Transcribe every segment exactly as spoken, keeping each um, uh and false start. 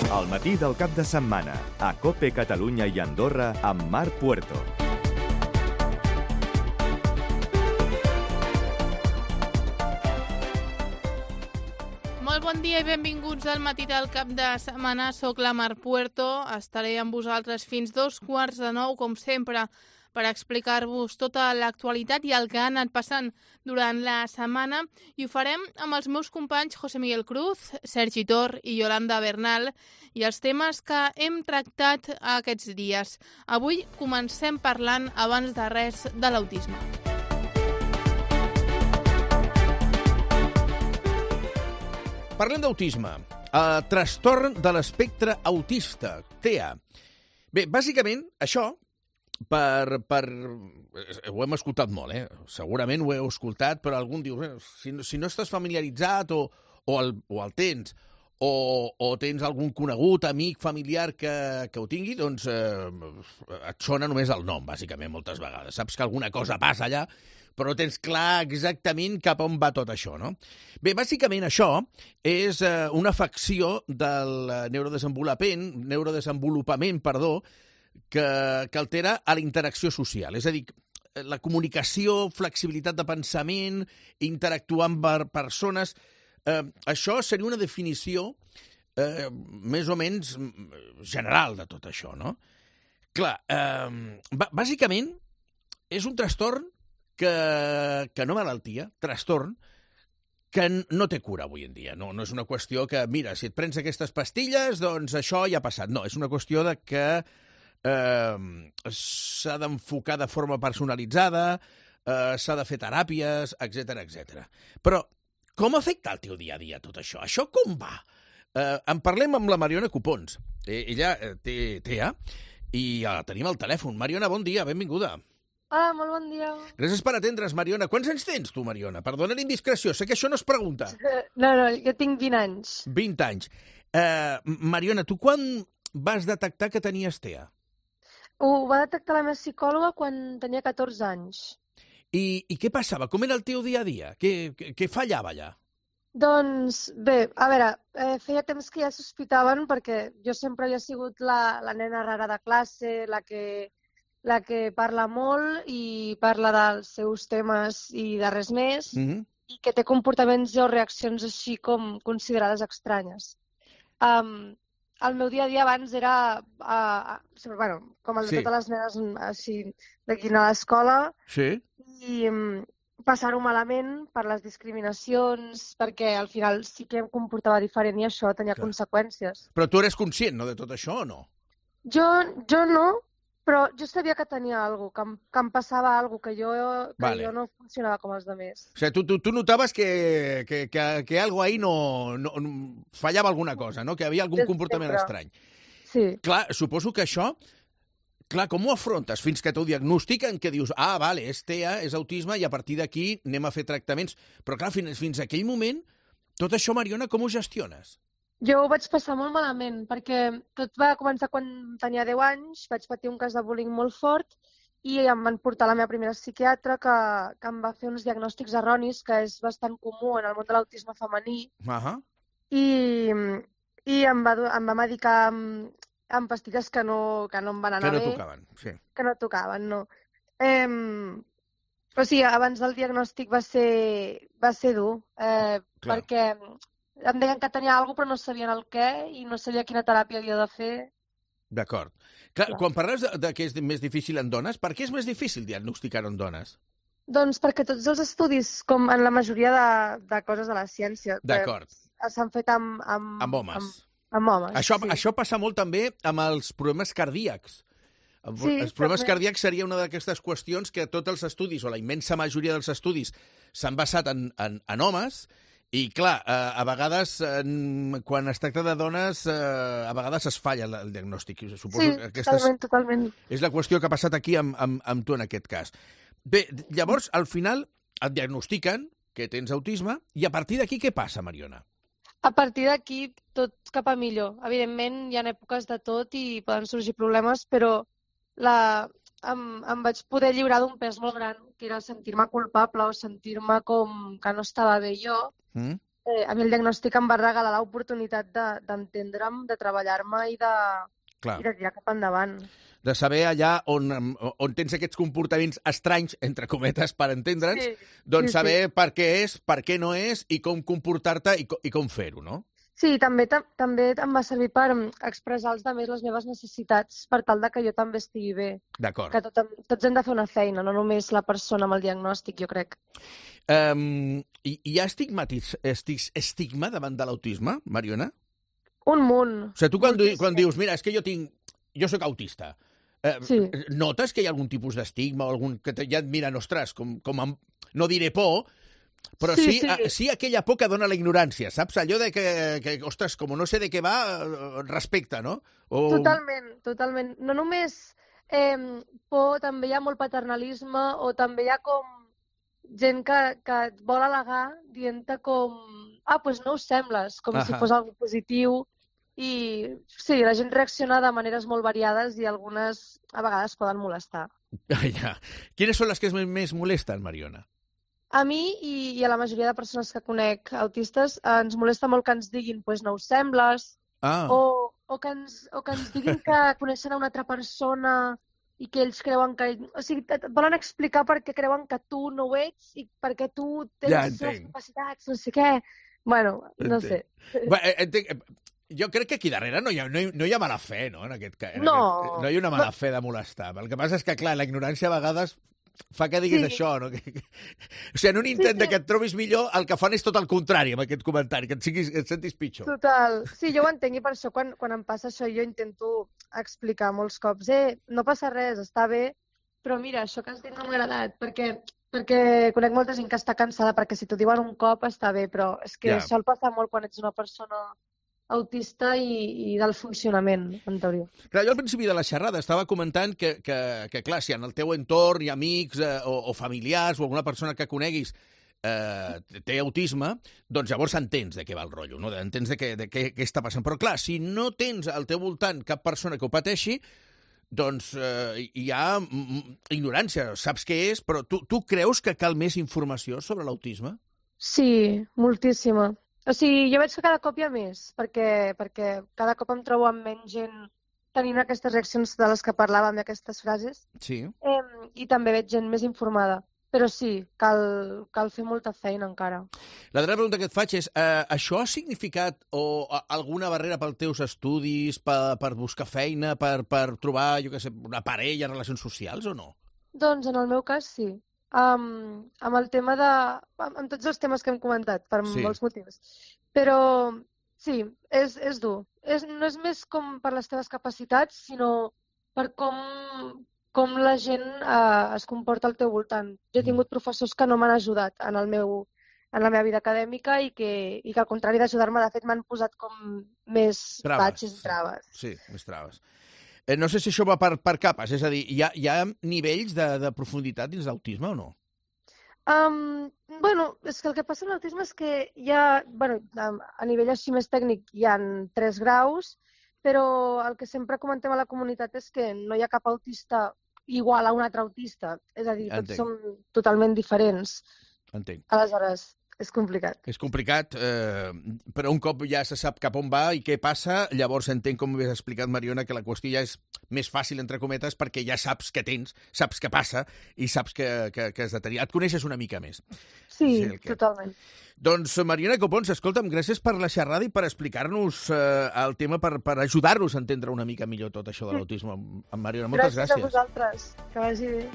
Al matí del cap de setmana, a COPE Catalunya i Andorra, amb Marc Puerto. Molt bon dia i benvinguts al matí del cap de setmana. Soc la Marc Puerto. Estaré amb vosaltres fins dos quarts de nou, com sempre, per explicar-vos tota l'actualitat i el que ha anat passant durant la setmana. I ho farem amb els meus companys José Miguel Cruz, Sergi Tor i Yolanda Bernal i els temes que hem tractat aquests dies. Avui comencem parlant, abans de res, de l'autisme. Parlem d'autisme. Uh, trastorn de l'espectre autista, T E A. Bé, bàsicament, això, per, per... ho hem escoltat molt, eh? Segurament ho heu escoltat, però algú diu, eh, si, si no estàs familiaritzat o, o, el, o el tens, o, o tens algun conegut, amic, familiar que, que ho tingui, doncs eh, et sona només el nom, bàsicament, moltes vegades. Saps que alguna cosa passa allà, però no tens clar exactament cap on va tot això, no? Bé, bàsicament això és eh, una afecció del neurodesenvolupament, neurodesenvolupament, perdó, que, que altera a la interacció social. És a dir, la comunicació, flexibilitat de pensament, interactuar amb persones. Eh, això seria una definició eh, més o menys general de tot això, no? Clar, eh, bàsicament és un trastorn que, que no malaltia, trastorn, que no té cura avui en dia. No, no és una qüestió que, mira, si et prens aquestes pastilles, doncs això ja ha passat. No, és una qüestió de que eh, s'ha d'enfocar de forma personalitzada, eh, s'ha de fer teràpies, etcètera, etcètera. Però com afecta el teu dia a dia tot això? Això com va? Eh, en parlem amb la Mariona Copons. Eh, ella eh, té T E A i ja la tenim al telèfon. Mariona, bon dia, benvinguda. Hola, molt bon dia. Gràcies per atendre's, Mariona. Quants anys tens tu, Mariona? Perdona l'indiscreció, sé que això no es pregunta. No, no, jo tinc vint anys. vint anys. Uh, Mariona, tu quan vas detectar que tenies T E A? Ho va detectar la meva psicòloga quan tenia catorze anys. I, i què passava? Com era el teu dia a dia? Què, què, què fallava allà? Doncs, bé, a veure, eh, feia temps que ja sospitaven perquè jo sempre havia sigut la, la nena rara de classe, la que... la que parla molt i parla dels seus temes i de res més, Mm-hmm. i que té comportaments o reaccions així com considerades estranyes. Um, el meu dia a dia abans era, uh, bueno, com el de Sí. totes les nenes així, d'aquí a l'escola, Sí? i um, passar-ho malament per les discriminacions, perquè al final sí que em comportava diferent i això tenia Clar. conseqüències. Però tu eres conscient, no?, de tot això, o no? Jo, jo no, però jo sabia que tenia alguna cosa, que, em- que em passava alguna cosa, que jo, que Vale. jo no funcionava com els altres. O sigui, tu, tu, tu notaves que, que, que, que algo ahí no, no, no... fallava alguna cosa, no?, que havia algun Des de comportament sempre. estrany. Sí. Clar, suposo que això... Clar, com ho afrontes fins que t'ho diagnostiquen, que dius, ah, vale, és T E A, és autisme, i a partir d'aquí anem a fer tractaments. Però clar, fins, fins a aquell moment, tot això, Mariona, com ho gestiones? Jo ho vaig passar molt malament, perquè tot va començar quan tenia deu anys, vaig patir un cas de bullying molt fort i em van portar a la meva primera psiquiatra que, que em va fer uns diagnòstics erronis, que és bastant comú en el món de l'autisme femení, Ahà. i, i em, va, do- em va medicar amb, amb pastilles que no, que no em van Que anar no bé. tocaven, sí. Que no tocaven, no. Eh, o sigui, abans del diagnòstic va ser, va ser dur, eh, Clar. perquè em deien que tenia alguna cosa però no sabien el què i no sabia quina teràpia havia de fer. D'acord. Clar, Clar. quan parles de, de que és més difícil en dones, per què és més difícil diagnosticar-ho en dones? Doncs perquè tots els estudis, com en la majoria de, de coses de la ciència, que D'acord. s'han fet amb, amb, Amb homes. Amb, amb homes, Això, sí. això passa molt també amb els problemes cardíacs. Sí, els problemes també. cardíacs seria una d'aquestes qüestions que tots els estudis, o la immensa majoria dels estudis, s'han basat en, en, en homes, i clar, eh, a vegades, en, quan es tracta de dones, eh, a vegades es falla el, el diagnòstic. Suposo Sí, que aquesta és, totalment, totalment. és la qüestió que ha passat aquí amb, amb, amb tu en aquest cas. Bé, llavors, al final, et diagnostiquen que tens autisme, i a partir d'aquí què passa, Mariona? A partir d'aquí, tot cap a millor. Evidentment, hi ha èpoques de tot i poden sorgir problemes, però la, em, em vaig poder lliurar d'un pes molt gran, que era sentir-me culpable o sentir-me com que no estava bé jo. Mm? eh, a mi el diagnòstic em va regalar l'oportunitat de- d'entendre'm, de treballar-me i de, Clar. i de tirar cap endavant. De saber allà on, on tens aquests comportaments estranys, entre cometes, per entendre'ns, Sí, doncs sí, saber sí. per què és, per què no és i com comportar-te i, co- i com fer-ho, no? Sí, també, ta- també em va servir per mm, expressar als altres les meves necessitats per tal de que jo també estigui bé. D'acord. Que tot, tots hem de fer una feina, no només la persona amb el diagnòstic, jo crec. Um, hi, hi ha estigmatis, estig, estigma davant de l'autisme, Mariona? Un munt. O sigui, tu quan, di- Moltíssim. quan dius, mira, és que jo tinc... Jo sóc autista. Eh, Sí. Notes que hi ha algun tipus d'estigma o algun que te, ja et miren, ostres, com, com amb, no diré por, però sí, Sí, sí. sí. A, sí aquella por que dona la ignorància, saps? Allò de que, que, ostres, com no sé de què va, eh, respecte, no? O... Totalment, totalment. No només eh, por, també hi ha molt paternalisme o també hi ha com gent que, que et vol al·legar dient-te com ah, doncs no us sembles, com si Ahà. fos algo positiu. I sí, la gent reacciona de maneres molt variades i algunes a vegades poden molestar. Ja. Quines són les que més, més molesten, Mariona? A mi i, i a la majoria de persones que conec autistes eh, ens molesta molt que ens diguin pues no us sembles, Ah, o, o, que ens, o que ens diguin que coneixen a una altra persona i que ells creuen que... O sigui, et volen explicar per què creuen que tu no ho ets i perquè tu tens Ja les entenc. capacitats, no sé què. Bueno, no sé. Bé, eh, entenc, eh, jo crec que aquí darrere no hi ha, no hi, no hi ha mala fe, no? En aquest, ca- en No. aquest, no hi ha una mala fe de molestar. El que passa és que, clar, la ignorància a vegades fa que diguis Sí. això, no? Que, que... O sigui, en un intent sí. de que et trobis millor, el que fan és tot el contrari amb aquest comentari, que et, siguis, que et sentis pitjor. Total. Sí, jo ho entenc i per això quan, quan em passa això jo intento explicar molts cops eh, no passa res, està bé, però mira, això que has dit no m'ha agradat, perquè, perquè conec molta gent que està cansada, perquè si t'ho diuen un cop està bé, però és que Ja. sol passar molt quan ets una persona autista i, i del funcionament, en teoria. Clar, jo al principi de la xerrada estava comentant que, que, que clar, si en el teu entorn hi ha amics eh, o, o familiars o alguna persona que coneguis eh, té autisme, doncs llavors entens de què va el rotllo, no? Entens de què, de què, què està passant. Però clar, si no tens al teu voltant cap persona que ho pateixi, doncs eh, hi ha mm, ignorància, saps què és, però tu, tu creus que cal més informació sobre l'autisme? Sí, moltíssima. O sigui, jo veig que cada cop hi ha més, perquè, perquè cada cop em trobo amb menys gent tenint aquestes reaccions de les que parlàvem, aquestes frases, Sí. eh, i també veig gent més informada. Però sí, cal, cal fer molta feina encara. La darrera pregunta que et faig és, eh, això ha significat o, a, alguna barrera pels teus estudis, per, per buscar feina, per, per trobar, jo què sé, una parella, relacions socials o no? Doncs en el meu cas sí. Um, amb el tema de... amb, amb tots els temes que hem comentat, per Sí. molts motius. Però sí, és, és dur. És, no és més com per les teves capacitats, sinó per com, com la gent uh, es comporta al teu voltant. Jo he Mm. tingut professors que no m'han ajudat en, el meu, en la meva vida acadèmica i que, i que al contrari d'ajudar-me, de fet, m'han posat com més Traves, batxes sí. i traves. Sí, més traves. Eh, no sé si això va per, per capes, és a dir, hi ha, hi ha nivells de, de profunditat dins l'autisme o no? Um, bueno, és que el que passa amb l'autisme és que hi ha, bueno, a nivell així més tècnic hi ha tres graus, però el que sempre comentem a la comunitat és que no hi ha cap autista igual a un altre autista, és a dir, tots Entenc. som totalment diferents. Entenc. Aleshores, és complicat. És complicat, eh, però un cop ja se sap cap on va i què passa, llavors entenc, com havies explicat, Mariona, que la qüestió ja és més fàcil, entre cometes, perquè ja saps què tens, saps què passa i saps que, que, que has de tenir. Et coneixes una mica més. Sí, Sí, el que- totalment. Doncs, Mariona Copons, escolta'm, gràcies per la xerrada i per explicar-nos eh, el tema, per, per ajudar-nos a entendre una mica millor tot això de l'autisme. Amb Mariona, moltes gràcies. gràcies. a vosaltres. Que vagi bé.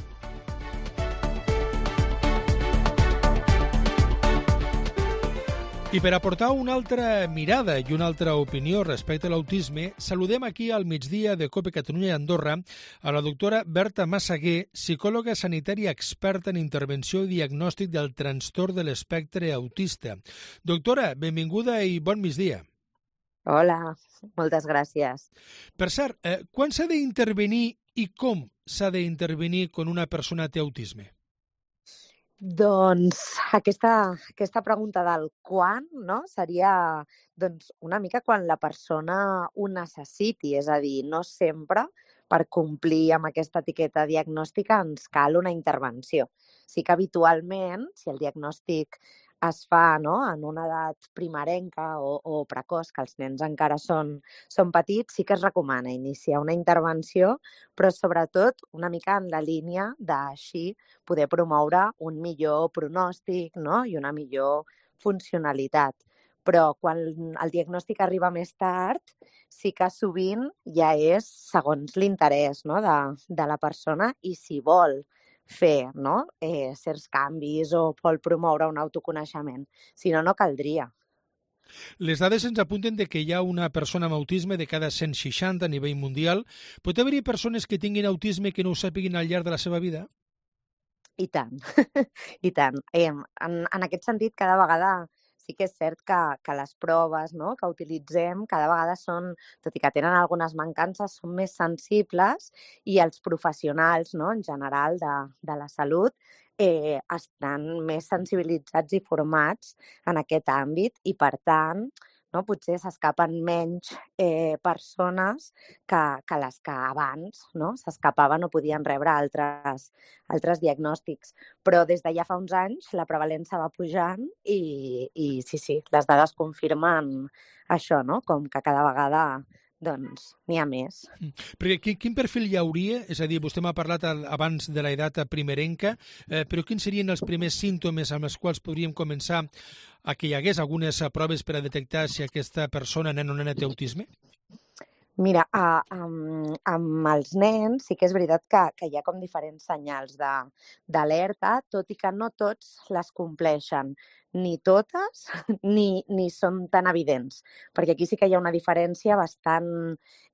I per aportar una altra mirada i una altra opinió respecte a l'autisme, saludem aquí al migdia de COPE Catalunya i Andorra a la doctora Berta Massaguer, psicòloga sanitària experta en intervenció i diagnòstic del trastorn de l'espectre autista. Doctora, benvinguda i bon migdia. Hola, moltes gràcies. Per cert, eh, quan s'ha d'intervenir i com s'ha d'intervenir quan una persona té autisme? Doncs aquesta, aquesta pregunta del quan, no? Seria doncs, una mica quan la persona ho necessiti, és a dir, no sempre per complir amb aquesta etiqueta diagnòstica ens cal una intervenció. Sí que habitualment, si el diagnòstic es fa, no?, en una edat primerenca o, o precoç, que els nens encara són, són petits, sí que es recomana iniciar una intervenció, però sobretot una mica en la línia d'així poder promoure un millor pronòstic, no?, i una millor funcionalitat. Però quan el diagnòstic arriba més tard, sí que sovint ja és segons l'interès, no?, de, de la persona i si vol fer, no?, eh, certs canvis o vol promoure un autoconeixement. Si no, no caldria. Les dades ens apunten de que hi ha una persona amb autisme de cada cent seixanta a nivell mundial. Pot haver-hi persones que tinguin autisme que no ho sàpiguin al llarg de la seva vida? I tant, i tant. Eh, en, en aquest sentit, cada vegada sí que és cert que, que les proves, no?, que utilitzem cada vegada són, tot i que tenen algunes mancances, són més sensibles i els professionals, no?, en general de, de la salut eh, estan més sensibilitzats i formats en aquest àmbit i, per tant, no, potser s'escapen menys eh, persones que, que les que abans, no?, s'escapaven o podien rebre altres, altres diagnòstics. Però des de ja fa uns anys la prevalença va pujant i, i sí, sí, les dades confirmen això, no?, com que cada vegada doncs n'hi ha més. Perquè quin, quin perfil hi hauria? És a dir, vostè m'ha parlat abans de l'edat primerenca, eh, però quins serien els primers símptomes amb els quals podríem començar a que hi hagués algunes proves per a detectar si aquesta persona, nen o nena, té autisme? Mira, a, amb, amb els nens sí que és veritat que, que hi ha com diferents senyals d'alerta, tot i que no tots les compleixen, ni totes, ni, ni són tan evidents, perquè aquí sí que hi ha una diferència bastant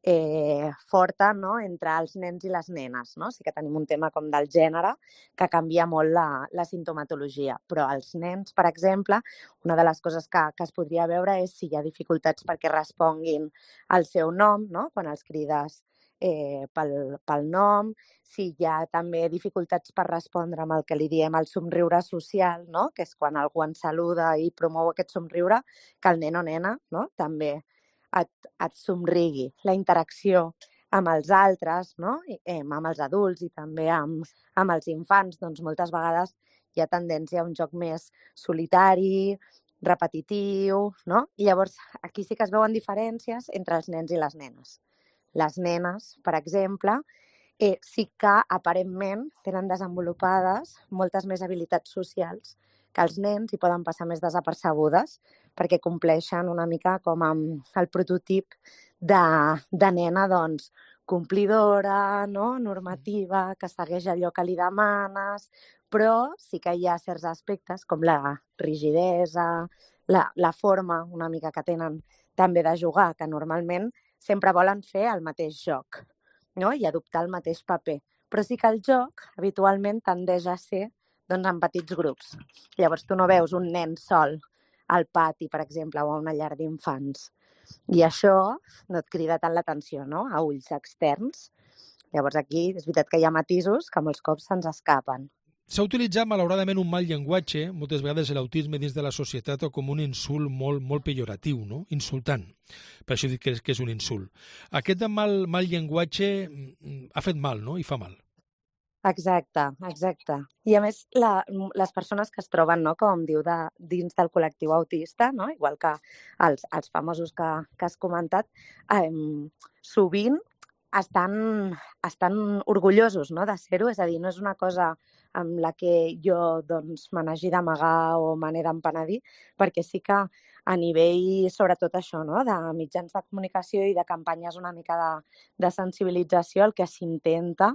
eh, forta, no?, entre els nens i les nenes, no? Sí que tenim un tema com del gènere que canvia molt la, la simptomatologia, però als nens, per exemple, una de les coses que, que es podria veure és si hi ha dificultats perquè responguin al seu nom, no?, quan els crides eh, pel, pel nom, si hi ha també dificultats per respondre amb el que li diem el somriure social, no?, que és quan algú ens saluda i promou aquest somriure, que el nen o nena, no?, també et, et somrigui. La interacció amb els altres, no?, I, eh, amb els adults i també amb, amb els infants, doncs moltes vegades hi ha tendència a un joc més solitari, repetitiu, no? I llavors aquí sí que es veuen diferències entre els nens i les nenes. Les nenes, per exemple, eh, sí que aparentment tenen desenvolupades moltes més habilitats socials que els nens i poden passar més desapercebudes perquè compleixen una mica com amb el prototip de, de nena, doncs, complidora, no?, normativa, que segueix allò que li demanes, però sí que hi ha certs aspectes com la rigidesa, la, la forma una mica que tenen també de jugar, que normalment sempre volen fer el mateix joc, no?, i adoptar el mateix paper. Però sí que el joc habitualment tendeix a ser doncs, en petits grups. Llavors tu no veus un nen sol al pati, per exemple, o a una llar d'infants. I això no et crida tant l'atenció, no?, a ulls externs. Llavors aquí és veritat que hi ha matisos que molts cops se'ns escapen. S'ha utilitzat, malauradament, un mal llenguatge, moltes vegades l'autisme dins de la societat, com un insult molt, molt pejoratiu, no?, insultant. Per això dic que és, que és un insult. Aquest mal, mal llenguatge ha fet mal, no?, i fa mal. Exacte, exacte. I a més, la, les persones que es troben, no, com diu, de, dins del col·lectiu autista, no, igual que els, els famosos que, que has comentat, eh, sovint estan, estan orgullosos, no, de ser-ho, és a dir, no és una cosa amb la que jo doncs, me n'hagi d'amagar o me n'he d'empenedir, perquè sí que a nivell, sobretot això, no?, de mitjans de comunicació i de campanyes una mica de, de sensibilització, el que s'intenta,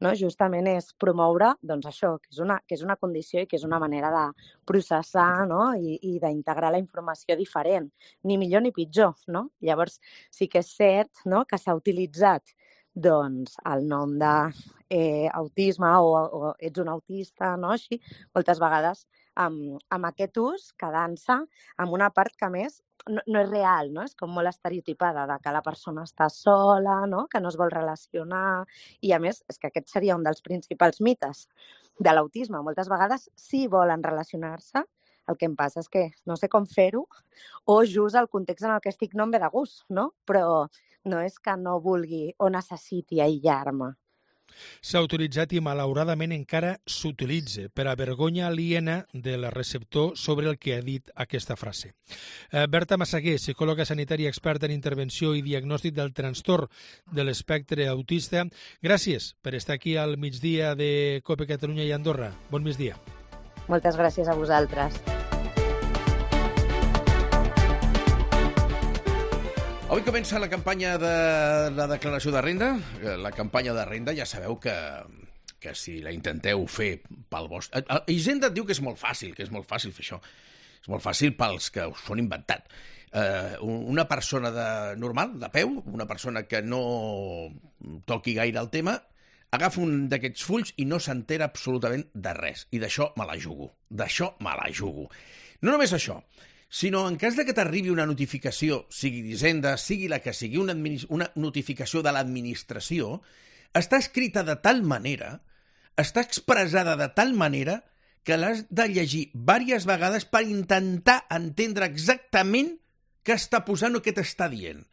no?, justament és promoure doncs, això, que és, una, que és una condició i que és una manera de processar, no?, i, i d'integrar la informació diferent, ni millor ni pitjor, no? Llavors sí que és cert, no?, que s'ha utilitzat doncs, el nom d'autisme eh, o, o ets un autista, no? Així, moltes vegades amb, amb aquest ús quedant-se amb una part que més no, no és real, no? És com molt estereotipada, de que la persona està sola, no? Que no es vol relacionar, i a més és que aquest seria un dels principals mites de l'autisme. Moltes vegades sí volen relacionar-se, el que em passa és que no sé com fer-ho o just el context en el que estic no em ve de gust, no? Però no és que no vulgui o necessiti aïllar-me. S'ha utilitzat i malauradament encara s'utilitza per a vergonya aliena del receptor sobre el que ha dit aquesta frase. Eh, Berta Massaguer, psicòloga sanitària experta en intervenció i diagnòstic del trastorn de l'espectre autista, gràcies per estar aquí al migdia de COPE Catalunya i Andorra. Bon migdia. Moltes gràcies a vosaltres. Avui comença la campanya de la declaració de renda. La campanya de renda ja sabeu que, que si la intenteu fer pel vostre... Hisenda et diu que és molt fàcil, que és molt fàcil fer això. És molt fàcil pels que us ho han inventat. Eh, una persona de, normal, de peu, una persona que no toqui gaire el tema, agafa un d'aquests fulls i no s'entera absolutament de res. I d'això me la jugo. D'això me la jugo. No només això, sinó en cas de que t'arribi una notificació, sigui d'Hisenda, sigui la que sigui, una, una notificació de l'administració, està escrita de tal manera, està expressada de tal manera que l'has de llegir diverses vegades per intentar entendre exactament què està posant o què t'està dient.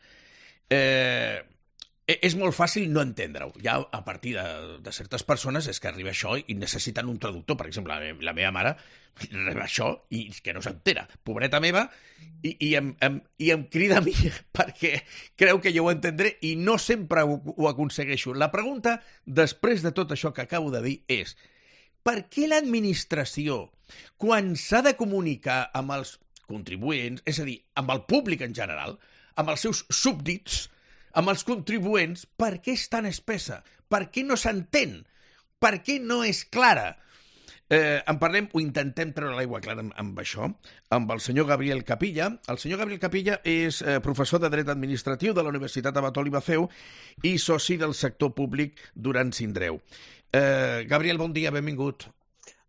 Eh... És molt fàcil no entendre-ho. Ja a partir de, de certes persones és que arriba això i necessiten un traductor. Per exemple, la, me, la meva mare arriba això i que no s'entera. Pobreta meva, i, i, em, em, i em crida a mi perquè creu que jo ho entendré i no sempre ho, ho aconsegueixo. La pregunta, després de tot això que acabo de dir, és per què l'administració, quan s'ha de comunicar amb els contribuents, és a dir, amb el públic en general, amb els seus súbdits, amb els contribuents, per què és tan espessa? Per què no s'entén? Per què no és clara? Eh, en parlem, ho intentem treure l'aigua clara amb, amb això, amb el senyor Gabriel Capilla. El senyor Gabriel Capilla és eh, professor de Dret Administratiu de la Universitat Abatol i Baceu i soci del sector públic Duran Sindreu. Eh, Gabriel, bon dia, benvingut.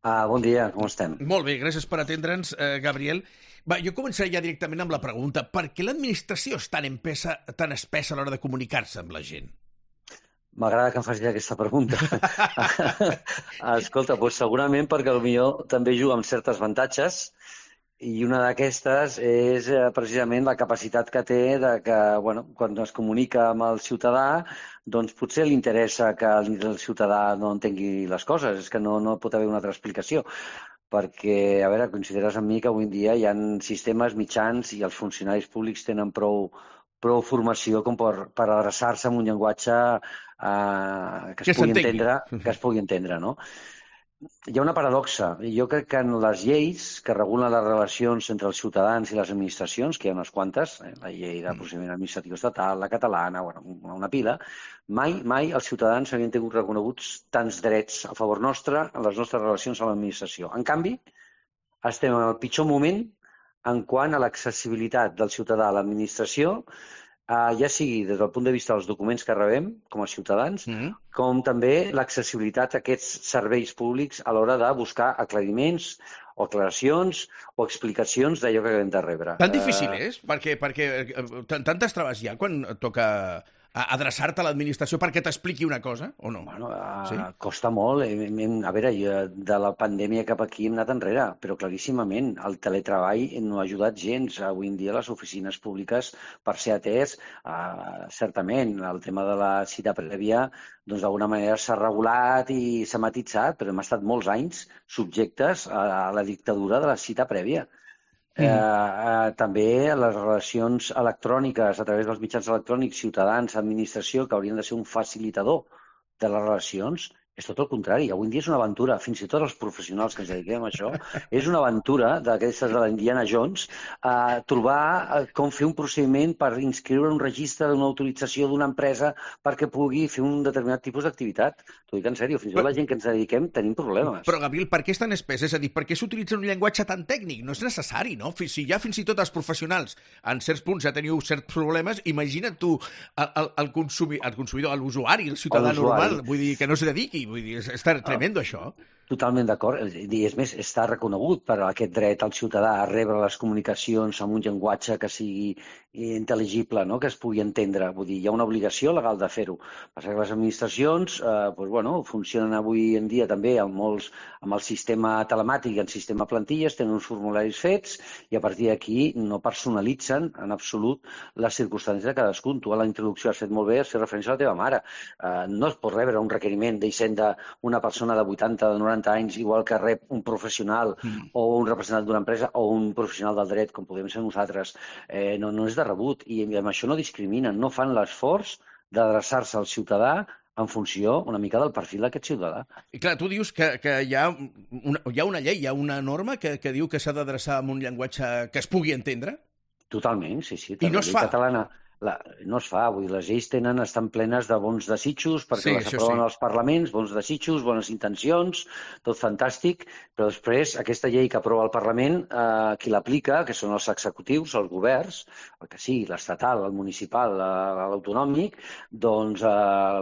Ah, bon dia, com estem? Molt bé, gràcies per atendre'ns, eh, Gabriel. Va, jo començaré ja directament amb la pregunta. Per què l'administració és tan espessa, tan espessa a l'hora de comunicar-se amb la gent? M'agrada que em facis aquesta pregunta. Escolta, doncs segurament perquè potser també juga amb certes avantatges i una d'aquestes és precisament la capacitat que té de que, bueno, quan es comunica amb el ciutadà, doncs potser li interessa que el ciutadà no entengui les coses, és que no, no pot haver una altra explicació. Perquè, a veure, consideres amb mi que avui en dia hi ha sistemes mitjans i els funcionaris públics tenen prou, prou formació com per, per adreçar-se amb un llenguatge eh, que, es que, pugui entendre, que es pugui entendre, no? Hi ha una paradoxa. Jo crec que en les lleis que regulen les relacions entre els ciutadans i les administracions, que hi ha unes quantes, eh, la llei de procediment administratiu estatal, la catalana, bueno, una pila, mai, mai els ciutadans havien tingut reconeguts tants drets a favor nostre en les nostres relacions amb l'administració. En canvi, estem en el pitjor moment en quant a l'accessibilitat del ciutadà a l'administració, Uh, ja sigui des del punt de vista dels documents que rebem com a ciutadans, mm-hmm. com també l'accessibilitat a aquests serveis públics a l'hora de buscar aclariments o aclaracions o explicacions d'allò que acabem de rebre. Tan difícil uh... és? Perquè, perquè tantes traves hi ha quan toca adreçar-te a l'administració perquè t'expliqui una cosa, o no? Bueno, uh, sí? Costa molt. A veure, de la pandèmia cap aquí hem anat enrere, però claríssimament el teletreball no ha ajudat gens. Avui en dia les oficines públiques, per ser atès, uh, certament, el tema de la cita prèvia, doncs d'alguna manera s'ha regulat i s'ha matitzat, però hem estat molts anys subjectes a la dictadura de la cita prèvia. Mm. Eh, eh, també les relacions electròniques a través dels mitjans electrònics, ciutadans, administració, que haurien de ser un facilitador de les relacions, és tot el contrari. Avui en dia és una aventura, fins i tot els professionals que ens dediquem a això, és una aventura d'aquestes de l'Indiana Jones, eh, trobar eh, com fer un procediment per inscriure un registre d'una autorització d'una empresa perquè pugui fer un determinat tipus d'activitat. T'ho dic en sèrio, fins i tot la gent que ens dediquem tenim problemes. Però, Gabriel, per què és tan espès? És a dir, per què s'utilitza un llenguatge tan tècnic? No és necessari, no? Si ja fins i tot els professionals en certs punts ja teniu certs problemes, imagina't tu el, el, el, consumi, el consumidor, l'usuari, el ciutadà normal, vull dir, que no s'hi dediqui. Vull dir, és tremendo, això. Totalment d'acord. I és més, està reconegut per aquest dret al ciutadà a rebre les comunicacions amb un llenguatge que sigui intel·ligible, no? Que es pugui entendre. Vull dir, hi ha una obligació legal de fer-ho. Passa que les administracions eh, doncs, bueno, funcionen avui en dia també amb, molts, amb el sistema telemàtic i el sistema plantilles, tenen uns formularis fets i a partir d'aquí no personalitzen en absolut les circumstàncies de cadascun. Tu a la introducció has fet molt bé, has fet referència a la teva mare. Eh, no es pot rebre un requeriment d'Hisenda una persona de vuitanta, de noranta anys, igual que rep un professional mm. o un representant d'una empresa o un professional del dret, com podem ser nosaltres. Eh, no, no és de rebut i amb això no discriminen, no fan l'esforç d'adreçar-se al ciutadà en funció una mica del perfil d'aquest ciutadà. I clar, tu dius que, que hi, ha una, hi ha una llei, hi ha una norma que, que diu que s'ha d'adreçar amb un llenguatge que es pugui entendre? Totalment, sí, sí. I no es fa? Catalana... La, no es fa, vull dir, les lleis tenen, estan plenes de bons desitjos perquè sí, les aproven sí. als parlaments, bons desitjos, bones intencions, tot fantàstic, però després aquesta llei que aprova el Parlament, eh, qui l'aplica, que són els executius, els governs, el que sigui, l'estatal, el municipal, l'autonòmic, doncs eh,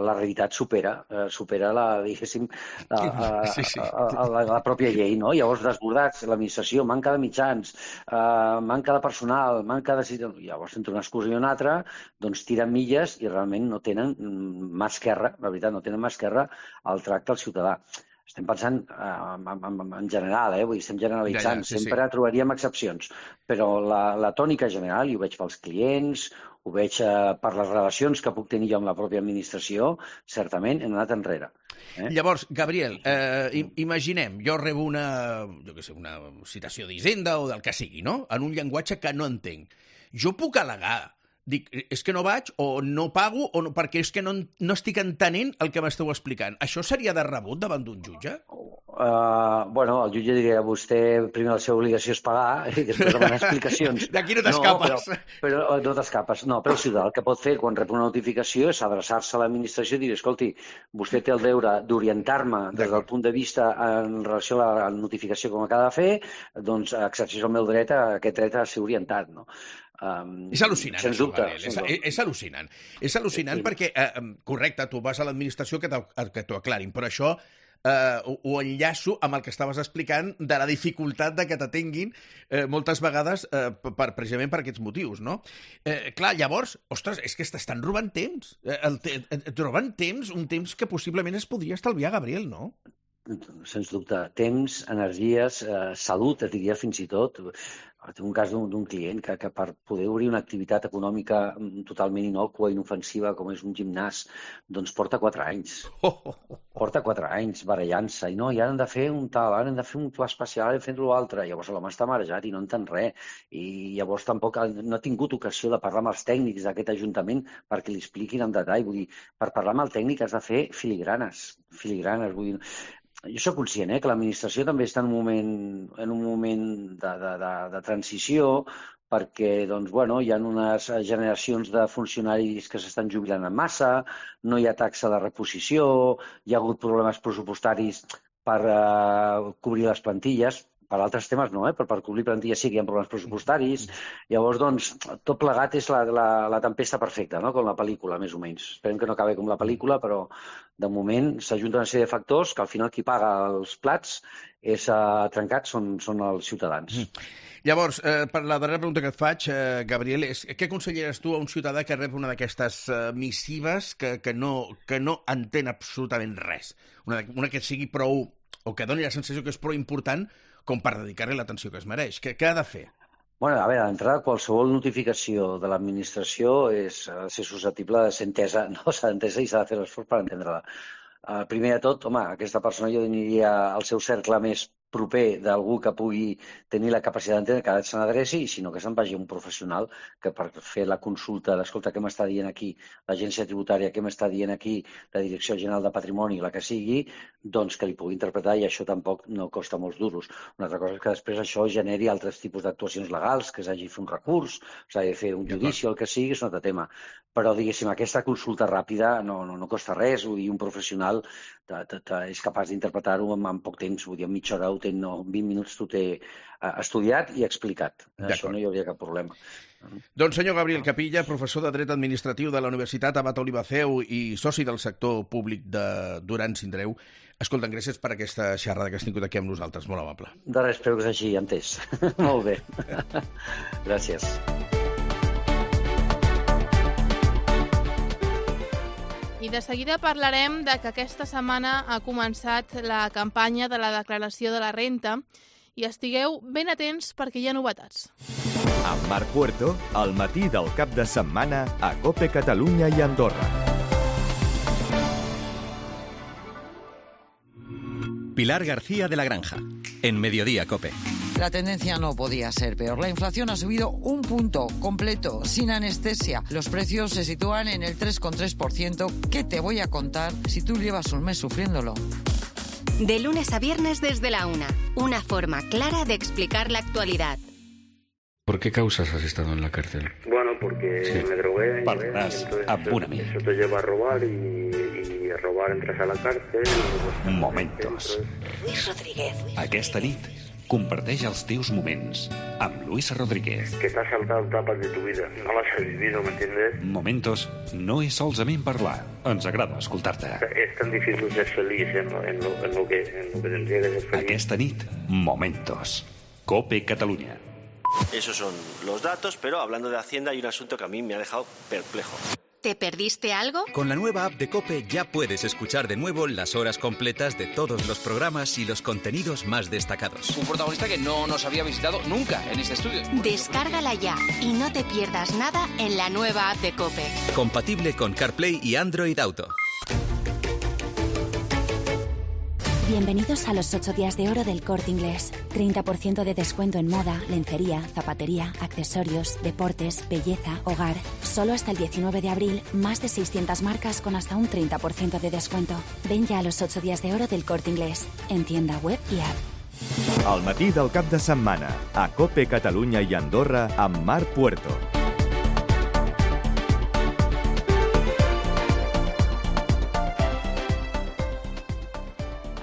la realitat supera, eh, supera la, diguéssim, la, a, sí, sí. A, a, la, la pròpia llei, no? Llavors, desbordats, l'administració, manca de mitjans, eh, manca de personal, manca de... Llavors, entre una excusa i una altra, doncs tiren milles i realment no tenen mà esquerra, la veritat, no tenen mà esquerra al tracte al ciutadà. Estem pensant eh, en, en, en general, eh? Vull dir, estem generalitzant, ja, ja, sí, sempre sí. trobaríem excepcions, però la, la tònica general, i ho veig pels clients, ho veig eh, per les relacions que puc tenir jo amb la pròpia administració, certament hem anat enrere. Eh? Llavors, Gabriel, eh, imaginem, jo rebo una, jo què sé, una citació d'Hisenda o del que sigui, no? En un llenguatge que no entenc. Jo puc al·legar dic, és que no vaig, o no pago, o no, perquè és que no, no estic entenent el que m'esteu explicant. Això seria de rebut davant d'un jutge? Uh, bueno, el jutge diria, vostè, primer la seva obligació és pagar i després demanar explicacions. D'aquí no t'escapes. No, però, però no t'escapes. No, però el ciutadà el que pot fer quan rep una notificació és adreçar-se a l'administració i dir, escolti, vostè té el deure d'orientar-me des del punt de vista en relació a la notificació com acaba de fer, doncs exerceix el meu dret a aquest dret a ser orientat, no? Um, és al·lucinant, sens dubte, això, Gabriel. És, és, és al·lucinant. És al·lucinant sí. perquè, eh, correcte, tu vas a l'administració que t'ho aclarin, però això eh, ho, ho enllaço amb el que estaves explicant de la dificultat de que t'atenguin eh, moltes vegades eh, per, precisament per aquests motius, no? Eh, clar, llavors, ostres, és que t'estan robant temps. Eh, el te, et roben temps, un temps que possiblement es podria estalviar, Gabriel, no? Sens dubte. Temps, energies, eh, salut, et diria fins i tot. Tinc un cas d'un client que, que per poder obrir una activitat econòmica totalment innòcua, inofensiva, com és un gimnàs, doncs porta quatre anys. Porta quatre anys barallant-se. I no, i ara hem de fer un tal, ara hem de fer un pla especial, hem de fer l'altre. Llavors l'home està marejat i no entén res. I llavors tampoc no ha tingut ocasió de parlar amb els tècnics d'aquest ajuntament perquè li expliquin en detall. Vull dir, per parlar amb el tècnic has de fer filigranes. Filigranes, vull dir... Jo soc conscient eh, que l'administració també està en un moment, en un moment de, de, de, de transició perquè doncs, bueno, hi ha unes generacions de funcionaris que s'estan jubilant en massa, no hi ha taxa de reposició, hi ha hagut problemes pressupostaris per eh, cobrir les plantilles, per altres temes no, eh? però per cobrir plantilles sí que hi ha problemes pressupostaris. Llavors, doncs, tot plegat és la, la, la tempesta perfecta, no? Com la pel·lícula, més o menys. Esperem que no acabi com la pel·lícula, però de moment s'ajunten una sèrie de factors que al final qui paga els plats és uh, trencat són, són els ciutadans. Mm. Llavors, eh, per la darrera pregunta que et faig, eh, Gabriel, és què aconselleres tu a un ciutadà que rep una d'aquestes eh, missives que, que, no, que no entén absolutament res? Una, una que sigui prou, o que doni la sensació que és prou important com per dedicar-li l'atenció que es mereix. Què, què ha de fer? Bueno, a veure, d'entrada, qualsevol notificació de l'administració és ser susceptible de ser entesa, no s'ha d'entesa i s'ha de fer l'esforç per entendre-la. Uh, primer de tot, home, aquesta persona jo aniria al seu cercle més proper d'algú que pugui tenir la capacitat d'entendre que se n'adreci i si no que se'n vagi un professional que per fer la consulta d'escolta què m'està dient aquí l'agència tributària, què m'està dient aquí la Direcció General de Patrimoni, la que sigui, doncs que li pugui interpretar i això tampoc no costa molts duros. Una altra cosa és que després això generi altres tipus d'actuacions legals, que s'hagi de fer un recurs, s'hagi de fer un judici o el que sigui, és un altre tema. Però, diguéssim, aquesta consulta ràpida no, no, no costa res, vull dir, un professional te, te, te és capaç d'interpretar-ho en, en poc temps, vull dir, en mitja hora ho ho té, no, en vint minuts t'ho té estudiat i explicat. Això no hi hauria cap problema. Doncs senyor Gabriel Capilla, professor de Dret Administratiu de la Universitat Abat Olivaceu i soci del sector públic de Duran Sindreu, escolta'm, gràcies per aquesta xerrada que has tingut aquí amb nosaltres, molt amable. De res, espero que s'hagi entès. Molt bé. Gràcies. I de seguida parlarem de que aquesta setmana ha començat la campanya de la declaració de la renta i estigueu ben atents perquè hi ha novetats. Amb Marc Puerto, al matí del cap de setmana a COPE Catalunya i Andorra. Pilar García de la Granja, en Mediodía COPE. La tendencia no podía ser peor. La inflación ha subido un punto completo, sin anestesia. Los precios se sitúan en el tres coma tres por ciento. ¿Qué te voy a contar si tú llevas un mes sufriéndolo? De lunes a viernes desde la una. Una forma clara de explicar la actualidad. ¿Por qué causas has estado en la cárcel? Bueno, porque sí. me drogué. Parlarás amb una amiga. Eso te lleva a robar y, y a robar entras a la cárcel. Y Momentos. Luis Rodríguez. Aquesta nit, comparteix els teus moments amb Luis Rodríguez. Que t'has saltado etapas de tu vida. No las has vivido, ¿me entiendes? Momentos no és solament parlar. Ens agrada escoltar-te. Es tan difícil ser feliz en lo, en lo, en lo, que, en lo que tendría que ser feliz. Aquesta nit, Momentos. COPE Catalunya. Esos son los datos, pero hablando de Hacienda hay un asunto que a mí me ha dejado perplejo. ¿Te perdiste algo? Con la nueva app de COPE ya puedes escuchar de nuevo las horas completas de todos los programas y los contenidos más destacados. Un protagonista que no nos había visitado nunca en este estudio. Descárgala ya y no te pierdas nada en la nueva app de COPE. Compatible con CarPlay y Android Auto. Bienvenidos a los ocho días de oro del Corte Inglés. treinta por ciento de descuento en moda, lencería, zapatería, accesorios, deportes, belleza, hogar. Solo hasta el diecinueve de abril, más de seiscientas marcas con hasta un treinta por ciento de descuento. Ven ya a los ocho días de oro del Corte Inglés, en tienda web y app. Al matí del cap de setmana, a COPE Catalunya i Andorra amb Marc Puerto.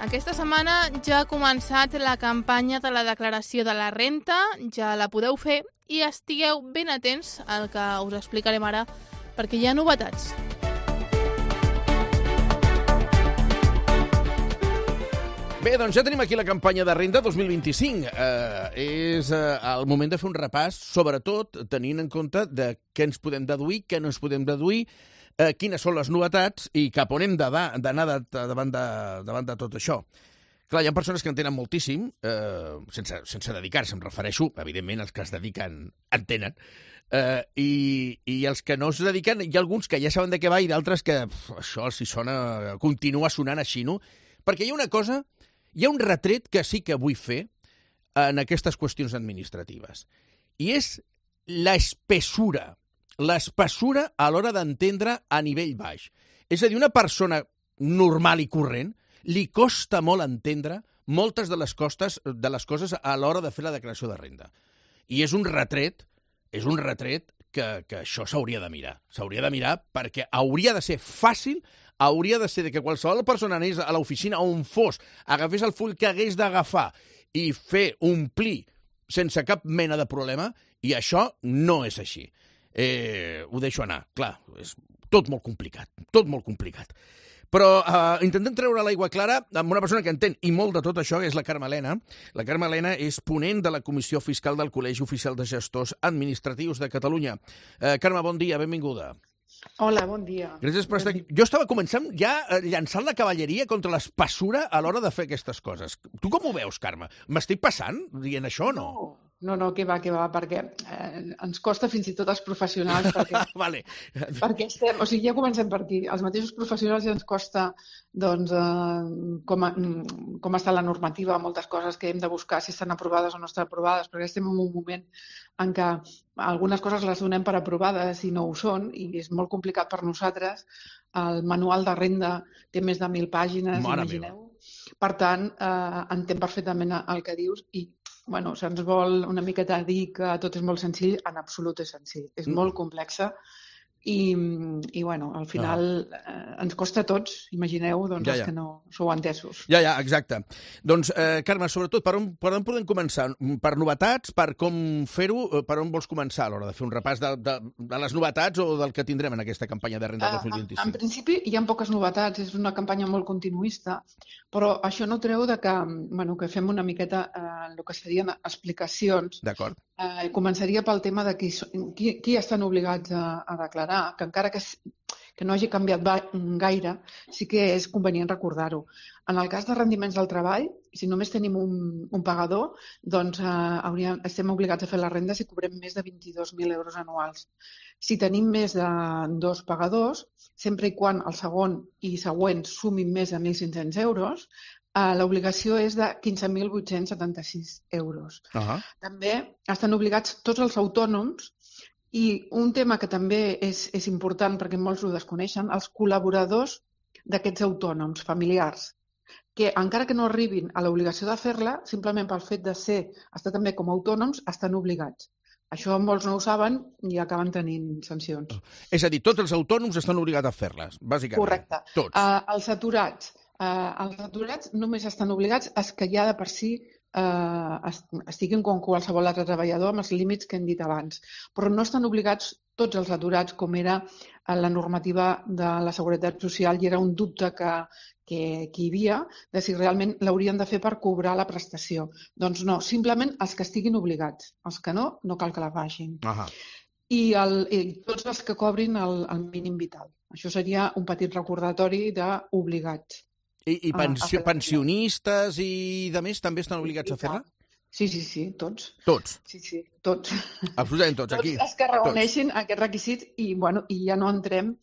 Aquesta setmana ja ha començat la campanya de la declaració de la renta, ja la podeu fer i estigueu ben atents al que us explicarem ara, perquè hi ha novetats. Bé, doncs ja tenim aquí la campanya de renda dos mil vint-i-cinc. Eh, és eh, el moment de fer un repàs, sobretot tenint en compte de què ens podem deduir, què no ens podem deduir, Eh, quines són les novetats i cap on hem d'anar davant, de, davant de tot això. Clar, hi ha persones que en tenen moltíssim, eh, sense, sense dedicar-se, em refereixo, evidentment, els que es dediquen entenen, eh, i, i els que no es dediquen, hi ha alguns que ja saben de què va i d'altres que pf, això els hi sona, continua sonant així, no? Perquè hi ha una cosa, hi ha un retret que sí que vull fer en aquestes qüestions administratives, i és l'espessura, l'espessura a l'hora d'entendre a nivell baix. És a dir, una persona normal i corrent li costa molt entendre moltes de les, costes, de les coses a l'hora de fer la declaració de renda. I és un retret, és un retret que, que això s'hauria de mirar. S'hauria de mirar perquè hauria de ser fàcil, hauria de ser de que qualsevol persona anés a l'oficina on fos, agafés el full que hagués d'agafar i fer omplir sense cap mena de problema, i això no és així. Eh, ho deixo anar. Clar, és tot molt complicat, tot molt complicat. Però eh, intentem treure l'aigua clara amb una persona que entén i molt de tot això, que és la Carme Elena. La Carme Elena és ponent de la Comissió Fiscal del Col·legi Oficial de Gestors Administratius de Catalunya. Eh, Carme, bon dia, benvinguda. Hola, bon dia. Gràcies per estar aquí. Jo estava començant ja llançant la cavalleria contra l'espessura a l'hora de fer aquestes coses. Tu com ho veus, Carme? M'estic passant dient això o no? No. No, no, que va, que va, perquè eh, ens costa fins i tot als professionals, perquè, vale. perquè estem, o sigui, ja comencem per aquí. Els mateixos professionals ja ens costa, doncs, eh, com, a, com està la normativa, moltes coses que hem de buscar si estan aprovades o no estan aprovades, perquè estem en un moment en què algunes coses les donem per aprovades i no ho són, i és molt complicat per nosaltres. El manual de renda té més de mil pàgines, Mare imagineu. Meva. Per tant, eh, entenc perfectament el que dius i bueno, se'ns vol una miqueta dir que tot és molt senzill, en absolut és senzill. És molt complexa i, i bueno, al final ah. eh, ens costa a tots, imagineu, doncs, ja, ja. els que no sou entesos. Ja, ja, exacte. Doncs, eh, Carme, sobretot, per on, per on podem començar? Per novetats, per com fer-ho, per on vols començar a l'hora de fer un repàs de, de, de les novetats o del que tindrem en aquesta campanya de renda dos mil vint-i-cinc? En, en principi hi ha poques novetats, és una campanya molt continuista, però això no treu de que, bueno, que fem una miqueta eh, el que serien explicacions. D'acord. Eh, començaria pel tema de qui, qui, qui estan obligats a, a declarar, que encara que, que no hagi canviat gaire, sí que és convenient recordar-ho. En el cas de rendiments del treball, si només tenim un, un pagador, doncs eh, hauríem, estem obligats a fer la renda si cobrem més de vint-i-dos mil euros anuals. Si tenim més de dos pagadors, sempre i quan el segon i següents sumin més de mil cinc-cents euros, Uh, l'obligació és de quinze mil vuit-cents setanta-sis euros. Uh-huh. També estan obligats tots els autònoms i un tema que també és, és important perquè molts ho desconeixen, els col·laboradors d'aquests autònoms familiars, que encara que no arribin a l'obligació de fer-la, simplement pel fet de ser, estar també com a autònoms, estan obligats. Això molts no ho saben i acaben tenint sancions. És a dir, tots els autònoms estan obligats a fer-les, bàsicament. Correcte. Tots. Uh, els aturats. Uh, els aturats només estan obligats a que ja de per si uh, estiguin com qualsevol altre treballador amb els límits que hem dit abans. Però no estan obligats tots els aturats com era la normativa de la Seguretat Social i era un dubte que, que, que hi havia de si realment l'haurien de fer per cobrar la prestació. Doncs no, simplement els que estiguin obligats. Els que no, no cal que la facin. Ahà. I, el, i tots els que cobrin el, el mínim vital. Això seria un petit recordatori d'obligats. I, i pensio, pensionistes i de més també estan obligats a fer-la? Sí, sí, sí, tots. Tots? Sí, sí, tots. Absolutament tots, aquí. Tots els que reuneixin tots aquests requisits i, bueno, i ja no entrem,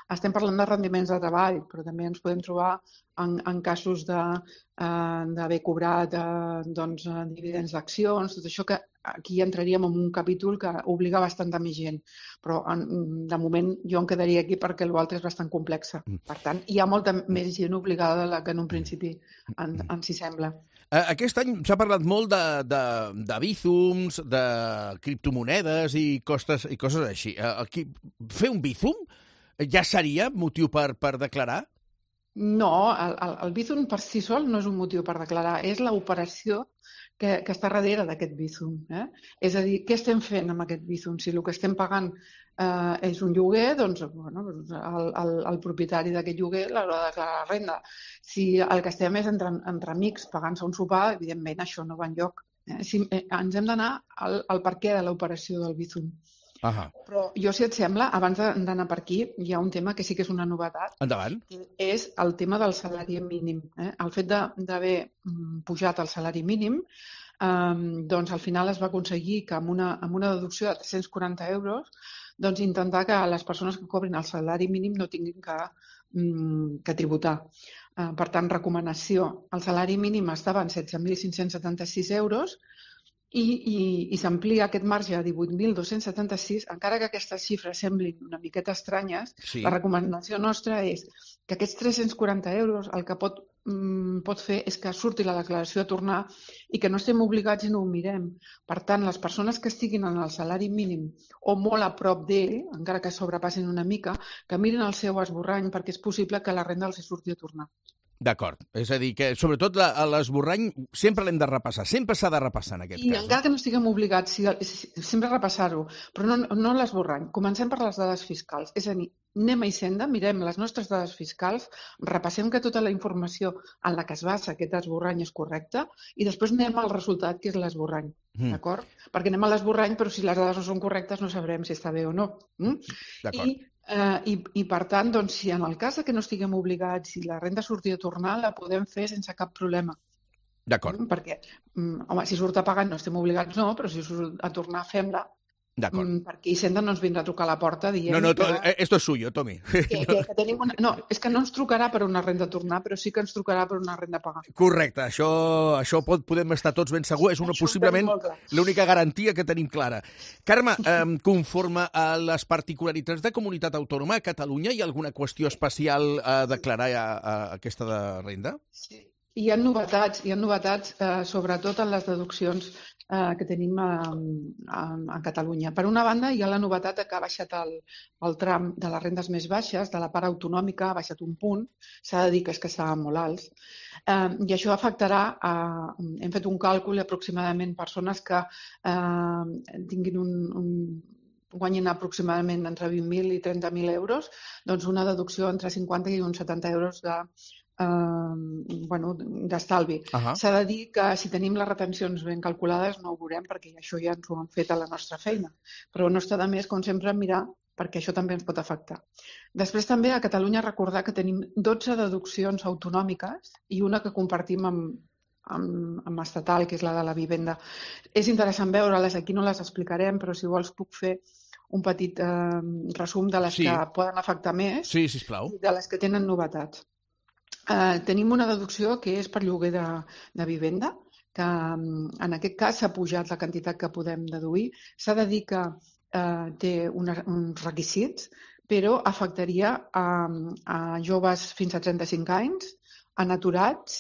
estem parlant de rendiments de treball, però també ens podem trobar en, en casos d'haver eh, cobrat eh, doncs, dividends d'accions, tot això que aquí entraríem en un capítol que obliga bastant de més gent. Però en, de moment jo em quedaria aquí perquè l'altre és bastant complexa. Per tant, hi ha molta més gent obligada de la que en un principi en, ens hi sembla. Aquest any s'ha parlat molt de, de, de bízums, de criptomonedes i, costes, i coses així. Aquí, fer un bízum ja seria motiu per, per declarar? No, el, el, el bízum per si sol no és un motiu per declarar, és l'operació que, que està darrere d'aquest bízum. Eh? És a dir, què estem fent amb aquest bízum? Si el que estem pagant eh, és un lloguer, doncs bueno, el, el, el propietari d'aquest lloguer l'haurà de declarar la renda. Si el que estem és entre, entre amics pagant-se un sopar, evidentment això no va enlloc. Eh? Si, eh, ens hem d'anar al, al per què de l'operació del bízum. Ahà. Però jo, si et sembla, abans d'anar per aquí, hi ha un tema que sí que és una novetat. Endavant. Que és el tema del salari mínim. Eh? El fet d'haver pujat el salari mínim, eh, doncs al final es va aconseguir que amb una, amb una deducció de tres-cents quaranta euros doncs intentar que les persones que cobrin el salari mínim no tinguin que, que tributar. Eh, per tant, recomanació. El salari mínim estava en setze mil cinc-cents setanta-sis euros, i, i, i s'amplia aquest marge a divuit mil dos-cents setanta-sis, encara que aquestes xifres semblin una miqueta estranyes, sí. La recomanació nostra és que aquests tres-cents quaranta euros el que pot, mm, pot fer és que surti la declaració a tornar i que no estem obligats i no ho mirem. Per tant, les persones que estiguin en el salari mínim o molt a prop d'ell, encara que sobrepassin una mica, que mirin el seu esborrany perquè és possible que la renda els surti a tornar. D'acord. És a dir, que sobretot l'esborrany sempre l'hem de repassar. Sempre s'ha de repassar en aquest I cas. I encara que no estiguem obligats, sí, sempre repassar-ho, però no, no l'esborrany. Comencem per les dades fiscals. És a dir, anem a Hisenda, mirem les nostres dades fiscals, repassem que tota la informació en la que es basa aquest esborrany és correcta i després anem al resultat, que és l'esborrany. Mm. D'acord? Perquè anem a l'esborrany, però si les dades no són correctes no sabrem si està bé o no. Mm? D'acord. I Uh, i, I, per tant, doncs, si en el cas que no estiguem obligats, si la renda surti a tornar, la podem fer sense cap problema. D'acord. Mm, perquè, um, home, si surt a pagar no estem obligats, no, però si surt a tornar, fem-la. D'acord. Mm, perquè Hisenda no ens vindrà a trucar a la porta dient... No, no, to, que... esto es suyo, Tomi. Que, que, que tenim una... No, és que no ens trucarà per una renda a tornar, però sí que ens trucarà per una renda a pagar. Correcte, això, això pot, podem estar tots ben segurs, és una, possiblement l'única garantia que tenim clara. Carme, eh, conforme a les particularitats de comunitat autònoma, a Catalunya hi ha alguna qüestió especial a declarar a, a aquesta de renda? Sí. Hi ha novetats, hi ha novetats eh, sobretot en les deduccions eh, que tenim a, a, a Catalunya. Per una banda, hi ha la novetat que ha baixat el, el tram de les rendes més baixes, de la part autonòmica, ha baixat un punt, s'ha de dir que és que estaven molt alts, eh, i això afectarà, a, hem fet un càlcul aproximadament persones que eh, tinguin un, un guanyin aproximadament entre vint mil i trenta mil euros, doncs una deducció entre cinquanta i uns setanta euros de, eh, bueno, d'estalvi. Uh-huh. S'ha de dir que si tenim les retencions ben calculades no ho veurem perquè això ja ens ho han fet a la nostra feina, però no està de més, com sempre, mirar perquè això també ens pot afectar. Després també a Catalunya recordar que tenim dotze deduccions autonòmiques i una que compartim amb, amb, amb estatal, que és la de la vivenda. És interessant veure-les, aquí no les explicarem, però si vols puc fer un petit eh, resum de les sí. que poden afectar més sí, sisplau. I de les que tenen novetats. Eh, tenim una deducció que és per lloguer de, de vivenda, que en aquest cas s'ha pujat la quantitat que podem deduir. S'ha de dir que eh, té una, uns requisits, però afectaria a, a joves fins a trenta-cinc anys, a naturats,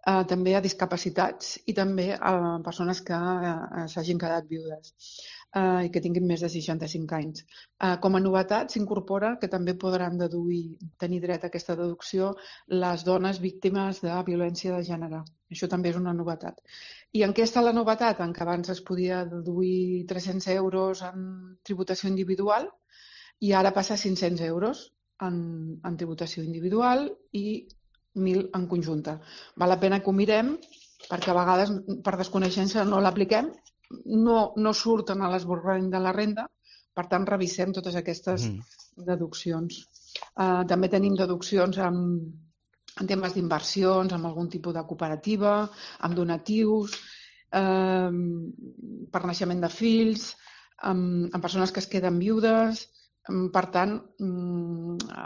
eh, també a discapacitats i també a persones que eh, s'hagin quedat viudes eh, i que tinguin més de seixanta-cinc anys. Eh, com a novetat s'incorpora que també podran deduir, tenir dret a aquesta deducció les dones víctimes de violència de gènere. Això també és una novetat. I en què està la novetat? En què abans es podia deduir tres-cents euros en tributació individual i ara passa a cinc-cents euros en, en tributació individual i mil en conjunta. Val la pena que ho mirem perquè a vegades per desconeixença no l'apliquem, no, no surten a l'esborrany de la renda, per tant revisem totes aquestes mm. deduccions. Uh, també tenim deduccions en, en temes d'inversions, amb algun tipus de cooperativa, amb donatius, uh, per naixement de fills, amb, amb persones que es queden viudes. Per tant,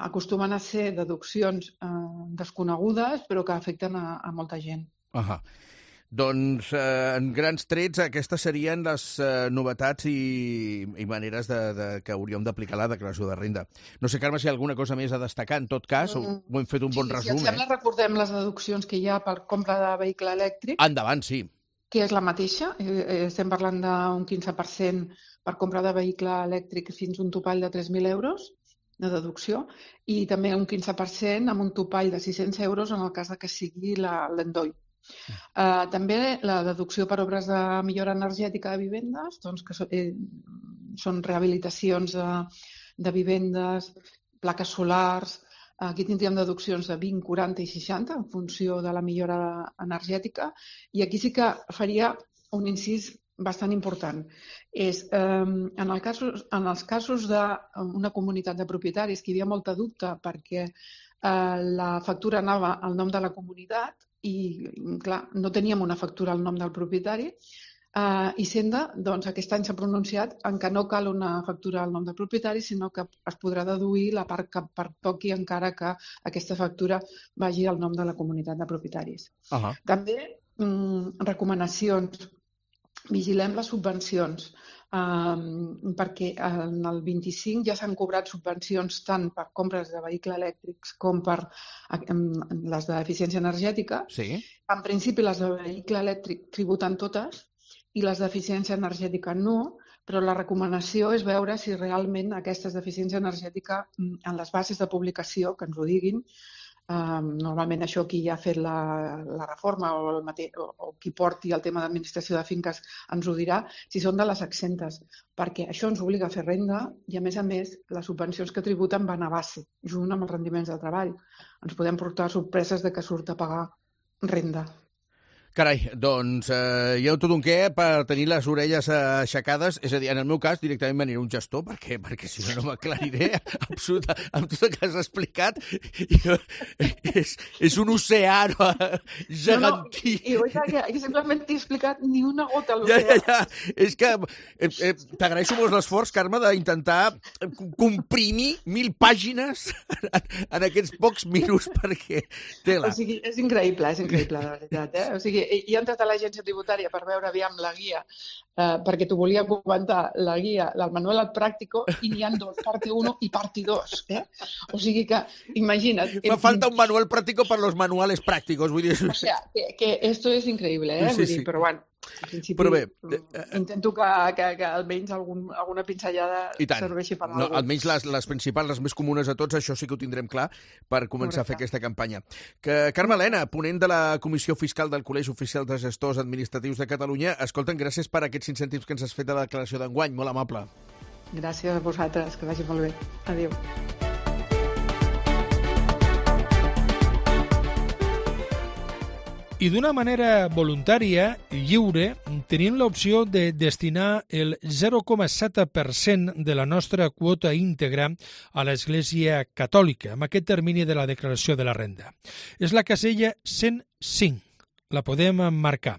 acostumen a ser deduccions eh, desconegudes però que afecten a, a molta gent. Uh-huh. Doncs, eh, en grans trets, aquestes serien les eh, novetats i, i maneres de, de, que hauríem d'aplicar la declaració de renda. No sé, Carme, si hi ha alguna cosa més a destacar. En tot cas, mm. ho hem fet un bon sí, resum. Si et sembla, eh? recordem les deduccions que hi ha per compra de vehicle elèctric. Endavant, sí. Que és la mateixa. Eh, estem parlant d'un quinze per cent per compra de vehicle elèctric fins a un topall de tres mil euros de deducció i també un quinze per cent amb un topall de sis-cents euros en el cas que sigui l'endoll. Uh, també la deducció per obres de millora energètica de vivendes, doncs, que so, eh, són rehabilitacions de, de vivendes, plaques solars. Aquí tindríem deduccions de vint, quaranta i seixanta en funció de la millora energètica i aquí sí que faria un incís bastant important. És, eh, en, el casos, en els casos d'una comunitat de propietaris que hi havia molta dubte perquè eh, la factura anava al nom de la comunitat i, clar, no teníem una factura al nom del propietari, eh, i Senda, doncs, aquest any s'ha pronunciat en què no cal una factura al nom del propietari, sinó que es podrà deduir la part que pertoqui encara que aquesta factura vagi al nom de la comunitat de propietaris. Uh-huh. També mm, recomanacions. Vigilem les subvencions, um, perquè en el vint-i-cinc ja s'han cobrat subvencions tant per compres de vehicles elèctrics com per um, les d'eficiència energètica. Sí. En principi, les de vehicle elèctric tributen totes i les d'eficiència energètica no, però la recomanació és veure si realment aquestes d'eficiència energètica en les bases de publicació, que ens ho diguin, Um, normalment això qui ha fet la, la reforma o, el mate, o, o qui porti el tema d'administració de finques ens ho dirà, si són de les exentes, perquè això ens obliga a fer renda i a més a més les subvencions que tributen van a base, junt amb els rendiments del treball. Ens podem portar sorpreses de que surt a pagar renda. Carai, doncs eh, hi ha tot un què per tenir les orelles aixecades, és a dir, en el meu cas directament m'aniré un gestor, perquè, perquè si no no m'aclariré absoluta, amb tot el que has explicat. Jo, és, és un oceà gegantí. No, no, i, i que, que simplement t'he explicat ni una gota a l'oceà. Ja, ja, ja. És que eh, eh, t'agraeixo molt l'esforç, Carme, d'intentar comprimir mil pàgines en, en aquests pocs minuts, perquè tela. O sigui, és increïble, és increïble, la veritat, eh? O sigui, he entrat a l'agència tributària per veure aviam la guia, eh, perquè t'ho volia comentar, la guia, el manual al pràctico, i n'hi ha dos, parte uno i parte dos. Eh? O sigui que, imagina't... Fa falta un manual práctico para los manuales prácticos. Vull dir... O sea, que, que esto es increíble, eh? Sí, Vull dir, sí. però bueno, En principi, Però bé, intento que, que, que almenys algun, alguna pinzellada serveixi per a no, alguna. Almenys les, les principals, les més comunes a tots, això sí que ho tindrem clar per començar Correcte. a fer aquesta campanya. Que, Carme Elena, ponent de la Comissió Fiscal del Col·legi Oficial de Gestors Administratius de Catalunya, escolten, gràcies per aquests cinc cèntims que ens has fet de la declaració d'enguany, molt amable. Gràcies a vosaltres, que vagi molt bé. Adéu. I d'una manera voluntària, lliure, tenim l'opció de destinar el zero coma set per cent de la nostra quota íntegra a l'Església Catòlica, amb aquest termini de la declaració de la renda. És la casella cent cinc. La podem marcar.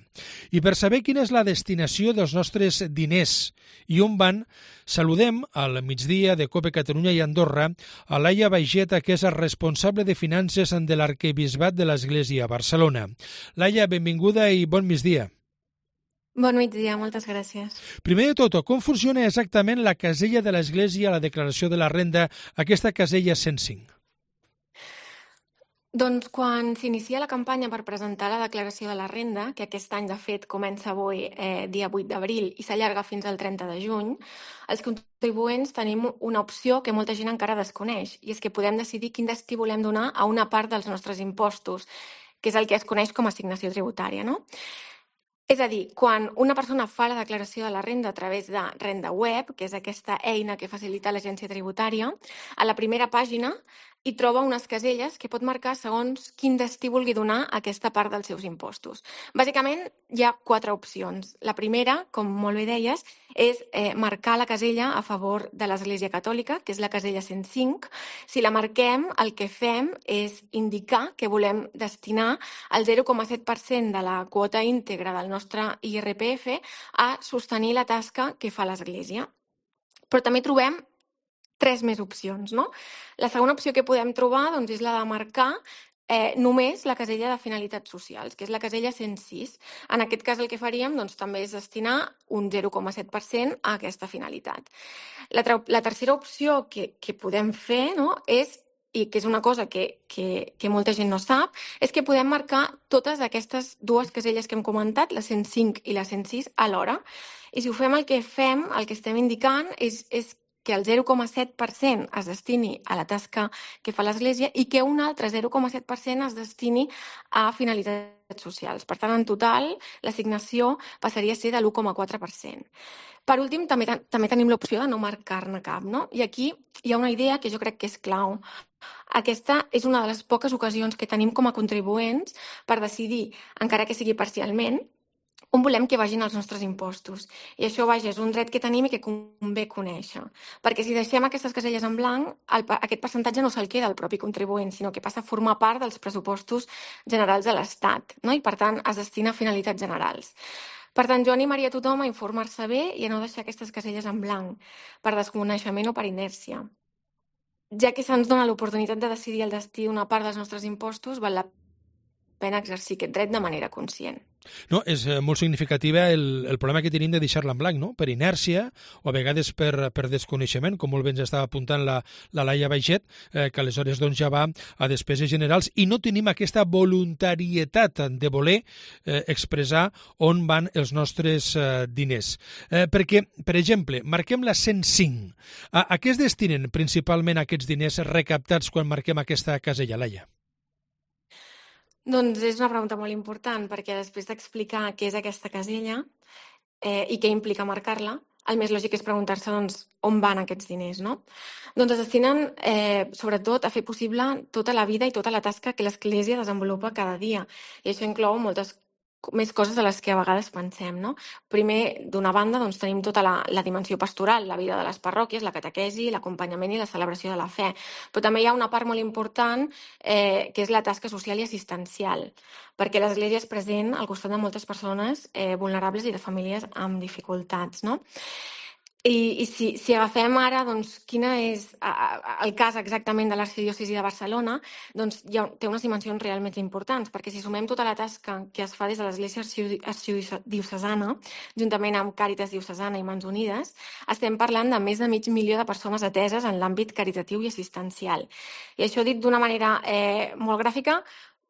I per saber quina és la destinació dels nostres diners i on van, saludem al migdia de COPE Catalunya i Andorra a Laia Baigeta, que és el responsable de finances de l'Arquebisbat de l'Església a Barcelona. Laia, benvinguda i bon migdia. Bon migdia, moltes gràcies. Primer de tot, com funciona exactament la casella de l'Església a la declaració de la renda, aquesta casella cent cinc? Doncs quan s'inicia la campanya per presentar la declaració de la renda, que aquest any de fet comença avui, eh, dia vuit d'abril, i s'allarga fins al trenta de juny, els contribuents tenim una opció que molta gent encara desconeix, i és que podem decidir quin destí volem donar a una part dels nostres impostos, que és el que es coneix com a assignació tributària, no? És a dir, quan una persona fa la declaració de la renda a través de Renda Web, que és aquesta eina que facilita l'agència tributària, a la primera pàgina hi troba unes caselles que pot marcar segons quin destí vulgui donar a aquesta part dels seus impostos. Bàsicament, hi ha quatre opcions. La primera, com molt bé deies, és eh, marcar la casella a favor de l'Església Catòlica, que és la casella cent cinc. Si la marquem, el que fem és indicar que volem destinar el zero coma set per cent de la quota íntegra del nostre I R P F a sostenir la tasca que fa l'Església. Però també trobem tres més opcions, no? La segona opció que podem trobar doncs, és la de marcar eh, només la casella de finalitats socials, que és la casella cent sis. En aquest cas el que faríem doncs, també és destinar un zero coma set per cent a aquesta finalitat. La, la tercera opció que, que podem fer, no, és, i que és una cosa que, que, que molta gent no sap, és que podem marcar totes aquestes dues caselles que hem comentat, la cent cinc i la cent sis, alhora. I si ho fem, el que fem, el que estem indicant és, és que el zero coma set per cent es destini a la tasca que fa l'Església i que un altre zero coma set per cent es destini a finalitats socials. Per tant, en total, l'assignació passaria a ser de l'u coma quatre per cent. Per últim, també, també tenim l'opció de no marcar-ne cap, no? I aquí hi ha una idea que jo crec que és clau. Aquesta és una de les poques ocasions que tenim com a contribuents per decidir, encara que sigui parcialment, on volem que vagin els nostres impostos. I això, vaja, és un dret que tenim i que convé conèixer. Perquè si deixem aquestes caselles en blanc, el, aquest percentatge no se'l queda al propi contribuent, sinó que passa a formar part dels pressupostos generals de l'Estat, no? I, per tant, es destina a finalitats generals. Per tant, jo animaria a tothom a informar-se bé i a no deixar aquestes caselles en blanc, per desconeixement o per inèrcia. Ja que se'ns dona l'oportunitat de decidir el destí d'una part dels nostres impostos, val la pena exercir aquest dret de manera conscient. No, és molt significativa el, el problema que tenim de deixar-la en blanc, no? Per inèrcia o a vegades per, per desconeixement, com molt bé ens estava apuntant la, la Laia Baiget, eh, que aleshores doncs, ja va a despeses generals i no tenim aquesta voluntarietat de voler eh, expressar on van els nostres eh, diners. Eh, perquè, per exemple, marquem la cent cinc. A, a què es destinen principalment aquests diners recaptats quan marquem aquesta casella, Laia? Doncs és una pregunta molt important, perquè després d'explicar què és aquesta casella eh, i què implica marcar-la, el més lògic és preguntar-se doncs, on van aquests diners, no? Doncs es destinen, eh, sobretot, a fer possible tota la vida i tota la tasca que l'Església desenvolupa cada dia. I això inclou moltes més coses de les que a vegades pensem, no? Primer, d'una banda, doncs, tenim tota la, la dimensió pastoral, la vida de les parròquies, la catequesi, l'acompanyament i la celebració de la fe. Però també hi ha una part molt important eh, que és la tasca social i assistencial, perquè l'Església és present al costat de moltes persones eh, vulnerables i de famílies amb dificultats, no? I, i si, si agafem ara doncs, quina és a, a, el cas exactament de l'Arxidiòcesi de Barcelona, doncs hi ha, té unes dimensions realment importants, perquè si sumem tota la tasca que es fa des de l'Església Arxidiocesana, juntament amb Càritas Diocesana i Mans Unides, estem parlant de més de mig milió de persones ateses en l'àmbit caritatiu i assistencial. I això dit d'una manera eh, molt gràfica,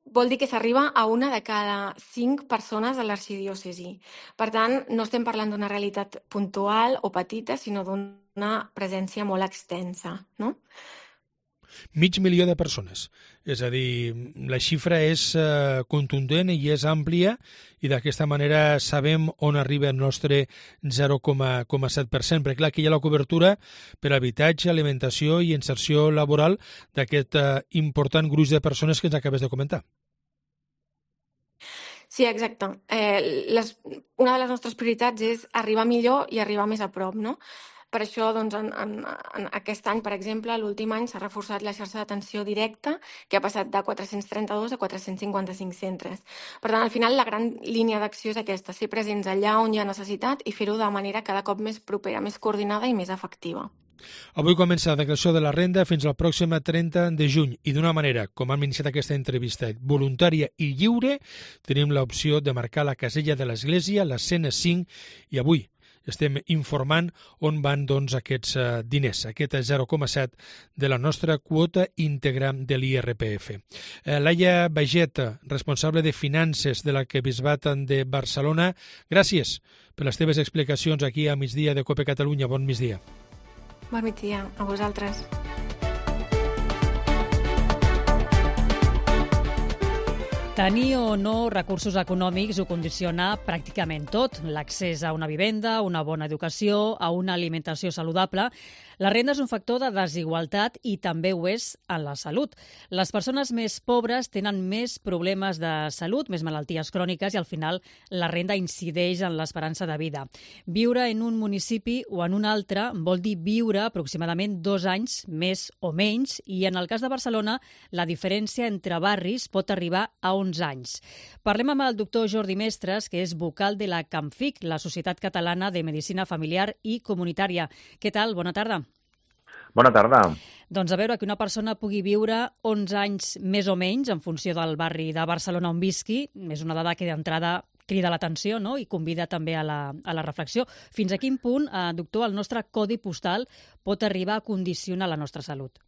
vol dir que s'arriba a una de cada cinc persones de l'arxidiòcesi. Per tant, no estem parlant d'una realitat puntual o petita, sinó d'una presència molt extensa, no? Mig milió de persones. És a dir, la xifra és eh, contundent i és àmplia i d'aquesta manera sabem on arriba el nostre zero coma set per cent. Perquè clar, aquí hi ha la cobertura per habitatge, alimentació i inserció laboral d'aquest eh, important gruix de persones que ens acabes de comentar. Sí, exacte. Eh, les, una de les nostres prioritats és arribar millor i arribar més a prop, no? Per això, doncs, en, en, en aquest any, per exemple, l'últim any s'ha reforçat la xarxa d'atenció directa, que ha passat de quatre-cents trenta-dos a quatre-cents cinquanta-cinc centres. Per tant, al final, la gran línia d'acció és aquesta, ser presents allà on hi ha necessitat i fer-ho de manera cada cop més propera, més coordinada i més efectiva. Avui comença la declaració de la renda fins al pròxim trenta de juny i d'una manera, com hem iniciat aquesta entrevista, voluntària i lliure, tenim l'opció de marcar la casella de l'Església, la cent cinc, i avui estem informant on van doncs, aquests uh, diners, aquest zero coma set de la nostra quota íntegra de l'I R P F. Uh, Laia Baget, responsable de Finances de l'Arquebisbat de Barcelona, gràcies per les teves explicacions aquí a Migdia de COPE Catalunya. Bon migdia. Bon migdia a vosaltres. Tenir o no recursos econòmics ho condiciona pràcticament tot. L'accés a una vivenda, una bona educació, a una alimentació saludable. La renda és un factor de desigualtat i també ho és en la salut. Les persones més pobres tenen més problemes de salut, més malalties cròniques i al final la renda incideix en l'esperança de vida. Viure en un municipi o en un altre vol dir viure aproximadament dos anys més o menys i en el cas de Barcelona la diferència entre barris pot arribar a onze anys. Parlem amb el doctor Jordi Mestres, que és vocal de la CAMFIC, la Societat Catalana de Medicina Familiar i Comunitària. Què tal? Bona tarda. Bona tarda. Doncs a veure, que una persona pugui viure onze anys més o menys en funció del barri de Barcelona on visqui, és una dada que d'entrada crida l'atenció, no? I convida també a la, a la reflexió. Fins a quin punt, eh, doctor, el nostre codi postal pot arribar a condicionar la nostra salut?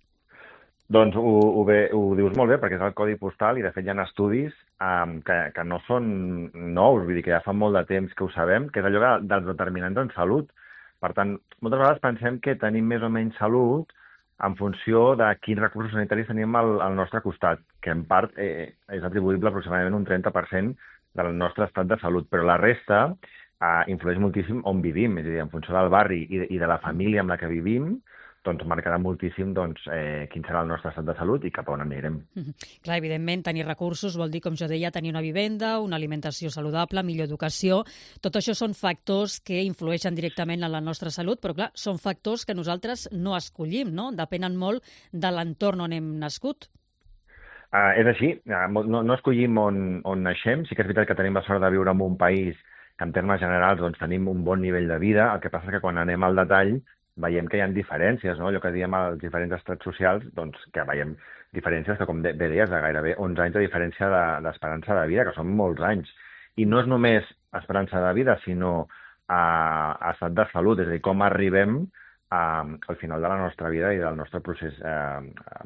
Doncs ho, ho, bé, ho dius molt bé, perquè és el codi postal i de fet hi ha estudis um, que, que no són nous, vull dir que ja fa molt de temps que ho sabem, que és allò dels determinants en salut. Per tant, moltes vegades pensem que tenim més o menys salut en funció de quins recursos sanitaris tenim al, al nostre costat, que en part eh, és atribuïble aproximadament un trenta per cent del nostre estat de salut, però la resta eh, influeix moltíssim on vivim, és a dir, en funció del barri i de, i de la família amb la que vivim, doncs marcarà moltíssim doncs, eh, quin serà el nostre estat de salut i cap a on anirem. Mm-hmm. Clar, evidentment, tenir recursos vol dir, com jo deia, tenir una vivenda, una alimentació saludable, millor educació. Tot això són factors que influeixen directament en la nostra salut, però clar, són factors que nosaltres no escollim, no? Depenen molt de l'entorn on hem nascut. Uh, és així, uh, no, no escollim on, on naixem. Sí que és veritat que tenim la sort de viure en un país que en termes generals doncs, tenim un bon nivell de vida, el que passa que quan anem al detall veiem que hi ha diferències, no? Allò que diem als diferents estrats socials, doncs que veiem diferències que, com bé deies, de gairebé onze anys de diferència d'esperança de, de vida, que són molts anys. I no és només esperança de vida, sinó a, a estat de salut, és a dir, com arribem a, al final de la nostra vida i del nostre procés eh,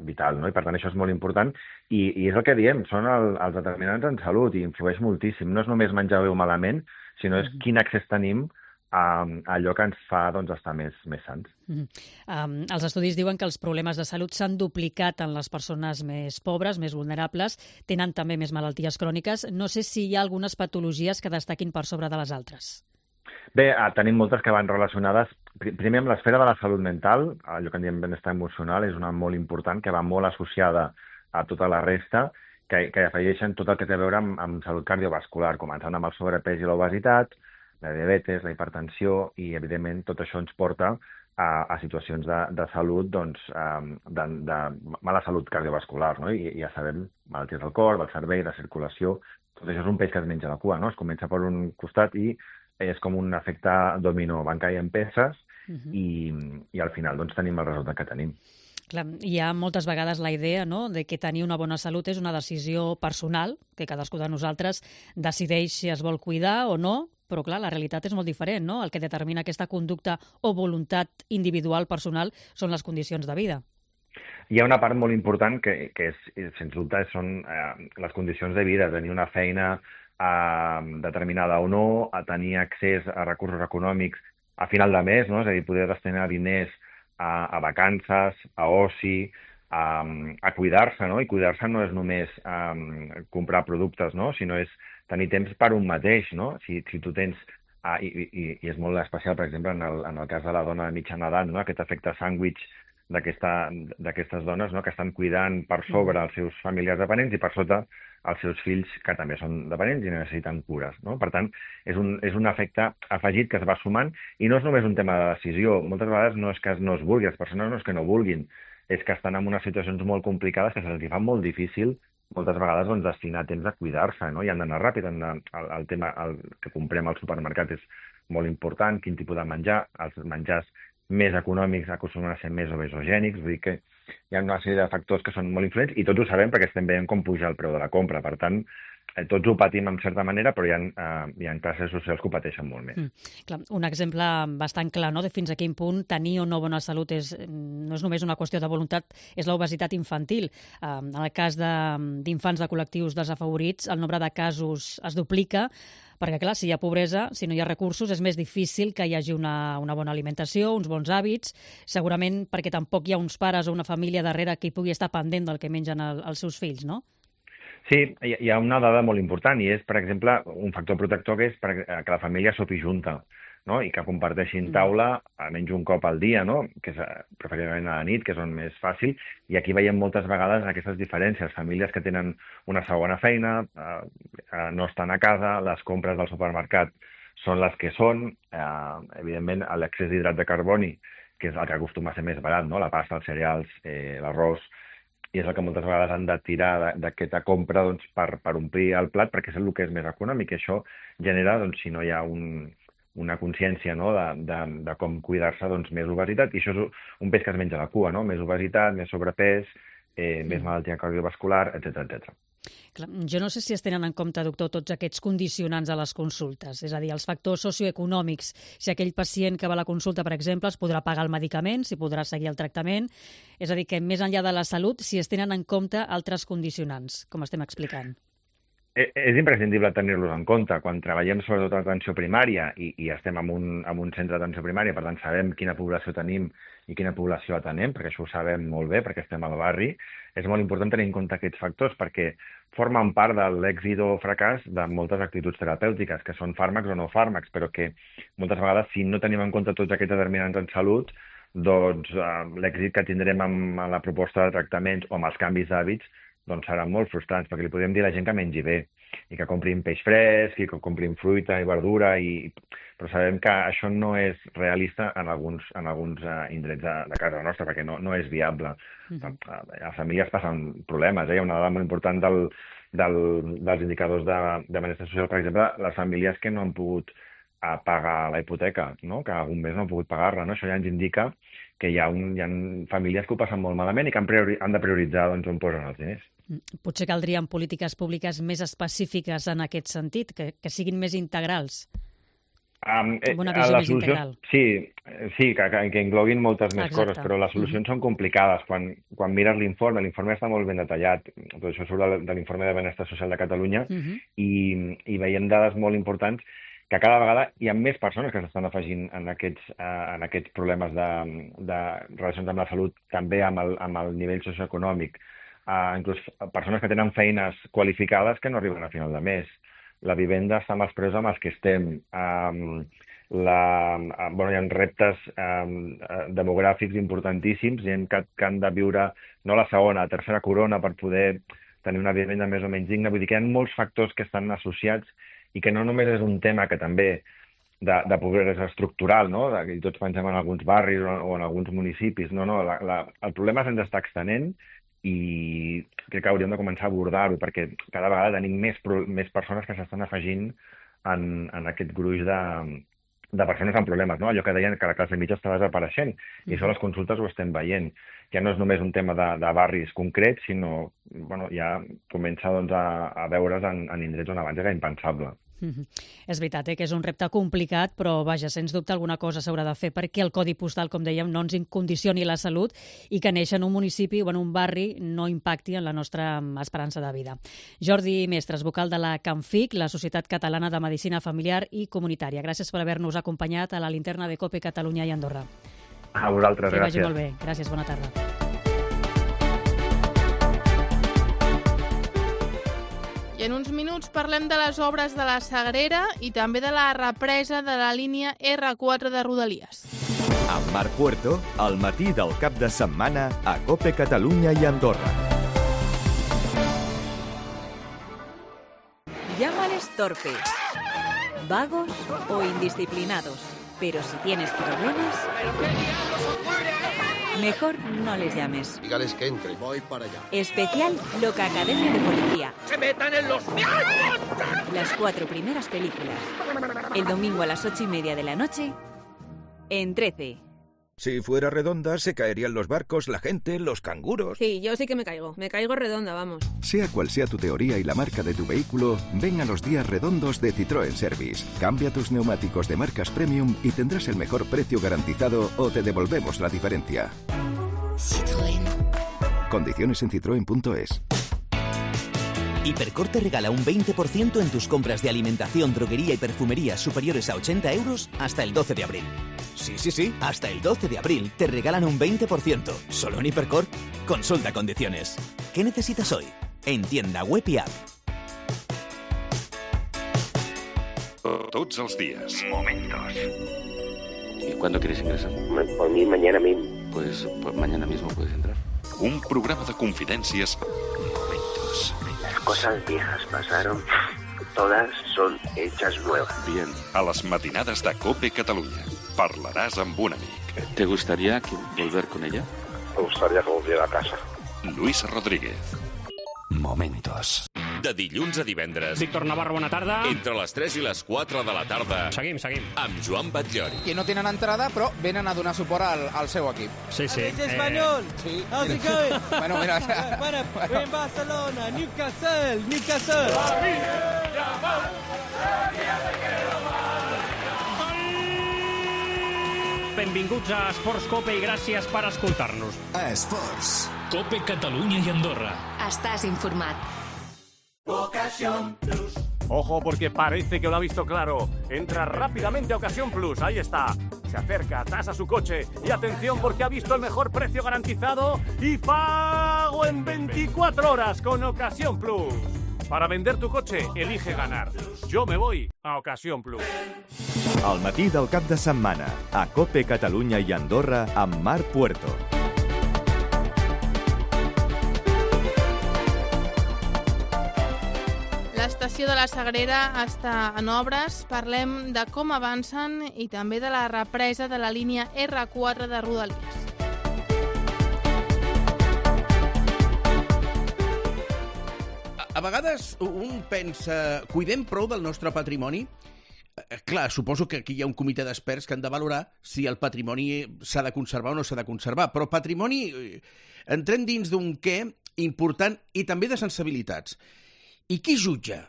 vital, no? I per tant això és molt important i, i és el que diem, són el, els determinants en salut i influeix moltíssim. No és només menjar bé o malament, sinó és quin accés tenim a allò que ens fa doncs, estar més, més sants. Mm-hmm. um, els estudis diuen que els problemes de salut s'han duplicat en les persones més pobres, més vulnerables, tenen també més malalties cròniques. No sé si hi ha algunes patologies que destaquin per sobre de les altres. Bé, tenim moltes que van relacionades, primer amb l'esfera de la salut mental, allò que en diem benestar emocional, és una molt important, que va molt associada a tota la resta, que, que afegeixen tot el que té a veure amb, amb salut cardiovascular, començant amb el sobrepès i l'obesitat, la diabetes, la hipertensió i, evidentment, tot això ens porta a, a situacions de, de salut, doncs, de, de mala salut cardiovascular, no? I, i ja sabem, malalties del cor, del cervell, de circulació, tot això és un peix que es menja la cua, no? Es comença per un costat i és com un efecte dominó, van caient peces uh-huh. i, i al final doncs, tenim el resultat que tenim. Clar, hi ha moltes vegades la idea, no?, de que tenir una bona salut és una decisió personal, que cadascú de nosaltres decideix si es vol cuidar o no, però clar, la realitat és molt diferent, no? El que determina aquesta conducta o voluntat individual personal són les condicions de vida. hi ha una part molt important que, que és, sens dubte, són eh, les condicions de vida, tenir una feina eh, determinada o no, a tenir accés a recursos econòmics a final de mes, no? És a dir, poder destinar diners a, a vacances, a oci, a, a cuidar-se, no? I cuidar-se no és només um, comprar productes, no? Sinó és tenir temps per un mateix, no? Si, si tu tens, ah, i, i, i és molt especial, per exemple, en el, en el cas de la dona de mitjana edat, no? Aquest efecte sàndwich d'aquestes dones, no? Que estan cuidant per sobre els seus familiars dependents i per sota els seus fills, que també són dependents i necessiten cures, no? Per tant, és un, és un efecte afegit que es va sumant i no és només un tema de decisió. Moltes vegades no és que no es vulgui, les persones no és que no vulguin, és que estan en unes situacions molt complicades que se'ls fa molt difícil moltes vegades doncs, destinar temps a cuidar-se, no? I han d'anar ràpid. Han de, el, el tema el que comprem al supermercat és molt important, quin tipus de menjar, els menjars més econòmics acostumen a ser més obesogènics, vull dir que hi ha una sèrie de factors que són molt influents i tots ho sabem perquè estem veient com puja el preu de la compra. Per tant, eh, tots ho patim en certa manera, però hi ha, eh, hi ha classes socials que ho pateixen molt més. Mm, clar, un exemple bastant clar, no?, de fins a quin punt tenir o no bona salut és, no és només una qüestió de voluntat, és l'obesitat infantil. Eh, en el cas d'infants de, de col·lectius desafavorits, el nombre de casos es duplica, perquè, clar, si hi ha pobresa, si no hi ha recursos, és més difícil que hi hagi una, una bona alimentació, uns bons hàbits, segurament perquè tampoc hi ha uns pares o una família darrere que hi pugui estar pendent del que mengen el, els seus fills, no? Sí, hi ha una dada molt important i és, per exemple, un factor protector que és que la família sopi junta, no? I que comparteixin taula almenys un cop al dia, no? Que és preferiblement a la nit, que és on més fàcil, i aquí veiem moltes vegades aquestes diferències. Famílies que tenen una segona feina, eh, no estan a casa, les compres del supermercat són les que són, eh, evidentment l'excés d'hidrat de carboni, que és el que acostuma a ser més barat, no? La pasta, els cereals, eh, l'arròs, i és el que moltes vegades han de tirar d'aquesta compra doncs, per, per omplir el plat, perquè és el que és més econòmic, i això genera, doncs, si no hi ha un una consciència, no?, de, de, de com cuidar-se, doncs, més obesitat, i això és un peix que es menja la cua, no?, més obesitat, més sobrepès, eh, mm. més malaltia cardiovascular, etcètera, etcètera. Clar, jo no sé si es tenen en compte, doctor, tots aquests condicionants a les consultes, és a dir, els factors socioeconòmics, si aquell pacient que va a la consulta, per exemple, es podrà pagar el medicament, si podrà seguir el tractament, és a dir, que més enllà de la salut, si es tenen en compte altres condicionants, com estem explicant. És imprescindible tenir-los en compte. Quan treballem sobretot a l'atenció primària i, i estem en un, en un centre d'atenció primària, per tant sabem quina població tenim i quina població atenem, perquè això ho sabem molt bé, perquè estem al barri, és molt important tenir en compte aquests factors perquè formen part de l'èxit o fracàs de moltes actituds terapèutiques, que són fàrmacs o no fàrmacs, però que moltes vegades, si no tenim en compte tots aquests determinants en salut, doncs eh, l'èxit que tindrem amb, amb la proposta de tractaments o amb els canvis d'hàbits doncs seran molt frustrants, perquè li podem dir a la gent que mengi bé i que comprin peix fresc i que comprin fruita i verdura, i... però sabem que això no és realista en alguns, en alguns uh, indrets de, de casa nostra, perquè no, no és viable. Uh-huh. Les famílies passen problemes, eh? Hi ha una dada molt important del, del, dels indicadors de, de benestar social, per exemple, les famílies que no han pogut a pagar la hipoteca, no? Que algun mes no han pogut pagar-la, no? Això ja ens indica que hi ha, un, hi ha famílies que ho passen molt malament i que han, priori, han de prioritzar doncs, on posen els diners. Potser caldrien polítiques públiques més específiques en aquest sentit, que, que siguin més integrals. Um, eh, una visió més solució, integral. Sí, sí que, que, que engloguin moltes més Exacte. coses, però les solucions mm-hmm. són complicades. Quan, quan mires l'informe, l'informe està molt ben detallat, tot això surt de, de l'informe de Benestar Social de Catalunya, mm-hmm. i, i veiem dades molt importants que cada vegada hi ha més persones que s'estan afegint en aquests, uh, en aquests problemes de, de relacions amb la salut, també amb el, amb el nivell socioeconòmic. Uh, inclús persones que tenen feines qualificades que no arriben a final de mes. La vivenda està amb els preus amb els que estem. Um, la, uh, bueno, hi ha reptes um, demogràfics importantíssims, gent que, que han de viure no la segona, la tercera corona per poder tenir una vivenda més o menys digna. Vull dir que hi ha molts factors que estan associats i que no només és un tema que també de, de pobresa estructural, no? Que tots pensem en alguns barris o, o en alguns municipis. No, no, la, la, el problema se'ns està extenent i crec que hauríem de començar a abordar-ho, perquè cada vegada tenim més, més persones que s'estan afegint en, en aquest gruix de, de persones amb problemes, no? Allò que deien que la classe mitja està desapareixent, mm-hmm. i això a les consultes ho estem veient. Ja no és només un tema de, de barris concrets, sinó bueno, ja comença doncs, a, a veure's en, en indrets on abans era impensable. Mm-hmm. És veritat eh, que és un repte complicat, però vaja, sens dubte alguna cosa s'haurà de fer perquè el codi postal, com dèiem, no ens condicioni la salut i que néixer en un municipi o en un barri no impacti en la nostra esperança de vida. Jordi Mestres, vocal de la CAMFIC, la Societat Catalana de Medicina Familiar i Comunitària. Gràcies per haver-nos acompanyat a la linterna de COPE Catalunya i Andorra. A vosaltres, gràcies. gràcies. Que vagi molt bé. Gràcies, bona tarda. I en uns minuts parlem de les obres de la Sagrera i també de la represa de la línia erre quatre de Rodalies. Amb Marc Puerto, al matí del cap de setmana a COPE Catalunya i Andorra. Llámales torpes, vagos o indisciplinados, pero si tienes problemas, mejor no les llames. Dígales que entre. Voy para allá. Especial Loca Academia de Policía. ¡Se metan en los viajes! Las cuatro primeras películas. El domingo a las ocho y media de la noche, en trece. Si fuera redonda, se caerían los barcos, la gente, los canguros. Sí, yo sí que me caigo. Me caigo redonda, vamos. Sea cual sea tu teoría y la marca de tu vehículo, ven a los días redondos de Citroën Service. Cambia tus neumáticos de marcas premium y tendrás el mejor precio garantizado o te devolvemos la diferencia. Citroën. Condiciones en citroen punto es. Hipercor te regala un veinte por ciento en tus compras de alimentación, droguería y perfumería superiores a ochenta euros hasta el doce de abril. Sí, sí, sí, hasta el doce de abril te regalan un veinte por ciento. Solo en Hipercor. Consulta condiciones. ¿Qué necesitas hoy? En tienda web y app. Tots els días. Momentos. ¿Y cuándo quieres ingresar? Por mí, mañana mismo. Pues, pues mañana mismo puedes entrar. Un programa de confidencias. Momentos. Las cosas viejas pasaron. Todas son hechas nuevas. Bien, a las matinadas de COPE Catalunya. Parlaràs amb un amic. ¿Te gustaría que volver con ella? Me gustaría que volviera a casa. Luis Rodríguez. Momentos. De dilluns a divendres. Víctor Navarro, bona tarda. Entre les tres i les quatre de la tarda. Seguim, seguim. Amb Joan Batllori. Que no tenen entrada, però venen a donar suport al, al seu equip. Sí, sí. ¿Es español? Eh... Sí. How's it going? Bueno, mira... bueno, bueno, en Barcelona, Newcastle, Newcastle. Benvinguts a Esports Cope i gràcies per escoltar-nos. A Esports. Cope Catalunya i Andorra. Estàs informat. Ocasión Plus. Ojo, porque parece que lo ha visto claro. Entra rápidamente a Ocasión Plus, ahí está. Se acerca, tasa su coche y atención porque ha visto el mejor precio garantizado y pago en veinticuatro horas con Ocasión Plus. Para vender tu coche, elige ganar. Yo me voy a Ocasión Plus. Al matí del cap de setmana, a COPE Catalunya i Andorra amb Marc Puerto. L'estació de la Sagrera està en obres. Parlem de com avancen i també de la represa de la línia erre quatre de Rodalies. A vegades un pensa, cuidem prou del nostre patrimoni? Clar, suposo que aquí hi ha un comitè d'experts que han de valorar si el patrimoni s'ha de conservar o no s'ha de conservar, però patrimoni, entrem dins d'un què important i també de sensibilitats. I qui jutja?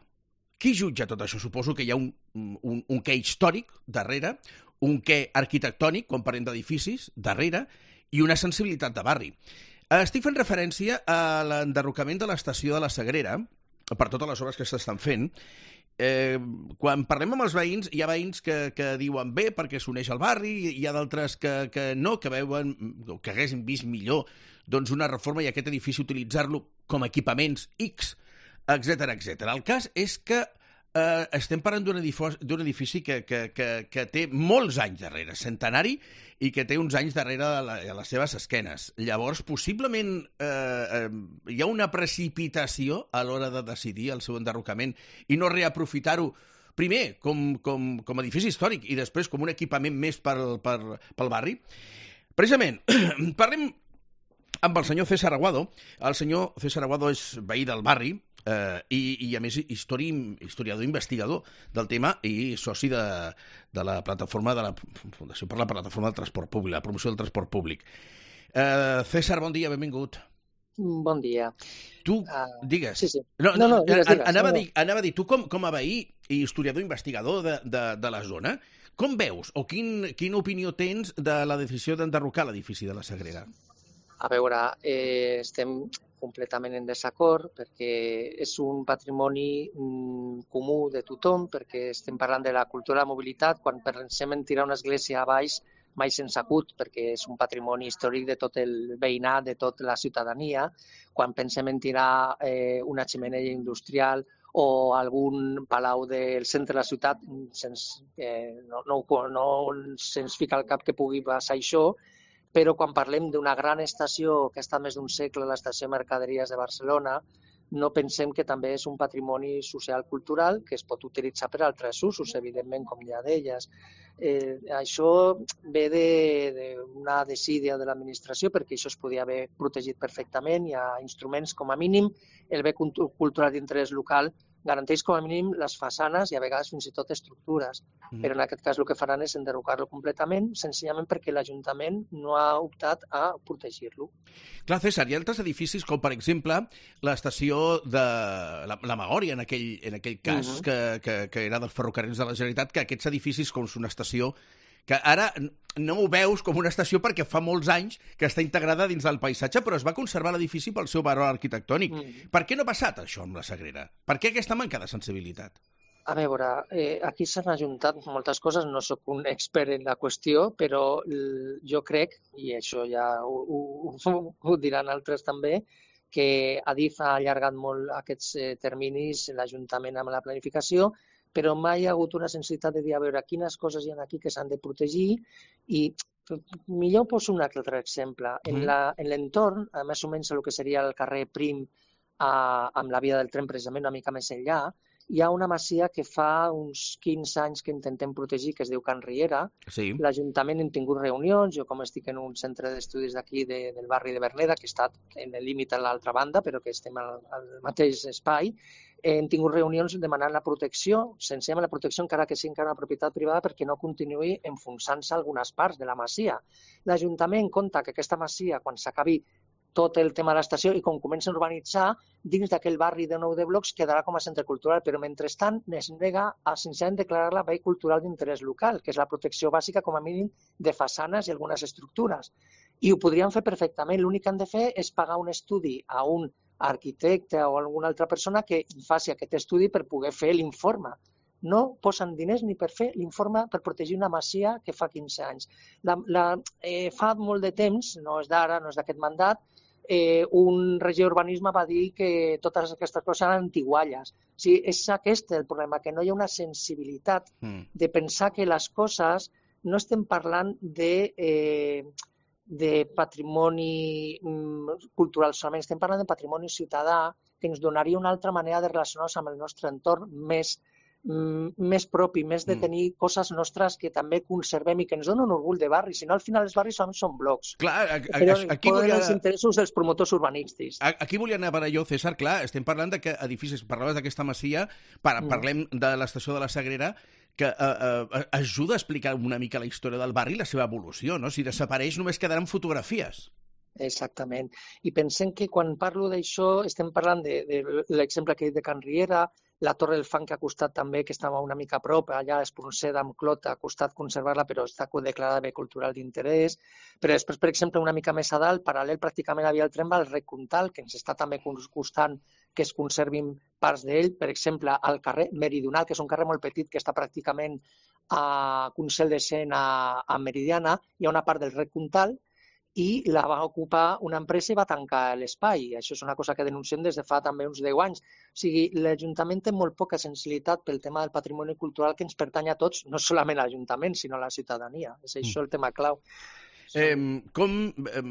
Qui jutja tot això? Suposo que hi ha un, un, un què històric darrere, un què arquitectònic, quan parlem d'edificis, darrere, i una sensibilitat de barri. Estic fent referència a l'enderrocament de l'estació de la Sagrera, per totes les obres que s'estan fent. Eh, quan parlem amb els veïns, hi ha veïns que, que diuen bé perquè s'uneix al barri, i hi ha d'altres que, que no, que veuen que haguessin vist millor doncs, una reforma i aquest edifici utilitzar-lo com a equipaments X, etcètera, etcètera. El cas és que eh, estem parlant d'un edifici, d'un edifici que, que, que, que té molts anys darrere, centenari, i que té uns anys darrere a, la, a les seves esquenes. Llavors, possiblement eh, eh, hi ha una precipitació a l'hora de decidir el seu enderrocament i no reaprofitar-ho primer com, com, com a edifici històric i després com un equipament més pel, per, pel barri. Precisament, parlem amb el senyor César Aguado. El senyor César Aguado és veí del barri, Eh, i, i a més histori, historiador investigador del tema i soci de, de la plataforma de la Fundació per la Plataforma del Transport Públic, la promoció del transport públic. eh, César, bon dia, benvingut. Bon dia. Tu, uh, digues. Sí, sí. No, no, no, no digues, digues. Anava, No, no. a dir, anava a dir, tu com, com a veí i historiador investigador de, de, de la zona. Com veus o quin, quina opinió tens de la decisió d'enderrocar l'edifici de la Sagrera? A veure, eh, estem completament en desacord perquè és un patrimoni mm, comú de tothom, perquè estem parlant de la cultura de la mobilitat. Quan pensem en tirar una església a baix, mai se'ns acut, perquè és un patrimoni històric de tot el veïnat, de tota la ciutadania. Quan pensem en tirar eh, una xemeneia industrial o algun palau del centre de la ciutat, se'ns, eh, no, no, no se'ns fica al cap que pugui passar això, però quan parlem d'una gran estació que ha estat més d'un segle, l'estació de Mercaderies de Barcelona, no pensem que també és un patrimoni social-cultural que es pot utilitzar per altres usos, evidentment, com ja deies. Eh, això ve d'una desídia de l'administració, perquè això es podia haver protegit perfectament. Hi ha instruments, com a mínim, el bé cultural d'interès local garanteix com a mínim les façanes i a vegades fins i tot estructures. Mm. Però en aquest cas el que faran és enderrocar-lo completament, senzillament perquè l'Ajuntament no ha optat a protegir-lo. Clar, César, hi ha altres edificis com, per exemple, l'estació de la, la Magòria, en aquell, en aquell cas, uh -huh. que, que, que era dels ferrocarrils de la Generalitat, que aquests edificis, com és una estació que ara no ho veus com una estació perquè fa molts anys que està integrada dins del paisatge, però es va conservar l'edifici pel seu valor arquitectònic. Mm. Per què no ha passat això amb la Sagrera? Per què aquesta manca de sensibilitat? A veure, eh, aquí s'han ajuntat moltes coses, no sóc un expert en la qüestió, però jo crec, i això ja ho, ho, ho diran altres també, que Adif ha allargat molt aquests eh, terminis, l'Ajuntament amb la planificació, però mai hi ha hagut una sensibilitat de dir a veure quines coses hi ha aquí que s'han de protegir i millor poso un altre exemple. En l'entorn, més o menys el que seria el carrer Prim a, amb la via del tren precisament una mica més enllà, hi ha una masia que fa uns quinze anys que intentem protegir, que es diu Can Riera. Sí. L'Ajuntament hem tingut reunions, jo com estic en un centre d'estudis d'aquí de, del barri de Verneda, que està en el límit a l'altra banda, però que estem al, al mateix espai, hem tingut reunions demanant la protecció, senzillament la protecció encara que sigui encara una propietat privada perquè no continuï enfonsant-se algunes parts de la masia. L'Ajuntament compta que aquesta masia, quan s'acabi tot el tema de l'estació i com comencen a urbanitzar, dins d'aquell barri de nou de blocs quedarà com a centre cultural, però mentrestant es nega a senzillament declarar-la bé cultural d'interès local, que és la protecció bàsica com a mínim de façanes i algunes estructures. I ho podrien fer perfectament, l'únic que han de fer és pagar un estudi a un arquitecte o alguna altra persona que faci aquest estudi per poder fer l'informe. No posen diners ni per fer l'informe per protegir una masia que fa quinze anys. La, la, eh, fa molt de temps, no és d'ara, no és d'aquest mandat, eh, un regidor d'urbanisme va dir que totes aquestes coses eren antigualles. O sigui, és aquest el problema, que no hi ha una sensibilitat mm. de pensar que les coses no estem parlant de... Eh, de patrimoni cultural solament, estem parlant de patrimoni ciutadà que ens donaria una altra manera de relacionar-nos amb el nostre entorn més, més propi, més de tenir mm. coses nostres que també conservem i que ens donen un orgull de barri, si no al final els barris solament són blocs. Clar, a, a, però aquí poden volia... els interessos dels promotors urbanístics. Aquí volia anar per allò, César, clar, estem parlant de que edificis, parlaves d'aquesta masia, par mm. parlem de l'estació de la Sagrera, que eh, eh, ajuda a explicar una mica la història del barri i la seva evolució, no? Si desapareix només quedaran fotografies. Exactament. I pensem que quan parlo d'això estem parlant de, de l'exemple que he dit de Can Riera, la Torre del Fang que ha costat també, que estava una mica a prop, allà a Espronceda amb Clot, ha costat conservar-la, però està declarada bé cultural d'interès. Però després, per exemple, una mica més a dalt, paral·lel pràcticament havia el tren va al Rec Comtal, que ens està també costant que es conservin parts d'ell, per exemple, al carrer Meridional, que és un carrer molt petit que està pràcticament a Consell de Cent a, a Meridiana, hi ha una part del Rec Comtal i la va ocupar una empresa i va tancar l'espai. Això és una cosa que denunciem des de fa també uns deu anys. O sigui, l'Ajuntament té molt poca sensibilitat pel tema del patrimoni cultural que ens pertany a tots, no solament a l'Ajuntament, sinó a la ciutadania. És això el tema clau. Eh, com, eh,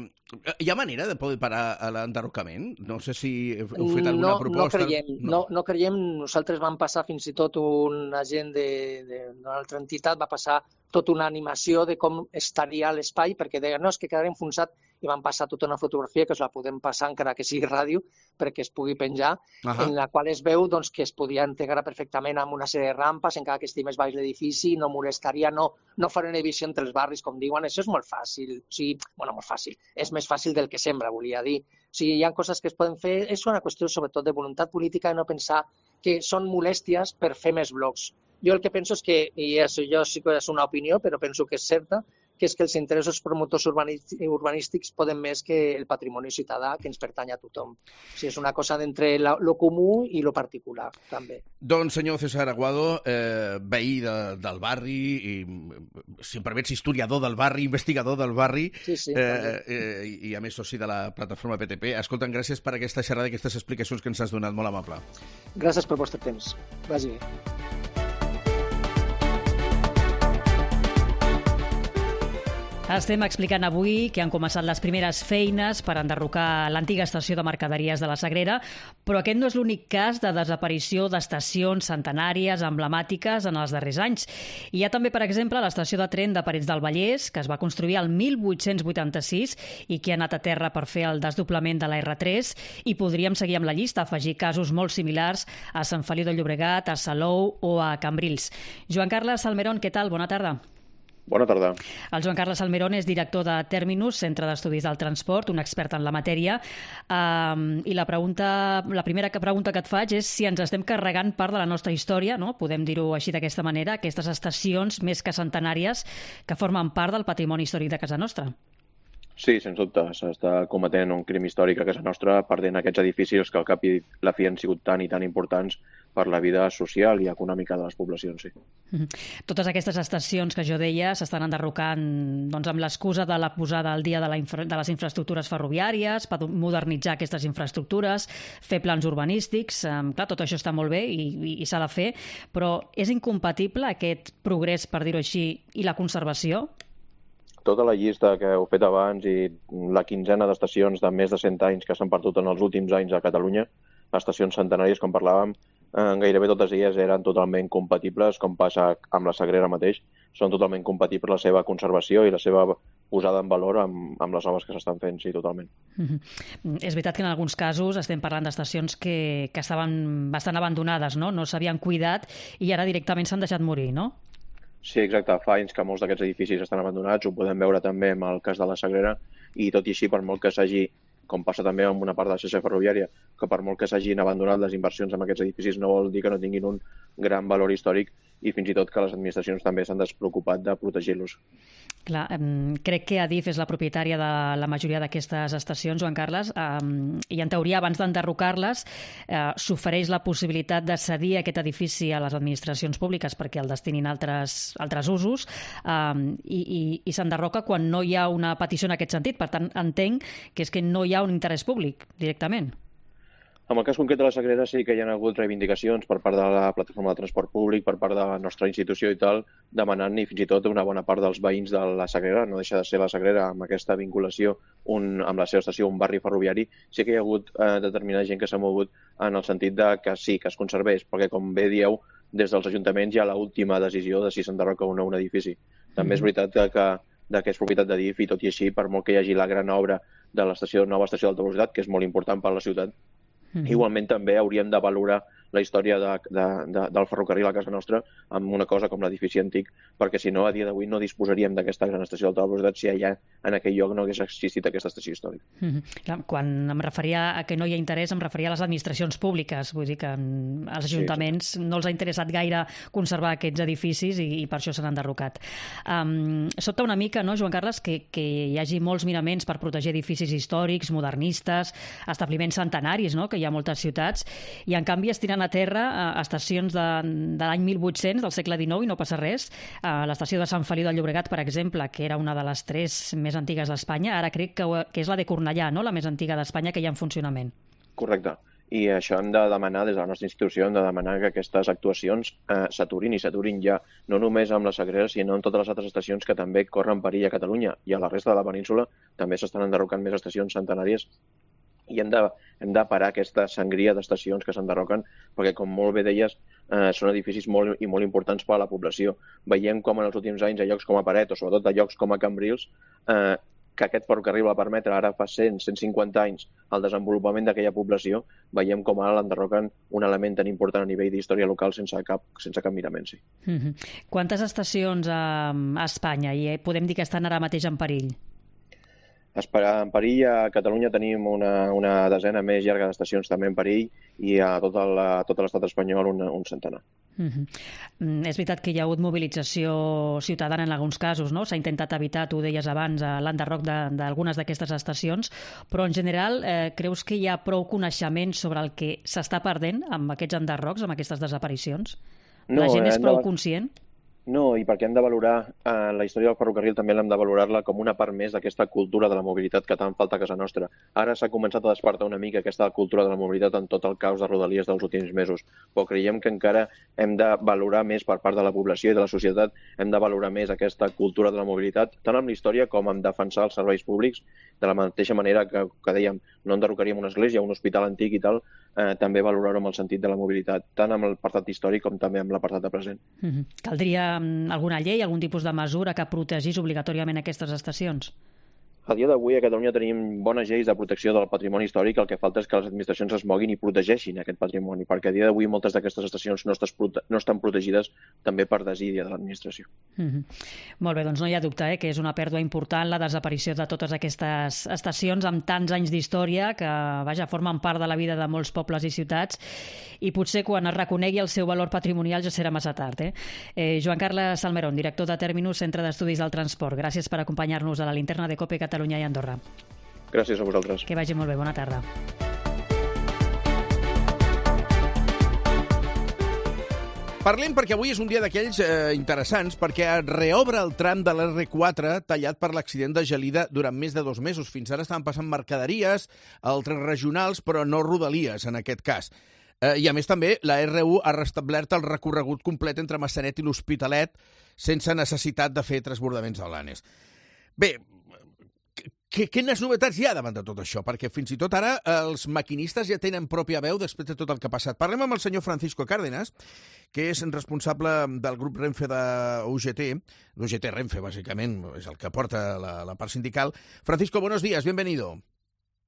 hi ha manera de poder parar l'enderrocament? No sé si heu fet alguna no, proposta. No creiem, no. No, no creiem. Nosaltres vam passar fins i tot un agent d'una altra entitat, va passar tota una animació de com estaria l'espai, perquè deien, no, és que quedarà enfonsat, i van passar tota una fotografia, que us la podem passar encara que sigui ràdio, perquè es pugui penjar, uh-huh. en la qual es veu doncs, que es podia integrar perfectament amb una sèrie de rampes, encara que estigui més baix l'edifici, no molestaria, no, no farà una divisió entre els barris, com diuen, això és molt fàcil, o sigui, bueno, molt fàcil, és més fàcil del que sembla, volia dir. O sigui, hi ha coses que es poden fer, és una qüestió sobretot de voluntat política i no pensar que són molèsties per fer més blocs. Jo el que penso és que, i això sí que és una opinió, però penso que és certa, que és que els interessos promotors urbanístics poden més que el patrimoni ciutadà que ens pertany a tothom. O sigui, és una cosa d'entre lo comú i lo particular, també. Doncs, senyor César Aguado, eh, veí de, del barri, i, si em permets, historiador del barri, investigador del barri, sí, sí, eh, eh, i a més soci de la plataforma P T P. Escolta'm, gràcies per aquesta xerrada i aquestes explicacions que ens has donat, molt amable. Gràcies pel vostre temps. Vagi bé. Estem explicant avui que han començat les primeres feines per enderrocar l'antiga estació de mercaderies de la Sagrera, però aquest no és l'únic cas de desaparició d'estacions centenàries, emblemàtiques en els darrers anys. Hi ha també, per exemple, l'estació de tren de Parets del Vallès, que es va construir el mil vuit-cents vuitanta-sis i que ha anat a terra per fer el desdoblament de la erre tres, i podríem seguir amb la llista, afegir casos molt similars a Sant Feliu de Llobregat, a Salou o a Cambrils. Joan Carles Salmerón, què tal? Bona tarda. Bona tarda. El Joan Carles Salmerón és director de Terminus, Centre d'Estudis del Transport, un expert en la matèria. Um, I la, pregunta, la primera pregunta que et faig és si ens estem carregant part de la nostra història, no? Podem dir-ho així d'aquesta manera, aquestes estacions més que centenàries que formen part del patrimoni històric de casa nostra. Sí, sens dubte. S'està cometent un crim històric a casa nostra perdent aquests edificis que al cap i la fi han sigut tan i tan importants per la vida social i econòmica de les poblacions, sí. Totes aquestes estacions que jo deia s'estan enderrocant doncs, amb l'excusa de la posada al dia de, la infra... de les infraestructures ferroviàries, per modernitzar aquestes infraestructures, fer plans urbanístics. Um, clar, tot això està molt bé i, i, i s'ha de fer, però és incompatible aquest progrés, per dir-ho així, i la conservació? Tota la llista que heu fet abans i la quinzena d'estacions de més de cent anys que s'han perdut en els últims anys a Catalunya, estacions centenàries, com parlàvem, eh, gairebé totes elles eren totalment compatibles, com passa amb la Sagrera mateix, són totalment compatibles la seva conservació i la seva posada en valor amb, amb les obres que s'estan fent, sí, totalment. Mm-hmm. És veritat que en alguns casos estem parlant d'estacions que, que estaven bastant abandonades, no? No s'havien cuidat i ara directament s'han deixat morir, no? Sí, exacte. Fa anys que molts d'aquests edificis estan abandonats, ho podem veure també amb el cas de la Sagrera, i tot i així, per molt que s'hagi, com passa també amb una part de la xarxa ferroviària, que per molt que s'hagin abandonat les inversions en aquests edificis no vol dir que no tinguin un gran valor històric i fins i tot que les administracions també s'han despreocupat de protegir-los. Clar, crec que Adif és la propietària de la majoria d'aquestes estacions, Joan Carles, i en teoria abans d'enderrocar-les s'ofereix la possibilitat de cedir aquest edifici a les administracions públiques perquè el destinin a altres, altres usos i, i, i s'enderroca quan no hi ha una petició en aquest sentit. Per tant, entenc que és que no hi ha un interès públic directament. En el cas concret de la Sagrera sí que hi ha hagut reivindicacions per part de la plataforma de transport públic, per part de la nostra institució i tal, demanant i fins i tot una bona part dels veïns de la Sagrera, no deixa de ser la Sagrera amb aquesta vinculació un, amb la seva estació, un barri ferroviari, sí que hi ha hagut eh, determinada gent que s'ha mogut en el sentit de que sí, que es conservés, perquè com bé dieu, des dels ajuntaments hi ha l'última decisió de si s'enderroca o no un edifici. També mm-hmm. és veritat que, que, que és propietat de D I F i tot i així, per molt que hi hagi la gran obra de l'estació nova estació d'alta velocitat, que és molt important per a la ciutat, Mm-hmm. igualment també hauríem de valorar la història de, de, de, del ferrocarril a casa nostra amb una cosa com l'edifici antic, perquè si no, a dia d'avui no disposaríem d'aquesta gran estació d'alta velocitat si allà en aquell lloc no hagués existit aquesta estació històrica. Mm-hmm. Quan em referia a que no hi ha interès, em referia a les administracions públiques, vull dir que als ajuntaments sí, sí. no els ha interessat gaire conservar aquests edificis i, i per això s'han enderrocat. Um, sobta una mica, no, Joan Carles, que, que hi hagi molts miraments per protegir edificis històrics, modernistes, establiments centenaris, no?, que hi ha moltes ciutats, i en canvi es tiren a terra a estacions de, de l'any mil vuit-cents, del segle dinou, i no passa res. A l'estació de Sant Feliu de Llobregat, per exemple, que era una de les tres més antigues d'Espanya, ara crec que, que és la de Cornellà, no?, la més antiga d'Espanya, que hi ha en funcionament. Correcte. I això hem de demanar, des de la nostra institució, hem de demanar que aquestes actuacions eh, s'aturin i s'aturin ja, no només amb la Sagrera, sinó en totes les altres estacions que també corren perill a Catalunya i a la resta de la península també s'estan enderrocant més estacions centenàries i hem de, hem de parar aquesta sangria d'estacions que s'enderroquen perquè, com molt bé deies, eh, són edificis molt i molt importants per a la població. Veiem com en els últims anys a llocs com a Paret o sobretot a llocs com a Cambrils eh, que aquest ferrocarril va permetre ara fa cent, cent cinquanta anys el desenvolupament d'aquella població, veiem com ara l'enderroquen un element tan important a nivell d'història local sense cap, sense cap mirament. Sí. Mm-hmm. Quantes estacions a, a Espanya i podem dir que estan ara mateix en perill? En perill, a Catalunya tenim una, una desena més llarga d'estacions també en perill i a tot l'estat espanyol un, un centenar. Uh -huh. És veritat que hi ha hagut mobilització ciutadana en alguns casos, no? S'ha intentat evitar, tu deies abans, l'enderroc d'algunes d'aquestes estacions, però en general eh, creus que hi ha prou coneixement sobre el que s'està perdent amb aquests enderrocs, amb aquestes desaparicions? No, la gent és prou conscient? No, i perquè hem de valorar, eh, la història del ferrocarril també l'hem de valorar-la com una part més d'aquesta cultura de la mobilitat que tant falta a casa nostra. Ara s'ha començat a despertar una mica aquesta cultura de la mobilitat en tot el caos de Rodalies dels últims mesos, però creiem que encara hem de valorar més per part de la població i de la societat, hem de valorar més aquesta cultura de la mobilitat, tant amb la història com en defensar els serveis públics, de la mateixa manera que, que dèiem, no enderrocaríem una església, un hospital antic i tal, eh, també valorar-ho amb el sentit de la mobilitat, tant amb l'apartat històric com també amb l'apartat de present. Mm-hmm. Caldria alguna llei, algun tipus de mesura que protegís obligatòriament aquestes estacions? A dia d'avui a Catalunya tenim bones lleis de protecció del patrimoni històric, el que falta és que les administracions es moguin i protegeixin aquest patrimoni, perquè a dia d'avui moltes d'aquestes estacions no, prote no estan protegides també per desídia de l'administració. Mm-hmm. Molt bé, doncs no hi ha dubte eh, que és una pèrdua important la desaparició de totes aquestes estacions amb tants anys d'història que, vaja, formen part de la vida de molts pobles i ciutats i potser quan es reconegui el seu valor patrimonial ja serà massa tard. Eh? Eh, Joan Carles Salmerón, director de Terminus, Centre d'Estudis del Transport. Gràcies per acompanyar-nos a la linterna de COPE Catalunya i Andorra. Gràcies a vosaltres. Que vagi molt bé, bona tarda. Parlem perquè avui és un dia d'aquells eh, interessants, perquè reobre el tram de l'erre quatre tallat per l'accident de Gelida durant més de dos mesos. Fins ara estaven passant mercaderies, altres regionals, però no rodalies en aquest cas. Eh, I a més també la erre u ha restablert el recorregut complet entre Massanet i l'Hospitalet sense necessitat de fer transbordaments a Blanes. Bé, quines novetats hi ha davant de tot això? Perquè fins i tot ara els maquinistes ja tenen pròpia veu després de tot el que ha passat. Parlem amb el senyor Francisco Cárdenas, que és responsable del grup Renfe de U G T, d'U G T Renfe, bàsicament, és el que porta la, la part sindical. Francisco, buenos días, bienvenido.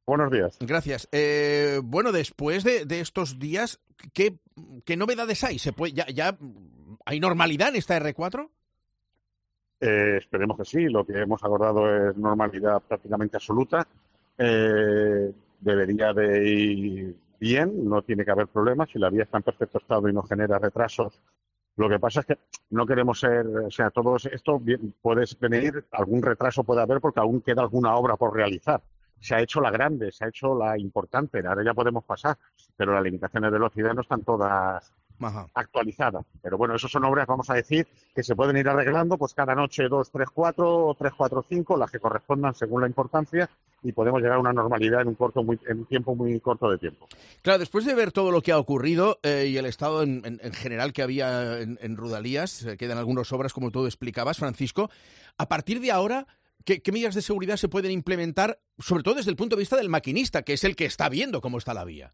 Buenos días. Gracias. Eh, bueno, después de, de estos días, ¿qué, qué novedades hay? ¿Se puede, ya, ya hay normalidad en esta erre cuatro? Eh, esperemos que sí. Lo que hemos acordado es normalidad prácticamente absoluta. Eh, debería de ir bien, no tiene que haber problemas. Si la vía está en perfecto estado y no genera retrasos. Lo que pasa es que no queremos ser, o sea, todo esto puede venir, algún retraso puede haber porque aún queda alguna obra por realizar. Se ha hecho la grande, se ha hecho la importante, ahora ya podemos pasar, pero las limitaciones de velocidad no están todas Ajá. actualizadas. Pero bueno, eso son obras, vamos a decir, que se pueden ir arreglando, pues cada noche dos, tres, cuatro o tres, cuatro, cinco, las que correspondan según la importancia, y podemos llegar a una normalidad en un corto, muy, en un tiempo muy corto de tiempo. Claro, después de ver todo lo que ha ocurrido eh, y el estado en, en, en general que había en, en Rodalías, eh, quedan algunas obras, como tú explicabas, Francisco, a partir de ahora, ¿Qué, ¿Qué medidas de seguridad se pueden implementar, sobre todo desde el punto de vista del maquinista, que es el que está viendo cómo está la vía?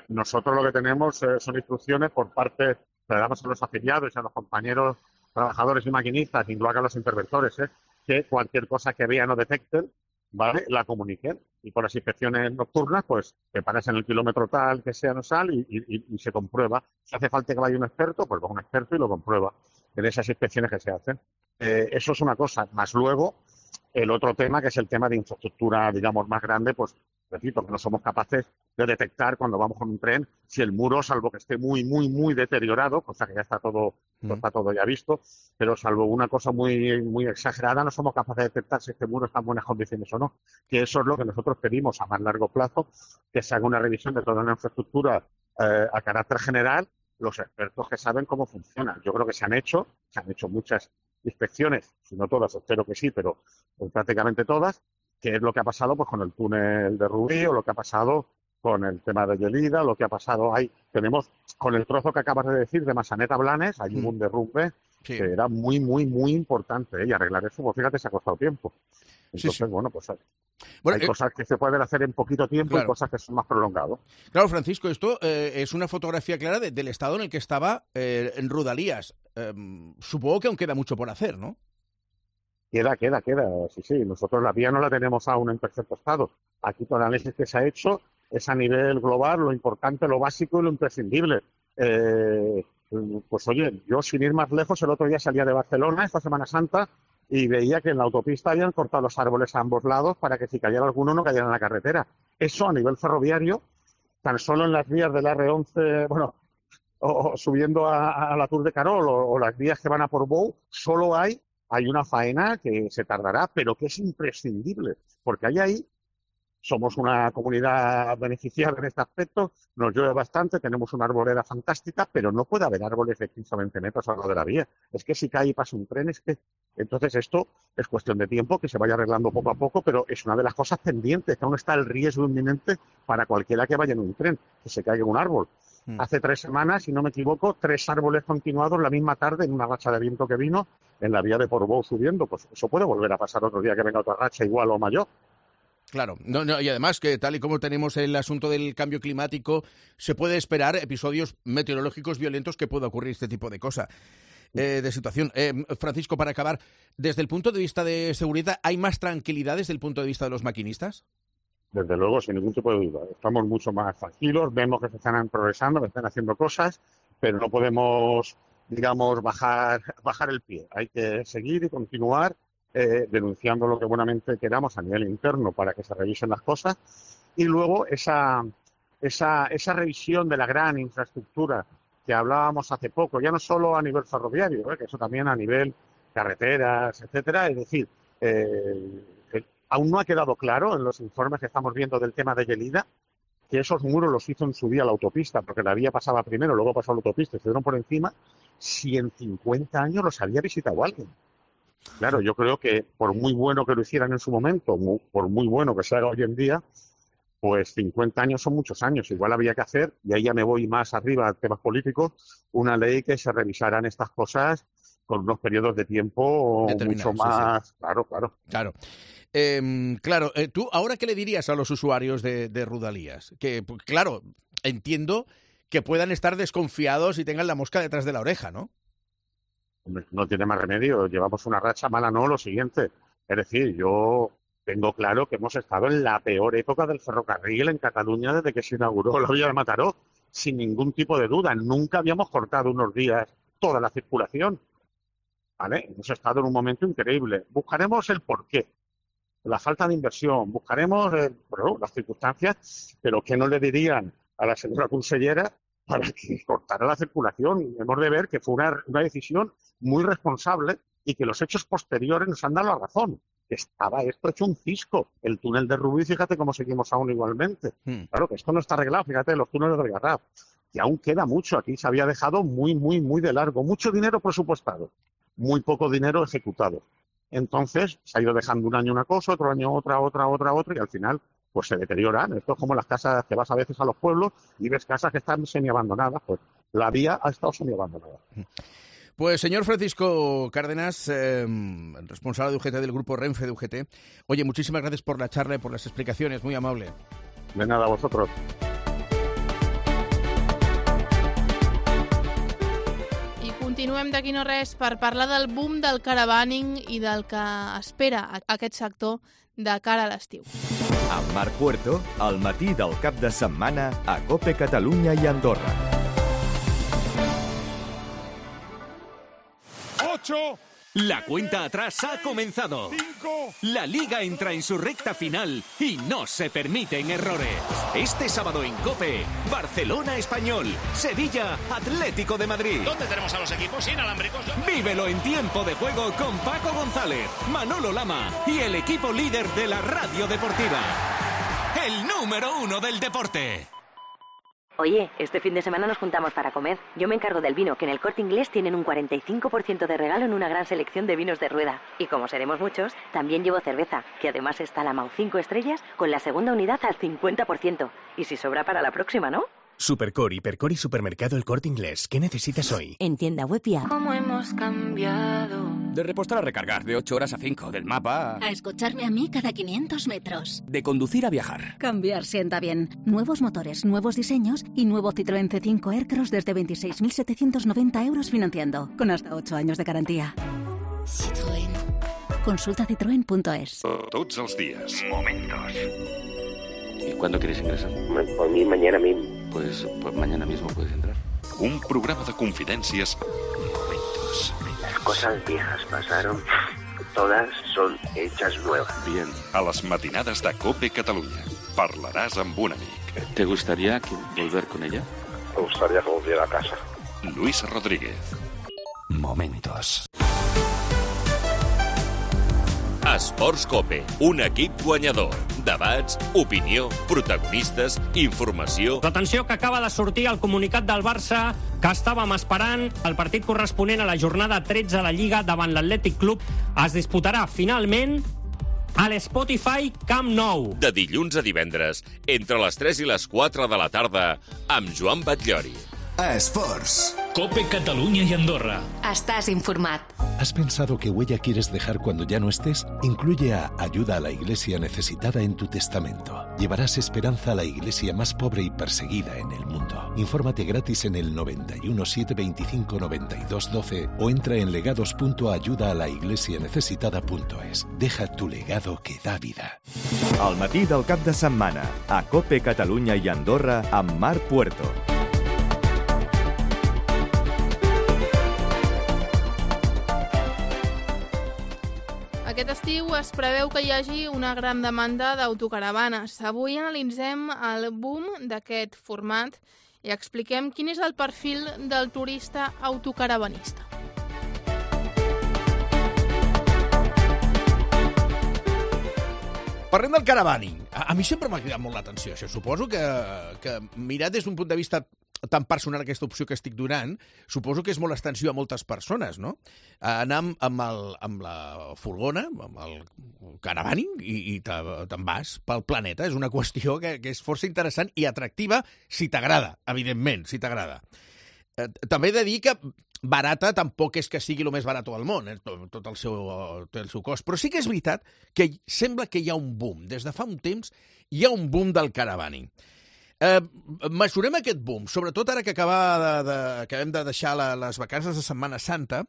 Nosotros lo que tenemos eh, son instrucciones por parte, le damos a los afiliados y a los compañeros trabajadores y maquinistas, incluso a los interventores, eh, que cualquier cosa que vean o detecten, ¿vale?, la comuniquen. Y por las inspecciones nocturnas, pues te paras en el kilómetro tal que sea no sal y, y, y se comprueba. Si hace falta que vaya un experto, pues va un experto y lo comprueba en esas inspecciones que se hacen. Eh, eso es una cosa. Más luego, el otro tema, que es el tema de infraestructura, digamos, más grande, pues repito, que no somos capaces de detectar cuando vamos con un tren si el muro, salvo que esté muy, muy, muy deteriorado, cosa que ya está todo, mm. está todo ya visto, pero salvo una cosa muy, muy exagerada, no somos capaces de detectar si este muro está en buenas condiciones o no. Que eso es lo que nosotros pedimos a más largo plazo, que se haga una revisión de toda la infraestructura eh, a carácter general, los expertos que saben cómo funciona. Yo creo que se han hecho, se han hecho muchas inspecciones, si no todas, espero que sí, pero prácticamente todas, que es lo que ha pasado pues con el túnel de Rubí o lo que ha pasado con el tema de Gelida, lo que ha pasado ahí. Tenemos con el trozo que acabas de decir de Massanet a Blanes, hay mm. un derrumbe sí. que era muy, muy, muy importante, ¿eh? Y arreglar eso, pues fíjate, se ha costado tiempo. Entonces, sí, sí. bueno, pues hay, bueno, hay eh, cosas que se pueden hacer en poquito tiempo claro. y cosas que son más prolongadas. Claro, Francisco, esto eh, es una fotografía clara de, del estado en el que estaba eh, en Rodalías. Eh, supongo que aún queda mucho por hacer, ¿no? Queda, queda, queda. Sí, sí. Nosotros la vía no la tenemos aún en perfecto estado. Aquí todo el análisis que se ha hecho es a nivel global, lo importante, lo básico y lo imprescindible. Eh, pues oye, yo sin ir más lejos, el otro día salía de Barcelona, esta Semana Santa, y veía que en la autopista habían cortado los árboles a ambos lados para que si cayera alguno no cayera en la carretera. Eso a nivel ferroviario, tan solo en las vías del erre once, bueno, o, o subiendo a, a la Tour de Carol o, o las vías que van a Portbou, solo hay, hay una faena que se tardará, pero que es imprescindible, porque hay ahí, somos una comunidad beneficiada en este aspecto, nos llueve bastante, tenemos una arboleda fantástica, pero no puede haber árboles de quince o veinte metros al lado de la vía. Es que si cae y pasa un tren, es que... Entonces esto es cuestión de tiempo, que se vaya arreglando poco a poco, pero es una de las cosas pendientes, que aún está el riesgo inminente para cualquiera que vaya en un tren, que se caiga un árbol. Mm. Hace tres semanas, si no me equivoco, tres árboles continuados la misma tarde en una racha de viento que vino en la vía de Portbou subiendo. Pues eso puede volver a pasar otro día que venga otra racha igual o mayor. Claro, no, no, y además que tal y como tenemos el asunto del cambio climático, se puede esperar episodios meteorológicos violentos que pueda ocurrir este tipo de cosa, eh, de situación. Eh, Francisco, para acabar, desde el punto de vista de seguridad, ¿hay más tranquilidad desde el punto de vista de los maquinistas? Desde luego, sin ningún tipo de duda. Estamos mucho más tranquilos, vemos que se están progresando, que están haciendo cosas, pero no podemos, digamos, bajar, bajar el pie. Hay que seguir y continuar Eh, denunciando lo que buenamente queramos a nivel interno para que se revisen las cosas, y luego esa, esa, esa revisión de la gran infraestructura que hablábamos hace poco, ya no solo a nivel ferroviario, ¿eh? que eso también a nivel carreteras, etcétera. Es decir, eh, eh, aún no ha quedado claro en los informes que estamos viendo del tema de Gelida que esos muros los hizo en su día la autopista, porque la vía pasaba primero, luego pasó la autopista y se dieron por encima, si en cincuenta años los había visitado alguien. Claro, yo creo que por muy bueno que lo hicieran en su momento, muy, por muy bueno que se haga hoy en día, pues cincuenta años son muchos años. Igual había que hacer, y ahí ya me voy más arriba a temas políticos, una ley que se revisaran estas cosas con unos periodos de tiempo mucho más... Sí, sí. Claro, claro. Claro. Eh, claro, eh, ¿tú ahora qué le dirías a los usuarios de, de Rodalies? Que, claro, entiendo que puedan estar desconfiados y tengan la mosca detrás de la oreja, ¿no? No tiene más remedio, llevamos una racha mala, no, lo siguiente. Es decir, yo tengo claro que hemos estado en la peor época del ferrocarril en Cataluña desde que se inauguró la vía de Mataró, sin ningún tipo de duda. Nunca habíamos cortado unos días toda la circulación, ¿vale? Hemos estado en un momento increíble. Buscaremos el porqué, la falta de inversión, buscaremos eh, bueno, las circunstancias, pero ¿qué no le dirían a la señora consellera para que cortara la circulación? Hemos de ver que fue una, una decisión muy responsable y que los hechos posteriores nos han dado la razón. Que estaba esto hecho un cisco. El túnel de Rubí, fíjate cómo seguimos aún igualmente. Hmm. Claro que esto no está arreglado, fíjate, los túneles de Garraf. Y aún queda mucho. Aquí se había dejado muy, muy, muy de largo. Mucho dinero presupuestado, muy poco dinero ejecutado. Entonces se ha ido dejando un año una cosa, otro año otra, otra, otra, otra, y al final pues se deterioran. Esto es como las casas que vas a veces a los pueblos y ves casas que están semiabandonadas. Pues la vía ha estado semiabandonada. Pues señor Francisco Cárdenas, eh, responsable de U G T del grupo Renfe de U G T, oye, muchísimas gracias por la charla y por las explicaciones, muy amable. De nada, a vosotros. I continuem d'aquí no res per parlar del boom del caravaning i del que espera aquest sector de cara a l'estiu. Amb Marc Puerto, al matí del cap de setmana a COPE Catalunya i Andorra. La cuenta atrás ha comenzado. Cinco. La Liga entra en su recta final y no se permiten errores. Este sábado en COPE, Barcelona Español, Sevilla Atlético de Madrid. ¿Dónde tenemos a los equipos inalámbricos? Vívelo en tiempo de juego con Paco González, Manolo Lama y el equipo líder de la radio deportiva. El número uno del deporte. Oye, este fin de semana nos juntamos para comer. Yo me encargo del vino, que en el Corte Inglés tienen un cuarenta y cinco por ciento de regalo en una gran selección de vinos de rueda. Y como seremos muchos, también llevo cerveza, que además está la Mau cinco estrellas, con la segunda unidad al cincuenta por ciento. Y si sobra para la próxima, ¿no? Supercor, Hipercor y Supermercado El Corte Inglés. ¿Qué necesitas hoy? En tienda web y app. ¿Cómo hemos cambiado? De repostar a recargar, de ocho horas a cinco, del mapa a... a escucharme a mí cada quinientos metros. De conducir a viajar. Cambiar sienta bien. Nuevos motores, nuevos diseños y nuevo Citroën C cinco Aircross desde veintiséis mil setecientos noventa euros financiando, con hasta ocho años de garantía. Citroën. Consulta citroen punto es. Tots els días. Momentos. ¿Y cuándo quieres ingresar? Por mí mañana mismo. Pues, pues mañana mismo puedes entrar. Un programa de confidències. Momentos. Las cosas viejas pasaron todas son hechas nuevas. Bien, a las matinades de COPE Catalunya. Parlaràs amb un amic. ¿Te gustaría que volver con ella? Me gustaría que volviera a casa. Luis Rodríguez. Momentos. Esports COPE, un equip guanyador. Debats, opinió, protagonistes, informació... L'atenció que acaba de sortir el comunicat del Barça que estàvem esperant. El partit corresponent a la jornada tretze de la Lliga davant l'Atlètic Club es disputarà finalment a l'Spotify Camp Nou. De dilluns a divendres, entre les tres i les quatre de la tarda, amb Joan Batllori. Esports. COPE Catalunya y Andorra. Estás informat. ¿Has pensado qué huella quieres dejar cuando ya no estés? Incluye a Ayuda a la Iglesia Necesitada en tu testamento. Llevarás esperanza a la iglesia más pobre y perseguida en el mundo. Infórmate gratis en el noventa y uno, setecientos veinticinco, noventa y dos, doce o entra en legados punto ayuda a la iglesia necesitada punto es. Deja tu legado que da vida. Al matí del cap de setmana, a COPE Catalunya i Andorra amb Marc Puerto. Aquest estiu es preveu que hi hagi una gran demanda d'autocaravanes. Avui analitzem el boom d'aquest format i expliquem quin és el perfil del turista autocaravanista. Parlem del caravaning. A, a mi sempre m'ha cridat molt l'atenció, això. Suposo que, que mirat des d'un punt de vista tan personal aquesta opció que estic donant, suposo que és molt extensiu a moltes persones, no? Anar amb, amb, el, amb la furgona, amb el caravaning, i, i te'n vas pel planeta. És una qüestió que, que és força interessant i atractiva si t'agrada, evidentment, si t'agrada. Eh, també he de dir que barata tampoc és que sigui el més barat del món, eh? tot, tot el seu, tot el seu cost. Però sí que és veritat que sembla que hi ha un boom. Des de fa un temps hi ha un boom del caravaning. Eh, mesurem aquest boom, sobretot ara que acaba de, de, acabem de deixar la, les vacances de Setmana Santa,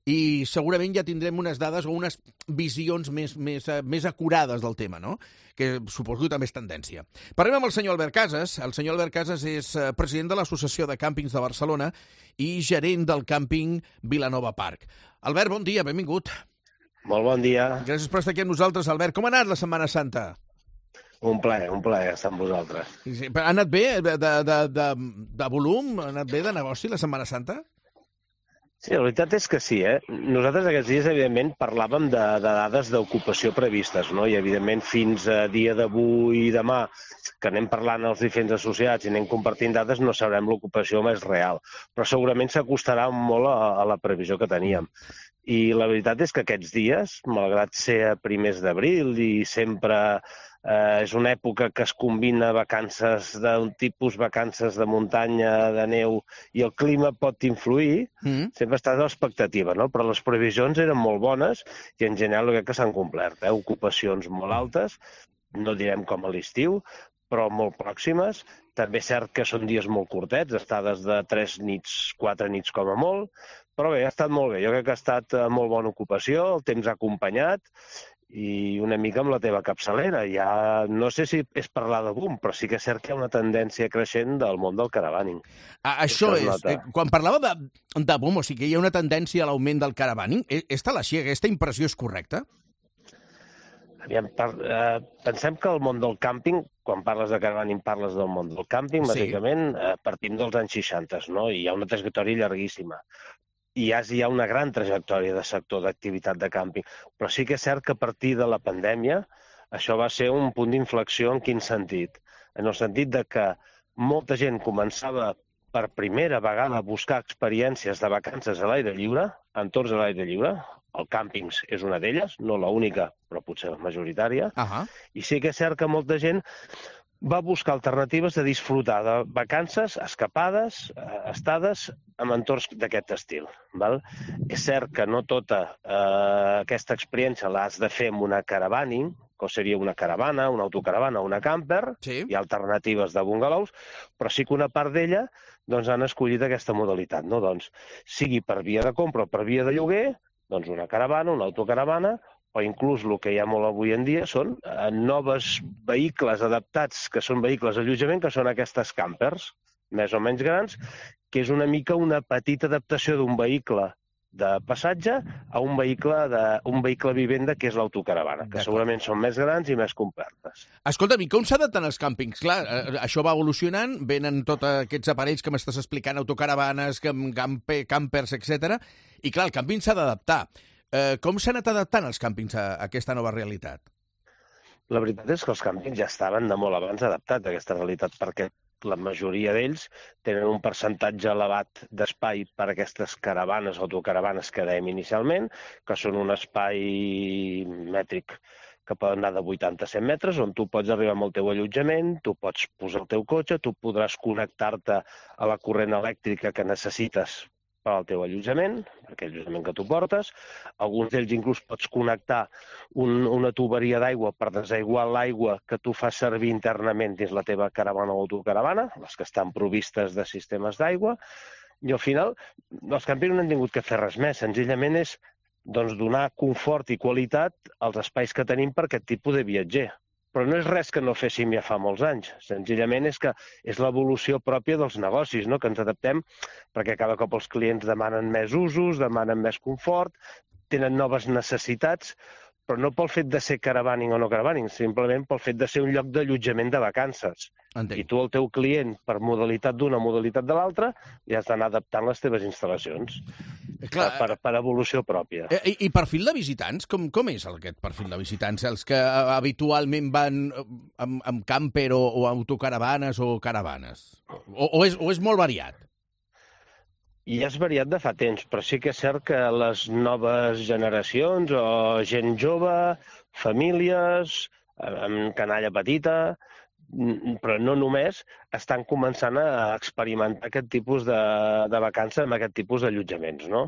i segurament ja tindrem unes dades o unes visions més, més, més acurades del tema, no? Que suposo que també és tendència. Parlem amb el senyor Albert Casas. El senyor Albert Casas és president de l'Associació de Càmpings de Barcelona i gerent del càmping Vilanova Park. Albert, bon dia, benvingut. Molt bon dia. Gràcies per estar aquí amb nosaltres, Albert. Com ha anat la Setmana Santa? Un plaer, un plaer estar amb vosaltres. Sí, ha anat bé de, de, de, de, de volum? Ha anat bé de negoci la Setmana Santa? Sí, la veritat és que sí, eh? Nosaltres aquests dies, evidentment, parlàvem de, de dades d'ocupació previstes, no? I, evidentment, fins a dia d'avui i demà, que anem parlant els diferents associats i anem compartint dades, no sabrem l'ocupació més real. Però segurament s'acostarà molt a, a la previsió que teníem. I la veritat és que aquests dies, malgrat ser a primers d'abril i sempre eh, és una època que es combina vacances d'un tipus, vacances de muntanya, de neu, i el clima pot influir, mm. sempre està l'expectativa, no? Però les previsions eren molt bones i en general crec que s'han complert. Eh? Ocupacions molt altes, no direm com a l'estiu, però molt pròximes. També és cert que són dies molt curtets, estades de tres nits, quatre nits com a molt, però bé, ha estat molt bé. Jo crec que ha estat molt bona ocupació, el temps ha acompanyat i una mica amb la teva capçalera. Ja no sé si és parlar de boom, però sí que és cert que hi ha una tendència creixent del món del caravaning. Ah, això és, eh, quan parlava de, de boom, o sigui que hi ha una tendència a l'augment del caravaning, és tal així, aquesta impressió és correcta? Aviam, per, eh, pensem que el món del càmping, quan parles de caravaning parles del món del càmping, sí. Bàsicament eh, partim dels anys seixanta, no? I hi ha una trajectòria llarguíssima. I ja hi ha una gran trajectòria de sector d'activitat de càmping. Però sí que és cert que a partir de la pandèmia això va ser un punt d'inflexió. En quin sentit? En el sentit de que molta gent començava per primera vegada a buscar experiències de vacances a l'aire lliure, entorns a l'aire lliure. El càmpings és una d'elles, no l'única, però potser la majoritària. Uh-huh. I sí que és cert que molta gent va buscar alternatives de disfrutar de vacances, escapades, estades en entorns d'aquest estil. Val? És cert que no tota eh, aquesta experiència l'has de fer amb una caravaning, que seria una caravana, una autocaravana o una camper, sí. Hi ha alternatives de bungalows, però sí que una part d'ella doncs, han escollit aquesta modalitat. No? Doncs, sigui per via de compra o per via de lloguer, doncs una caravana, una autocaravana, o inclús el que hi ha molt avui en dia són eh, noves vehicles adaptats, que són vehicles d'allotjament, que són aquestes campers, més o menys grans, que és una mica una petita adaptació d'un vehicle de passatge a un vehicle, de, un vehicle vivenda, que és l'autocaravana, que segurament són més grans i més complertes. Escolta'm, i com s'adapten els càmpings? Clar, això va evolucionant, venen tots aquests aparells que m'estàs explicant, autocaravanes, camper, campers, etcètera. I clar, el càmping s'ha d'adaptar. Eh, com s'han anat adaptant els càmpings a aquesta nova realitat? La veritat és que els càmpings ja estaven de molt abans adaptats a aquesta realitat, perquè la majoria d'ells tenen un percentatge elevat d'espai per a aquestes caravanes, autocaravanes que dèiem inicialment, que són un espai mètric que poden anar de vuitanta a cent metres, on tu pots arribar amb el teu allotjament, tu pots posar el teu cotxe, tu podràs connectar-te a la corrent elèctrica que necessites per al teu allotjament, per aquell allotjament que tu portes. Alguns d'ells inclús pots connectar un, una tuberia d'aigua per desaiguar l'aigua que tu fas servir internament dins la teva caravana o autocaravana, les que estan provistes de sistemes d'aigua, i al final els campings no han tingut que fer res més, senzillament és doncs, donar confort i qualitat als espais que tenim per aquest tipus de viatger. Però no és res que no féssim ja fa molts anys. Senzillament és que és l'evolució pròpia dels negocis, no? Que ens adaptem perquè cada cop els clients demanen més usos, demanen més confort, tenen noves necessitats, però no pel fet de ser caravaning o no caravaning, simplement pel fet de ser un lloc d'allotjament de vacances. Entenc. I tu, el teu client, per modalitat d'una, modalitat de l'altra, ja has d'anar adaptant les teves instal·lacions. Clar, per, per evolució pròpia. I, i perfil de visitants? Com, com és aquest perfil de visitants? Els que habitualment van amb, amb camper o, o autocaravanes o caravanes? O, o, és, o és molt variat? I és variat de fa temps, però sí que és cert que les noves generacions o gent jove, famílies, amb canalla petita, però no només, estan començant a experimentar aquest tipus de, de vacances amb aquest tipus d'allotjaments, no?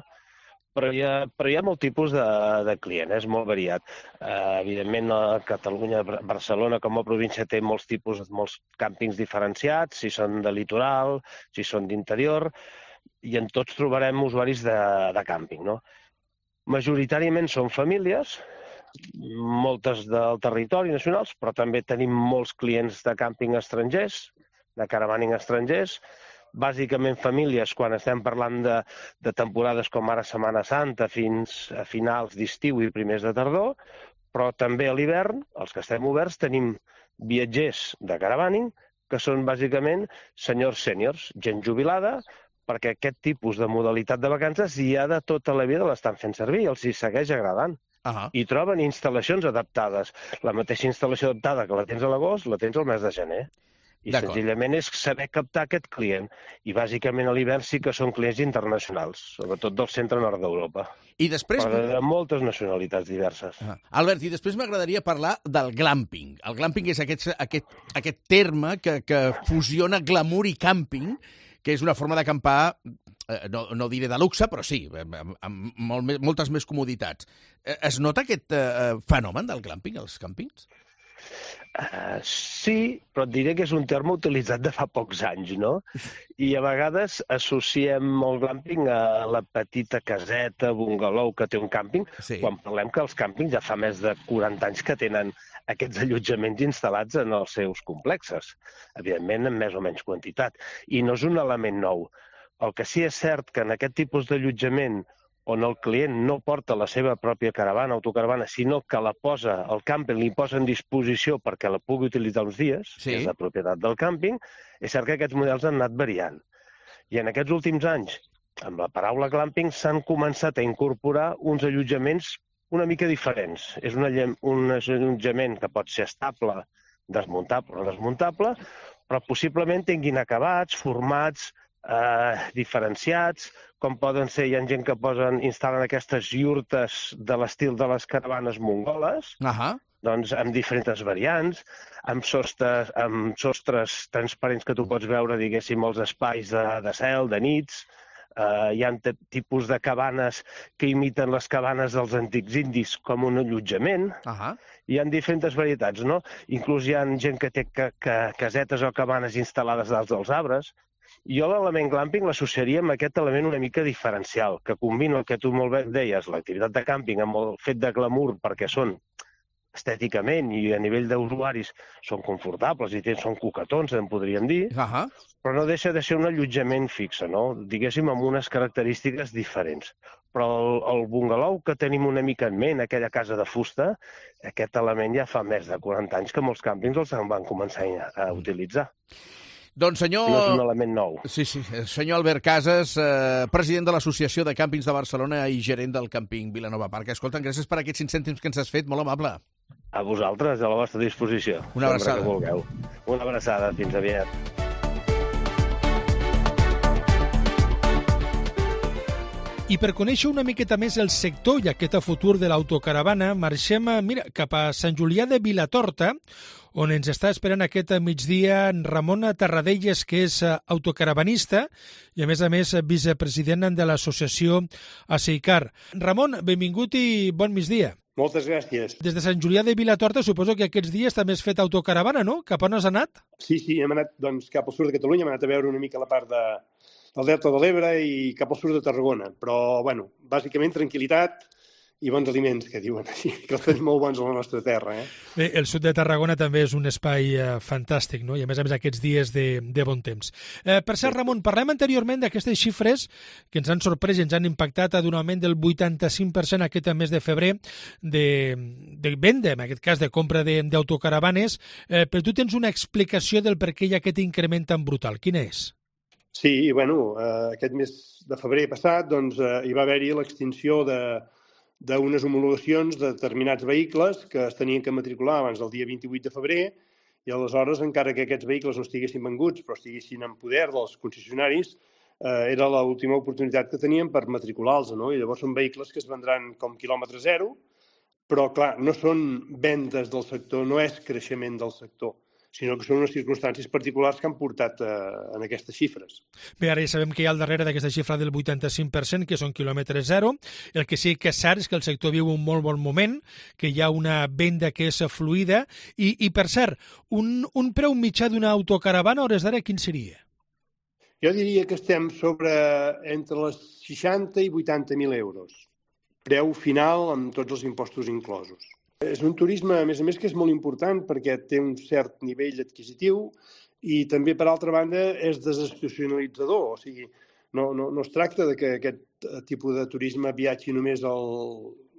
Però hi ha, però hi ha molt tipus de, de client, és molt variat. Uh, evidentment, a Catalunya, Barcelona, com a província, té molts tipus, molts càmpings diferenciats, si són de litoral, si són d'interior, i en tots trobarem usuaris de, de càmping, no? Majoritàriament són famílies, moltes del territori nacionals, però també tenim molts clients de càmping estrangers, de caravaning estrangers, bàsicament famílies quan estem parlant de, de temporades com ara Setmana Santa fins a finals d'estiu i primers de tardor, però també a l'hivern, els que estem oberts, tenim viatgers de caravaning que són bàsicament senyors sèniors, gent jubilada, perquè aquest tipus de modalitat de vacances ja de tota la vida l'estan fent servir i els hi segueix agradant. Uh-huh. I troben instal·lacions adaptades. La mateixa instal·lació adaptada que la tens a l'agost, la tens al mes de gener. I senzillament és saber captar aquest client. I bàsicament a l'hivern sí que són clients internacionals, sobretot del centre-nord d'Europa. I després... Però de moltes nacionalitats diverses. Uh-huh. Albert, i després m'agradaria parlar del glamping. El glamping és aquest, aquest, aquest terme que, que fusiona glamour i càmping, que és una forma d'acampar, eh, no, no diré de luxe, però sí, amb, amb molt, moltes més comoditats. Eh, es nota aquest eh, fenomen del glamping als càmpings? Uh, sí, però et diré que és un terme utilitzat de fa pocs anys, no? I a vegades associem el glamping a la petita caseta, bungalow que té un càmping, sí. Quan parlem que els càmpings ja fa més de quaranta anys que tenen aquests allotjaments instal·lats en els seus complexes, evidentment en més o menys quantitat. I no és un element nou. El que sí és cert que en aquest tipus d'allotjament on el client no porta la seva pròpia caravana, autocaravana, sinó que la posa, el càmping li posa en disposició perquè la pugui utilitzar uns dies, sí. És la propietat del càmping, és cert que aquests models han anat variant. I en aquests últims anys, amb la paraula glamping, s'han començat a incorporar uns allotjaments una mica diferents. És un, un allotjament que pot ser estable, desmuntable o desmuntable, però possiblement tinguin acabats, formats, eh, diferenciats, com poden ser, hi ha gent que posen, instal·len aquestes iurtes de l'estil de les caravanes mongoles, uh-huh. Doncs amb diferents variants, amb sostres, amb sostres transparents que tu pots veure, diguéssim, els espais de, de cel, de nits. Uh, hi ha tipus de cabanes que imiten les cabanes dels antics indis com un allotjament. Uh-huh. Hi ha diferents varietats, no? Inclús hi ha gent que té ca ca casetes o cabanes instal·lades dalt dels arbres. Jo l'element glamping l'associaria amb aquest element una mica diferencial, que combina el que tu molt bé deies, l'activitat de càmping, amb el fet de glamour, perquè són estèticament i a nivell d'usuaris són confortables i són coquetons, en podríem dir, uh-huh. Però no deixa de ser un allotjament fixe, no? Diguéssim, amb unes característiques diferents. Però el, el bungalou que tenim una mica en ment, aquella casa de fusta, aquest element ja fa més de quaranta anys que molts càmpings els van començar a utilitzar. Doncs senyor... No és un element nou. Sí, sí. Senyor Albert Casas, eh, president de l'Associació de Càmpings de Barcelona i gerent del càmping Vilanova Park. Escolta, gràcies per aquests cinc cèntims que ens has fet, molt amable. A vosaltres, a la vostra disposició. Una abraçada. Que vulgueu. Una abraçada, fins aviat. I per conèixer una miqueta més el sector i aquest futur de l'autocaravana, marxem mira, cap a Sant Julià de Vilatorta, on ens està esperant aquest migdia Ramon Tarradellas, que és autocaravanista i, a més a més, vicepresident de l'associació ASEICAR. Ramon, benvingut i bon migdia. Moltes gràcies. Des de Sant Julià de Vilatorta suposo que aquests dies també has fet autocaravana, no? Cap on has anat? Sí, sí, hem anat doncs, cap al sud de Catalunya, hem anat a veure una mica la part de, del Delta de l'Ebre i cap al sud de Tarragona. Però, bueno, bàsicament tranquil·litat i bons aliments, que diuen així, que els tenim molt bons a la nostra terra. Eh? Bé, el sud de Tarragona també és un espai eh, fantàstic, no? I a més a més aquests dies de, de bon temps. Eh, per cert, Ramon, parlem anteriorment d'aquestes xifres que ens han sorprès i ens han impactat d'un augment del vuitanta-cinc per cent aquest mes de febrer de, de venda, en aquest cas de compra d'autocaravanes, eh, però tu tens una explicació del per què hi ha aquest increment tan brutal. Quina és? Sí, bueno, eh, aquest mes de febrer passat doncs, eh, hi va haver-hi l'extinció de d'unes homologacions de determinats vehicles que es tenien que matricular abans del dia vint-i-vuit de febrer i aleshores, encara que aquests vehicles no estiguessin venguts però estiguessin en poder dels concessionaris, eh, era l'última oportunitat que tenien per matricular-los, no? I llavors són vehicles que es vendran com quilòmetre zero, però clar, no són vendes del sector, no és creixement del sector, sinó que són unes circumstàncies particulars que han portat eh, en aquestes xifres. Bé, ara ja sabem que hi ha al darrere d'aquesta xifra del vuitanta-cinc per cent, que són quilòmetre zero. El que sí que és cert és que el sector viu un molt bon moment, que hi ha una venda que és fluida. I, i per cert, un, un preu mitjà d'una autocaravana a hores d'ara, quin seria? Jo diria que estem sobre entre les seixanta i vuitanta mil euros. Preu final amb tots els impostos inclosos. És un turisme, a més a més, que és molt important perquè té un cert nivell adquisitiu i també, per altra banda, és desestacionalitzador. O sigui, no, no, no es tracta de que aquest tipus de turisme viatgi només al,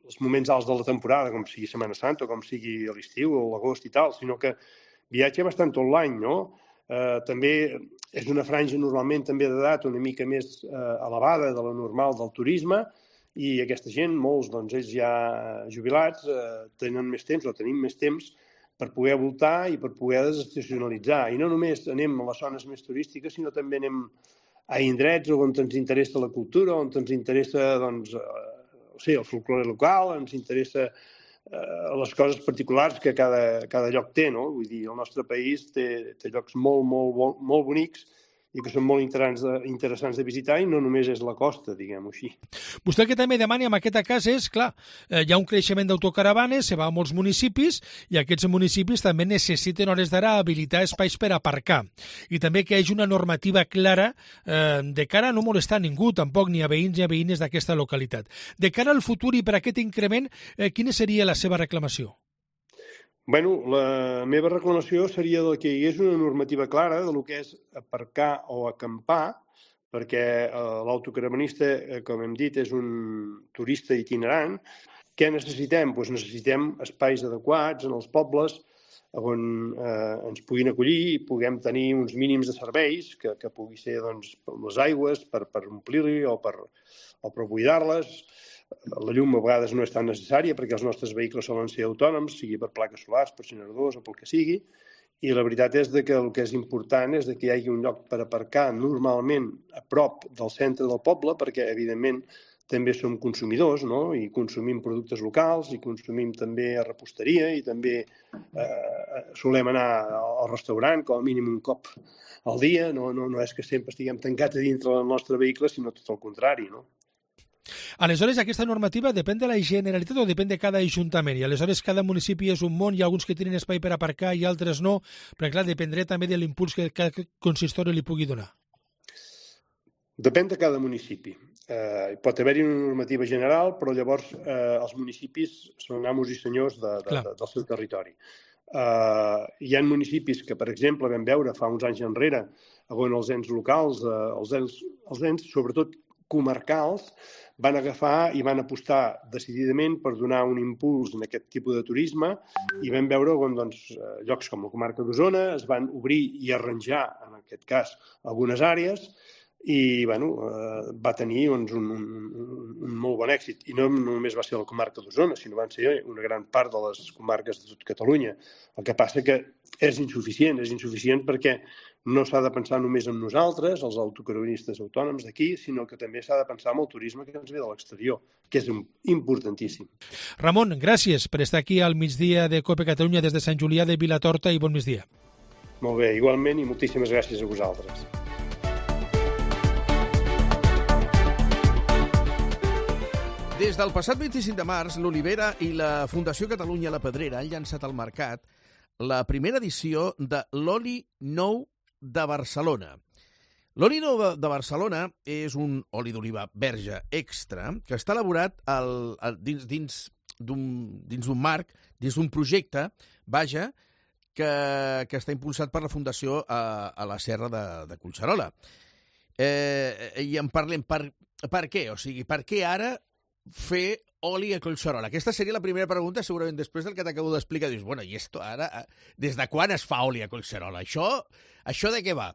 als moments alts de la temporada, com sigui Setmana Santa o com sigui l'estiu o l'agost i tal, sinó que viatja bastant tot l'any, no? Eh, també és una franja normalment també d'edat una mica més eh, elevada de la normal del turisme, i aquesta gent, molts, doncs, ells ja jubilats, eh, tenen més temps o tenim més temps per poder voltar i per poder desestacionalitzar. I no només anem a les zones més turístiques, sinó també anem a indrets on ens interessa la cultura, on ens interessa doncs, eh, o sigui, el folklore local, ens interessa eh, les coses particulars que cada, cada lloc té. No? Vull dir, el nostre país té, té llocs molt, molt, molt bonics i que són molt interessants de, interessants de visitar i no només és la costa, diguem-ho així. Vostè el que també demana en aquest cas és, clar, eh, hi ha un creixement d'autocaravanes, se va a molts municipis i aquests municipis també necessiten hores d'ara habilitar espais per aparcar i també que hi hagi una normativa clara eh, de cara a no molestar a ningú, tampoc ni a veïns ni a veïnes d'aquesta localitat. De cara al futur i per aquest increment, eh, quina seria la seva reclamació? Bueno, la meva reclamació seria que hi hagués una normativa clara de lo que és aparcar o acampar, perquè eh, l'autocaravanista, eh, com hem dit, és un turista itinerant. Què necessitem? Doncs necessitem espais adequats en els pobles on eh, ens puguin acollir i puguem tenir uns mínims de serveis, que, que pugui ser doncs, les aigües per, per omplir-hi o per, o per buidar-les. La llum a vegades no és tan necessària perquè els nostres vehicles solen ser autònoms, sigui per plaques solars, per generadors o pel que sigui, i la veritat és que el que és important és que hi hagi un lloc per aparcar normalment a prop del centre del poble, perquè evidentment també som consumidors, no? I consumim productes locals i consumim també a reposteria i també eh, solem anar al restaurant com a mínim un cop al dia, no, no, no és que sempre estiguem tancats a dintre del nostre vehicle, sinó tot el contrari, no? Aleshores, aquesta normativa depèn de la Generalitat o depèn de cada ajuntament? I aleshores cada municipi és un món, hi ha alguns que tenen espai per aparcar i altres no, però clar, dependrà també de l'impuls que cada consistori li pugui donar. Depèn de cada municipi. Eh, pot haver-hi una normativa general, però llavors eh, els municipis són amos i senyors de, de, de, del seu territori. Eh, hi ha municipis que, per exemple, vam veure fa uns anys enrere, on els ens locals, eh, els, ens, els ens, sobretot comarcals van agafar i van apostar decididament per donar un impuls en aquest tipus de turisme i vam veure com doncs, llocs com la comarca d'Osona es van obrir i arranjar, en aquest cas, algunes àrees i bueno, eh, va tenir doncs, un, un, un molt bon èxit. I no només va ser la comarca d'Osona, sinó van ser una gran part de les comarques de tot Catalunya. El que passa que és insuficient, és insuficient perquè no s'ha de pensar només en nosaltres, els autocaravanistes autònoms d'aquí, sinó que també s'ha de pensar en el turisme que ens ve de l'exterior, que és importantíssim. Ramon, gràcies per estar aquí al migdia de COPE Catalunya des de Sant Julià de Vilatorta i bon migdia. Molt bé, igualment, i moltíssimes gràcies a vosaltres. Des del passat vint-i-cinc de març, l'Olivera i la Fundació Catalunya La Pedrera han llançat al mercat la primera edició de l'Oli Nou de Barcelona. L'oli nou de Barcelona és un oli d'oliva verge extra que està elaborat al, al, dins, dins d'un marc, dins d'un projecte, vaja, que, que està impulsat per la Fundació a, a la Serra de, de Collserola. Eh, I en parlem per, per què? O sigui, per què ara fer oli a Collserola? Aquesta seria la primera pregunta, segurament després del que t'acabo d'explicar. Dius, bueno, i esto ara, des de quan es fa oli a Collserola? Això, això de què va?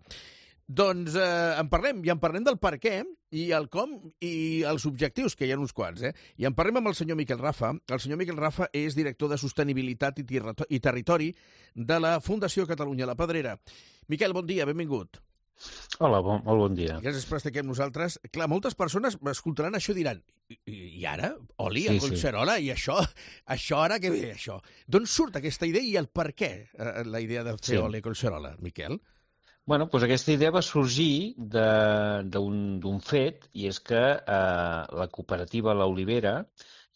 Doncs eh, en parlem, i en parlem del per què, i el com, i els objectius, que hi ha uns quants, eh? I en parlem amb el senyor Miquel Rafa. El senyor Miquel Rafa és director de Sostenibilitat i, i Territori de la Fundació Catalunya La Pedrera. Miquel, bon dia, benvingut. Hola, bon, molt bon dia. Gràcies per estar aquí amb nosaltres. Clar, moltes persones escoltaran això i diran, i, i ara? Oli a Sí, Collserola? I això, això ara què ve, això? D'on surt aquesta idea i el per què, eh, la idea de fer Sí. oli a Collserola, Miquel? Bueno, doncs aquesta idea va sorgir d'un fet, i és que eh, la cooperativa La Olivera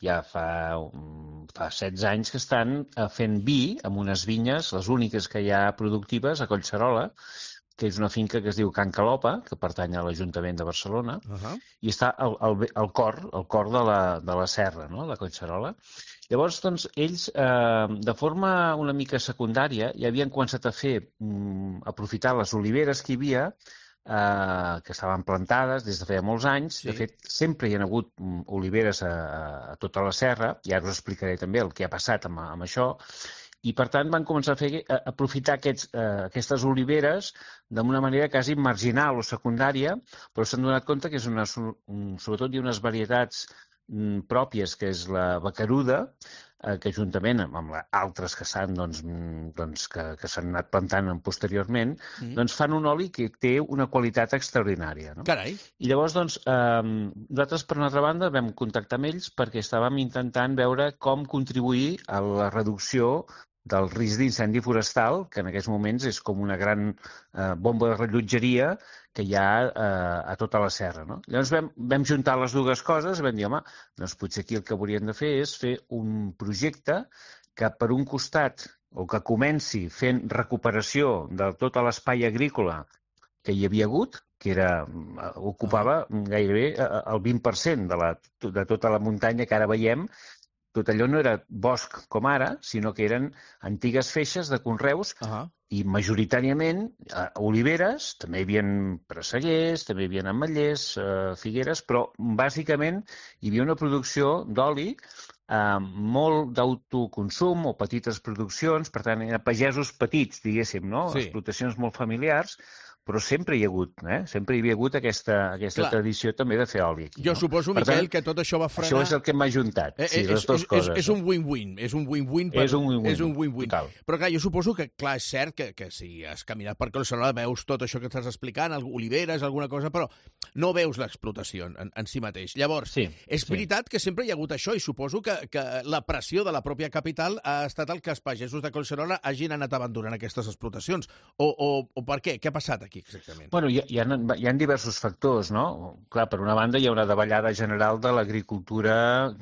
ja fa, um, fa setze anys que estan eh, fent vi amb unes vinyes, les úniques que hi ha productives a Collserola, que és una finca que es diu Can Calopa, que pertany a l'Ajuntament de Barcelona, Uh-huh. i està al, al, al cor, al cor de la, de la serra, no?, de Collserola. Llavors, doncs, ells, eh, de forma una mica secundària, ja havien començat a fer, mm, aprofitar les oliveres que hi havia, eh, que estaven plantades des de feia molts anys. Sí. De fet, sempre hi ha hagut mm, oliveres a, a tota la serra, i ara us explicaré també el que ha passat amb, amb això, i per tant van començar a, fer, a aprofitar aquests, eh, aquestes oliveres d'una manera quasi marginal o secundària, però s'han donat compte que és una, un, sobretot hi ha unes varietats mm, pròpies, que és la bacaruda, eh, que juntament amb, amb la, altres que s'han doncs, mm, doncs, que, que s'han anat plantant posteriorment, Mm. doncs fan un oli que té una qualitat extraordinària. No? Carai. I llavors, doncs, eh, nosaltres, per una altra banda, vam contactar amb ells perquè estàvem intentant veure com contribuir a la reducció del risc d'incendi forestal, que en aquests moments és com una gran eh, bomba de rellotgeria que hi ha eh, a tota la serra. No? Llavors vam, vam juntar les dues coses i vam dir, home, doncs potser aquí el que hauríem de fer és fer un projecte que per un costat, o que comenci fent recuperació de tot l'espai agrícola que hi havia hagut, que era, ocupava gairebé el vint per cent de, la, de tota la muntanya que ara veiem. Tot allò no era bosc com ara, sinó que eren antigues feixes de conreus, Uh-huh. i majoritàriament eh, oliveres, també hi havia presseguers, també hi havia ametllers, eh, figueres, però bàsicament hi havia una producció d'oli, eh, molt d'autoconsum o petites produccions, per tant, eren pagesos petits, diguéssim, no? Sí. Explotacions molt familiars, però sempre hi ha hagut, eh? sempre hi havia hagut aquesta, aquesta Clar. tradició també de fer oli aquí. Jo no? suposo, Per Miquel, tant, que tot això va frenar... Això és el que m'ha juntat, Eh, sí, eh, les és, dues és, coses. és un win-win, és un win-win. Per... És un win-win, És un win-win. total. Però clar, jo suposo que, clar, és cert que, que si has caminat per Collserola veus tot això que estàs explicant, oliveres, alguna cosa, però no veus l'explotació en, en si mateix. Llavors, sí, és sí. veritat que sempre hi ha hagut això i suposo que, que la pressió de la pròpia capital ha estat el que els pagesos de Collserola hagin anat abandonant aquestes explotacions. O, o, o per què? Què ha passat aquí exactament? Bueno, hi ha, hi ha, hi ha diversos factors, no? Clar, per una banda hi ha una davallada general de l'agricultura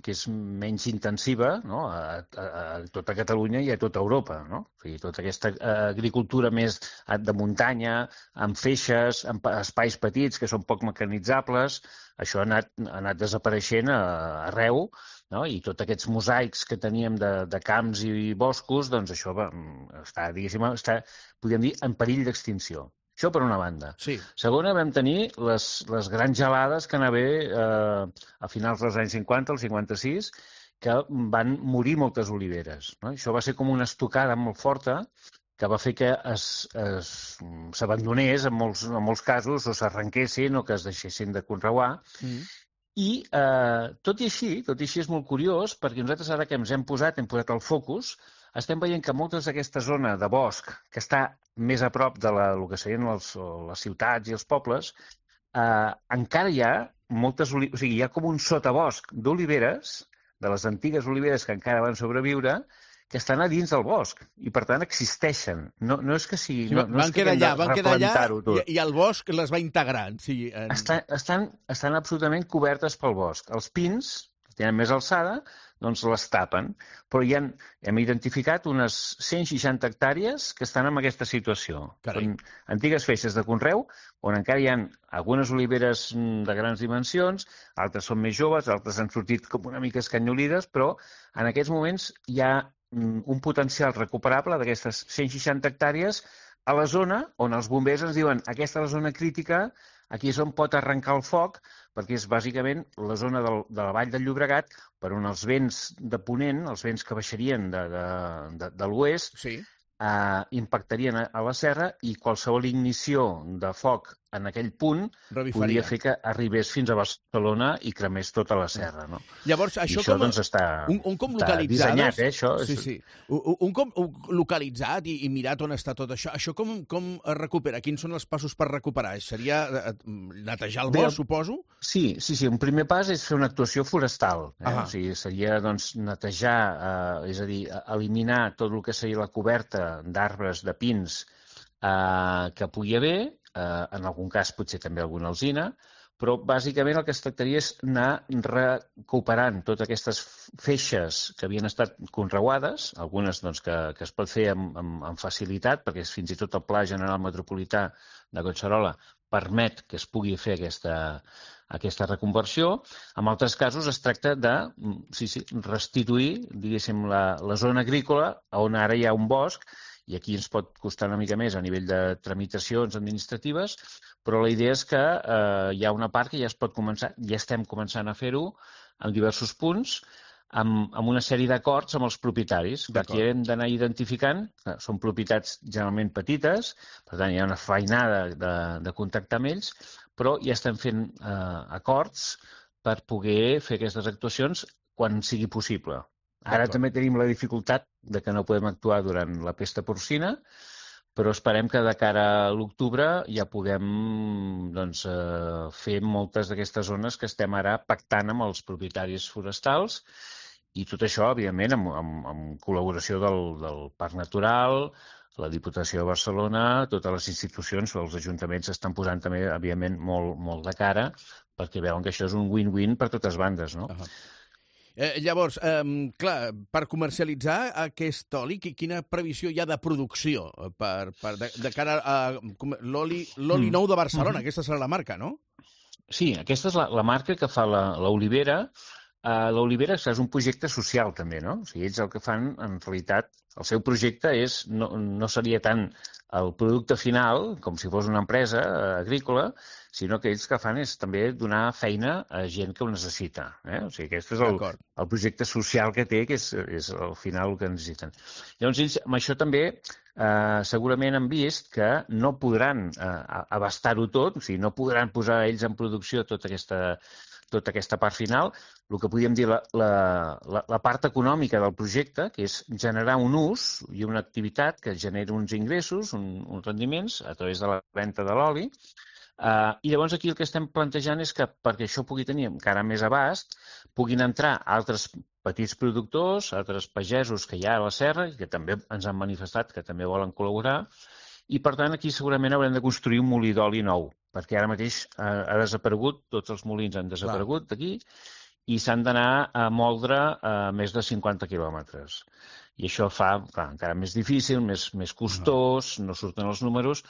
que és menys intensiva, no? a, a, a tota Catalunya i a tota Europa, no? O sigui, tota aquesta eh, agricultura més de muntanya, amb feixes, amb espais petits que són poc mecanitzables, això ha anat, ha anat desapareixent a, arreu, no? I tots aquests mosaics que teníem de, de camps i boscos, doncs això va, està, diguéssim, està, podríem dir, en perill d'extinció. Això per una banda. Sí. Segona, vam tenir les, les grans gelades que anava eh, a finals dels anys cinquanta, el cinquanta-sis, que van morir moltes oliveres. No? Això va ser com una estocada molt forta que va fer que s'abandonés en, molts, en molts casos, o s'arrenquessin o que es deixessin de conreuar. Mm. I eh, tot i així, tot i així és molt curiós, perquè nosaltres ara que ens hem posat, hem posat el focus, estem veient que moltes d'aquesta zona de bosc, que està més a prop de la, el que serien les, les ciutats i els pobles, eh, encara hi ha moltes oliveres, o sigui, hi ha com un sotabosc d'oliveres, de les antigues oliveres que encara van sobreviure, que estan a dins del bosc i, per tant, existeixen. No, no és que sigui... Sí, no, no van és que quedar allà, van quedar allà tot. i, i el bosc les va integrant. Sí, en... estan, estan, estan absolutament cobertes pel bosc. Els pins, que tenen més alçada, doncs les tapen. Però hi ha, hem identificat unes cent seixanta hectàrees que estan en aquesta situació. Carai. Són antigues feixes de conreu, on encara hi ha algunes oliveres de grans dimensions, altres són més joves, altres han sortit com una mica escanyolides, però en aquests moments hi ha un potencial recuperable d'aquestes cent seixanta hectàrees a la zona on els bombers ens diuen aquesta és la zona crítica, aquí és on pot arrencar el foc, perquè és bàsicament la zona del, de la vall del Llobregat, per on els vents de ponent, els vents que baixarien de, de, de, de l'oest, sí. eh, impactarien a, a la serra i qualsevol ignició de foc en aquell punt Revifaria. Podria fer que arribés fins a Barcelona i cremés tota la serra. No? Llavors, això, I això com, doncs, està, un, un com està dissenyat, eh, això. Sí, sí. Un, un com localitzat i, i mirat on està tot això. Això com, com es recupera? Quins són els passos per recuperar? Seria netejar el bosc, suposo? Sí, sí, sí. Un primer pas és fer una actuació forestal. Eh? O sigui, seria doncs, netejar, eh, és a dir, eliminar tot el que seria la coberta d'arbres, de pins, eh, que pugui haver, Uh, en algun cas potser també alguna alzina, però bàsicament el que es tractaria és anar recuperant totes aquestes feixes que havien estat conreuades, algunes doncs, que, que es pot fer amb, amb, amb facilitat, perquè fins i tot el Pla General Metropolità de Collserola permet que es pugui fer aquesta, aquesta reconversió. En altres casos es tracta de sí, sí, restituir, diguéssim, la, la zona agrícola on ara hi ha un bosc, i aquí ens pot costar una mica més a nivell de tramitacions administratives, però la idea és que eh, hi ha una part que ja es pot començar, ja estem començant a fer-ho en diversos punts, amb, amb una sèrie d'acords amb els propietaris. Aquí hem d'anar identificant, que són propietats generalment petites, per tant hi ha una feinada de, de contactar amb ells, però ja estem fent eh, acords per poder fer aquestes actuacions quan sigui possible. Ara també tenim la dificultat de que no podem actuar durant la pesta porcina, però esperem que de cara a l'octubre ja puguem doncs, eh, fer moltes d'aquestes zones que estem ara pactant amb els propietaris forestals i tot això, evidentment, amb, amb, amb col·laboració del, del Parc Natural, la Diputació de Barcelona, totes les institucions, els ajuntaments estan posant també, evidentment, molt, molt de cara perquè veuen que això és un win-win per totes bandes, no? Uh-huh. Eh, llavors, eh, clar, per comercialitzar aquest oli, quina previsió hi ha de producció per, per de, de cara a l'oli l'oli nou de Barcelona? Mm. Aquesta serà la marca, no? Sí, aquesta és la, la marca que fa l'olivera. Uh, l'olivera és un projecte social, també, no? O sigui, ells el que fan, en realitat, el seu projecte és, no, no seria tant el producte final, com si fos una empresa agrícola, sinó que ells que fan és també donar feina a gent que ho necessita. Eh? O sigui, aquest és el, el projecte social que té, que és, és al final el que necessiten. Llavors, ells amb això també eh, segurament han vist que no podran eh, abastar-ho tot, o sigui, no podran posar ells en producció tota aquesta, tota aquesta part final. El que podríem dir la, la, la, la part econòmica del projecte, que és generar un ús i una activitat que generi uns ingressos, un, uns rendiments a través de la venda de l'oli. Uh, I llavors aquí el que estem plantejant és que perquè això pugui tenir encara més abast, puguin entrar altres petits productors, altres pagesos que hi ha a la serra, que també ens han manifestat que també volen col·laborar, i per tant aquí segurament haurem de construir un molí d'oli nou, perquè ara mateix uh, ha desaparegut, tots els molins han desaparegut d'aquí, i s'han d'anar a moldre a més de cinquanta quilòmetres. I això fa clar, encara més difícil, més, més costós, no surten els números,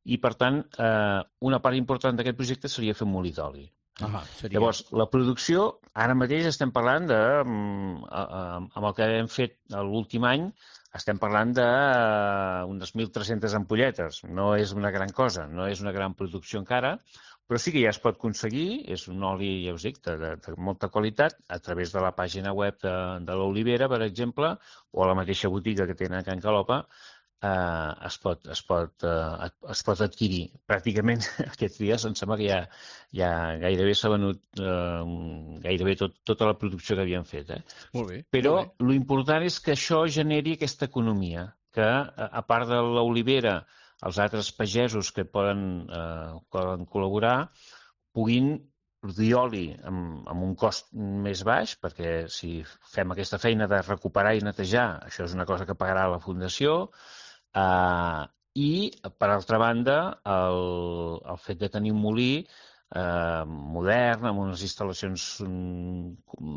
i per tant eh, una part important d'aquest projecte seria fer un molí d'oli. Ah, seria... Llavors, la producció, ara mateix estem parlant de, amb el que hem fet l'últim any, estem parlant d'unes mil tres-centes ampolletes. No és una gran cosa, no és una gran producció encara, però sí que ja es pot aconseguir, és un oli, ja us dic, de, de, de molta qualitat, a través de la pàgina web de, de l'Olivera, per exemple, o a la mateixa botiga que tenen a Can Calopa, eh, es, pot, es, pot, eh, es pot adquirir. Pràcticament aquests dies em sembla que ja, ja gairebé s'ha venut eh, gairebé tot, tota la producció que havien fet. Eh? Molt bé. Però molt bé. L'important és que això generi aquesta economia, que a part de l'olivera, els altres pagesos que poden, eh, poden col·laborar puguin produir oli amb, amb un cost més baix, perquè si fem aquesta feina de recuperar i netejar, això és una cosa que pagarà la Fundació, eh, i, per altra banda, el, el fet de tenir un molí eh, modern, amb unes instal·lacions um,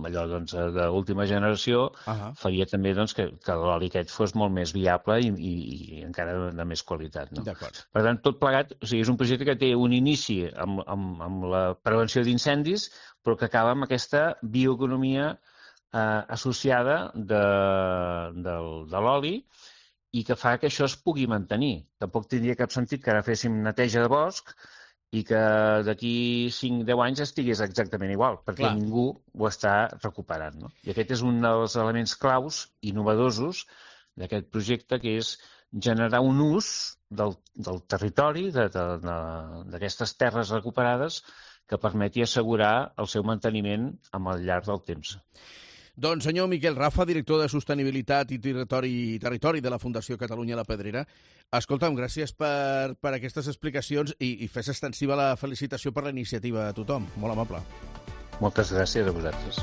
allò doncs, d'última generació, uh-huh. faria també doncs, que, que l'oli aquest fos molt més viable i, i, i encara de, de més qualitat. No? Per tant, tot plegat, o sigui, és un projecte que té un inici amb, amb, amb la prevenció d'incendis, però que acaba amb aquesta bioeconomia eh, associada de, de, de l'oli, i que fa que això es pugui mantenir. Tampoc tindria cap sentit que ara féssim neteja de bosc i que d'aquí cinc a deu anys estigués exactament igual, perquè Clar. Ningú ho està recuperant. No? I aquest és un dels elements claus, innovadosos, d'aquest projecte, que és generar un ús del, del territori, d'aquestes terres recuperades, que permeti assegurar el seu manteniment al llarg del temps. Doncs senyor Miquel Rafa, director de Sostenibilitat i Territori, territori de la Fundació Catalunya La Pedrera, escolta'm, gràcies per, per aquestes explicacions i, i fes extensiva la felicitació per la iniciativa a tothom. Molt amable. Moltes gràcies a vosaltres.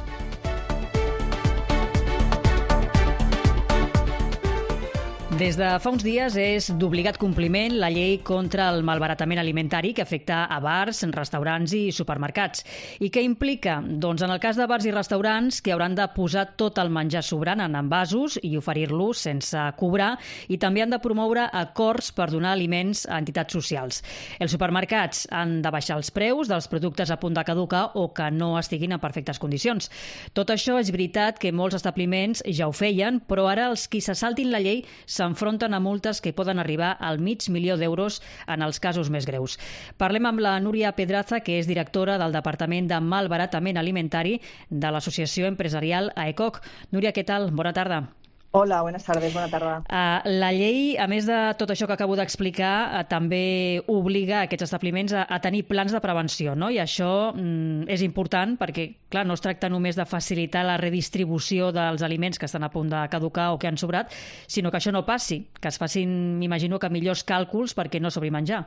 Des de fa uns dies és d'obligat compliment la llei contra el malbaratament alimentari que afecta a bars, restaurants i supermercats. I què implica? Doncs en el cas de bars i restaurants que hauran de posar tot el menjar sobrant en envasos i oferir-lo sense cobrar, i també han de promoure acords per donar aliments a entitats socials. Els supermercats han de baixar els preus dels productes a punt de caducar o que no estiguin en perfectes condicions. Tot això és veritat que molts establiments ja ho feien, però ara els qui se saltin la llei s'enfronten a multes que poden arribar al mig milió d'euros en els casos més greus. Parlem amb la Núria Pedraza, que és directora del Departament de Malbaratament Alimentari de l'Associació Empresarial AECOC. Núria, què tal? Bona tarda. Hola, buenas tardes, bona tarda. Uh, la llei, a més de tot això que acabo d'explicar, uh, també obliga aquests establiments a, a tenir plans de prevenció, no? I això mm, és important perquè, clar, no es tracta només de facilitar la redistribució dels aliments que estan a punt de caducar o que han sobrat, sinó que això no passi, que es facin, m'imagino, que millors càlculs perquè no sobri menjar.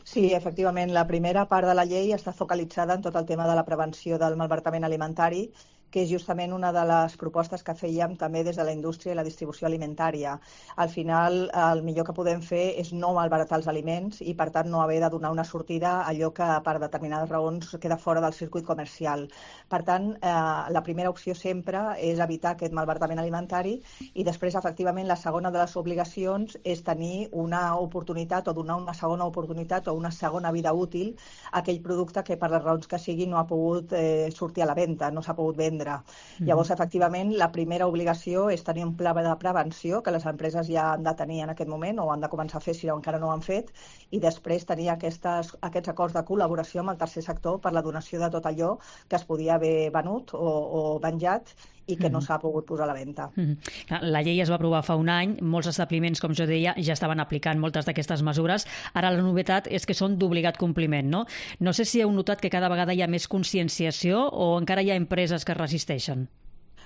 Sí, efectivament, la primera part de la llei està focalitzada en tot el tema de la prevenció del malbaratament alimentari, que és justament una de les propostes que fèiem també des de la indústria i la distribució alimentària. Al final, el millor que podem fer és no malbaratar els aliments i, per tant, no haver de donar una sortida a allò que, per determinades raons, queda fora del circuit comercial. Per tant, eh, la primera opció sempre és evitar aquest malbaratament alimentari i després, efectivament, la segona de les obligacions és tenir una oportunitat o donar una segona oportunitat o una segona vida útil a aquell producte que, per les raons que sigui, no ha pogut eh, sortir a la venda, no s'ha pogut vendre. Mm-hmm. Llavors, efectivament, la primera obligació és tenir un pla de prevenció que les empreses ja han de tenir en aquest moment o han de començar a fer si encara no ho han fet, i després tenir aquestes, aquests acords de col·laboració amb el tercer sector per la donació de tot allò que es podia haver venut o, o venjat i que no s'ha pogut posar a la venda. Mm-hmm. La llei es va aprovar fa un any, molts establiments, com jo deia, ja estaven aplicant moltes d'aquestes mesures. Ara la novetat és que són d'obligat compliment, no? No sé si heu notat que cada vegada hi ha més conscienciació o encara hi ha empreses que resisteixen.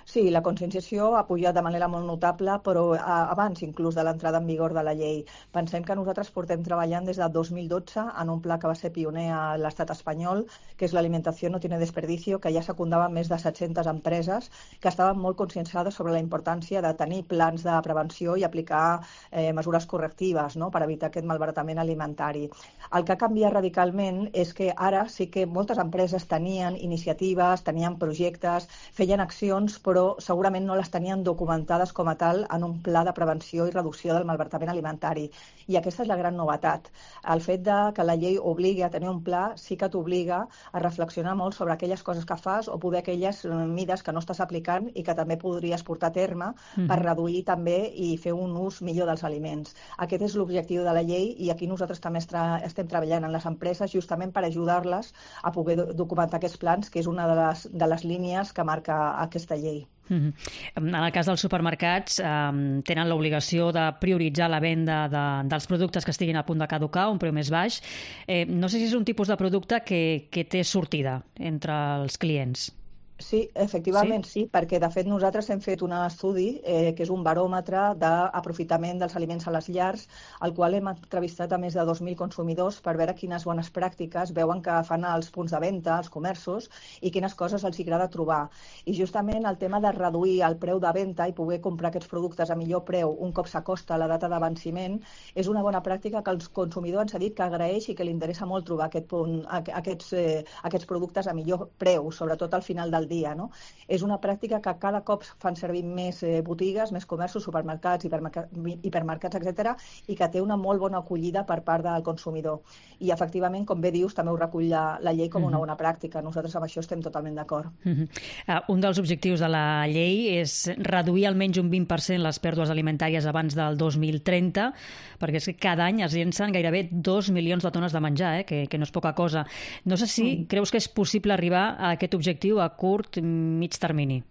Sí, la conscienciació ha pujat de manera molt notable, però abans inclús de l'entrada en vigor de la llei. Pensem que nosaltres portem treballant des del dos mil dotze en un pla que va ser pioner a l'estat espanyol, que és l'alimentació no tiene desperdicio, que ja secundava més de set-centes empreses que estaven molt conscienciades sobre la importància de tenir plans de prevenció i aplicar eh, mesures correctives, no?, per evitar aquest malbaratament alimentari. El que ha canviat radicalment és que ara sí que moltes empreses tenien iniciatives, tenien projectes, feien accions, però però segurament no les tenien documentades com a tal en un pla de prevenció i reducció del malbaratament alimentari. I aquesta és la gran novetat. El fet de que la llei obligui a tenir un pla sí que t'obliga a reflexionar molt sobre aquelles coses que fas o poder aquelles mides que no estàs aplicant i que també podries portar a terme mm-hmm. per reduir també i fer un ús millor dels aliments. Aquest és l'objectiu de la llei i aquí nosaltres també estem treballant en les empreses justament per ajudar-les a poder documentar aquests plans, que és una de les, de les línies que marca aquesta llei. Mm-hmm. En el cas dels supermercats, eh, tenen l'obligació de prioritzar la venda de, dels productes que estiguin a punt de caducar, un preu més baix. Eh, no sé si és un tipus de producte que, que té sortida entre els clients. Sí, efectivament sí? sí, perquè de fet nosaltres hem fet un estudi eh, que és un baròmetre d'aprofitament dels aliments a les llars, al qual hem entrevistat a més de dos mil consumidors per veure quines bones pràctiques veuen que fan als punts de venda, als comerços, i quines coses els agrada trobar. I justament el tema de reduir el preu de venda i poder comprar aquests productes a millor preu un cop s'acosta la data de venciment és una bona pràctica que el consumidor ens ha dit que agraeix i que li interessa molt trobar aquest punt, aquests, eh, aquests productes a millor preu, sobretot al final del dia, no? És una pràctica que cada cop fan servir més eh, botigues, més comerços, supermercats, hipermercats, hipermercats, etcètera, i que té una molt bona acollida per part del consumidor. I efectivament, com bé dius, també ho recull la, la llei com una bona pràctica. Nosaltres amb això estem totalment d'acord. Uh-huh. uh, un dels objectius de la llei és reduir almenys un vint per cent les pèrdues alimentàries abans del dos mil trenta, perquè és que cada any es llencen gairebé dos milions de tones de menjar, eh? que, que no és poca cosa. No sé si mm. creus que és possible arribar a aquest objectiu a curt, mig termini.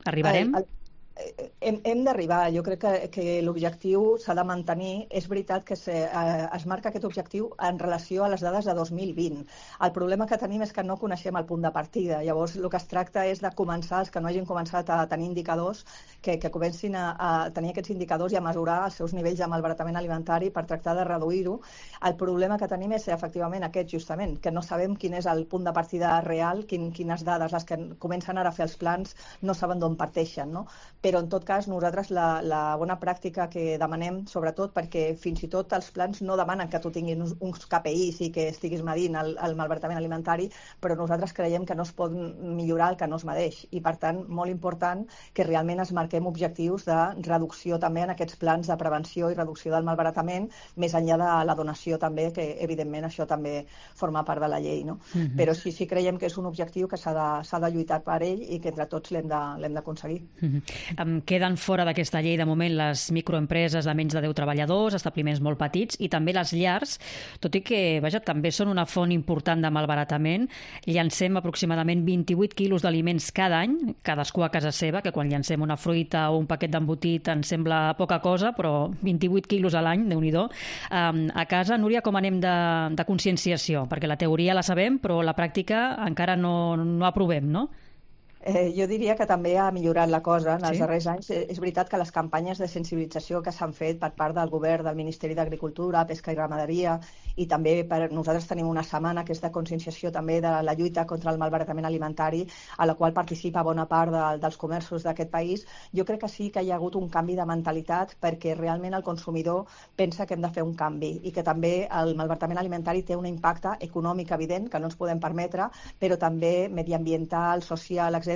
Arribarem? El, el, hem hem d'arribar. Jo crec que, que l'objectiu s'ha de mantenir. És veritat que se, eh, es marca aquest objectiu en relació a les dades de dos mil vint. El problema que tenim és que no coneixem el punt de partida. Llavors, el que es tracta és de començar, els que no hagin començat a tenir indicadors, que, que comencin a, a tenir aquests indicadors i a mesurar els seus nivells de malbaratament alimentari per tractar de reduir-ho. El problema que tenim és, efectivament, aquest, justament, que no sabem quin és el punt de partida real, quin, quines dades, les que comencen ara a fer els plans, no saben d'on parteixen, no? Però, en tot cas, nosaltres la, la bona pràctica que demanem, sobretot perquè fins i tot els plans no demanen que tu tinguis uns, uns K P Is i que estiguis medint el, el malbaratament alimentari, però nosaltres creiem que no es pot millorar el que no es medeix. I, per tant, molt important que realment es marquem objectius de reducció també en aquests plans de prevenció i reducció del malbaratament, més enllà de la donació també, que evidentment això també forma part de la llei, no? Mm-hmm. Però sí, sí creiem que és un objectiu que s'ha de, s'ha de lluitar per ell i que entre tots l'hem de, l'hem d'aconseguir. Mm-hmm. Um, queden fora d'aquesta llei de moment les microempreses de menys de deu treballadors, establiments molt petits i també les llars, tot i que vaja, també són una font important de malbaratament. Llancem aproximadament vint-i-vuit quilos d'aliments cada any, cadascú a casa seva, que quan llancem una fruita o un paquet d'embotit ens sembla poca cosa, però vint-i-vuit quilos a l'any, Déu-n'hi-do. Um, a casa, Núria, com anem de, de conscienciació? Perquè la teoria la sabem, però la pràctica encara no, no aprovem, no? Eh, jo diria que també ha millorat la cosa en els sí? darrers anys. És veritat que les campanyes de sensibilització que s'han fet per part del govern, del Ministeri d'Agricultura, Pesca i Ramaderia, i també per nosaltres tenim una setmana que és de conscienciació també de la lluita contra el malbaratament alimentari, a la qual participa bona part de, dels comerços d'aquest país. Jo crec que sí que hi ha hagut un canvi de mentalitat perquè realment el consumidor pensa que hem de fer un canvi i que també el malbaratament alimentari té un impacte econòmic evident que no ens podem permetre, però també mediambiental, social, etcètera.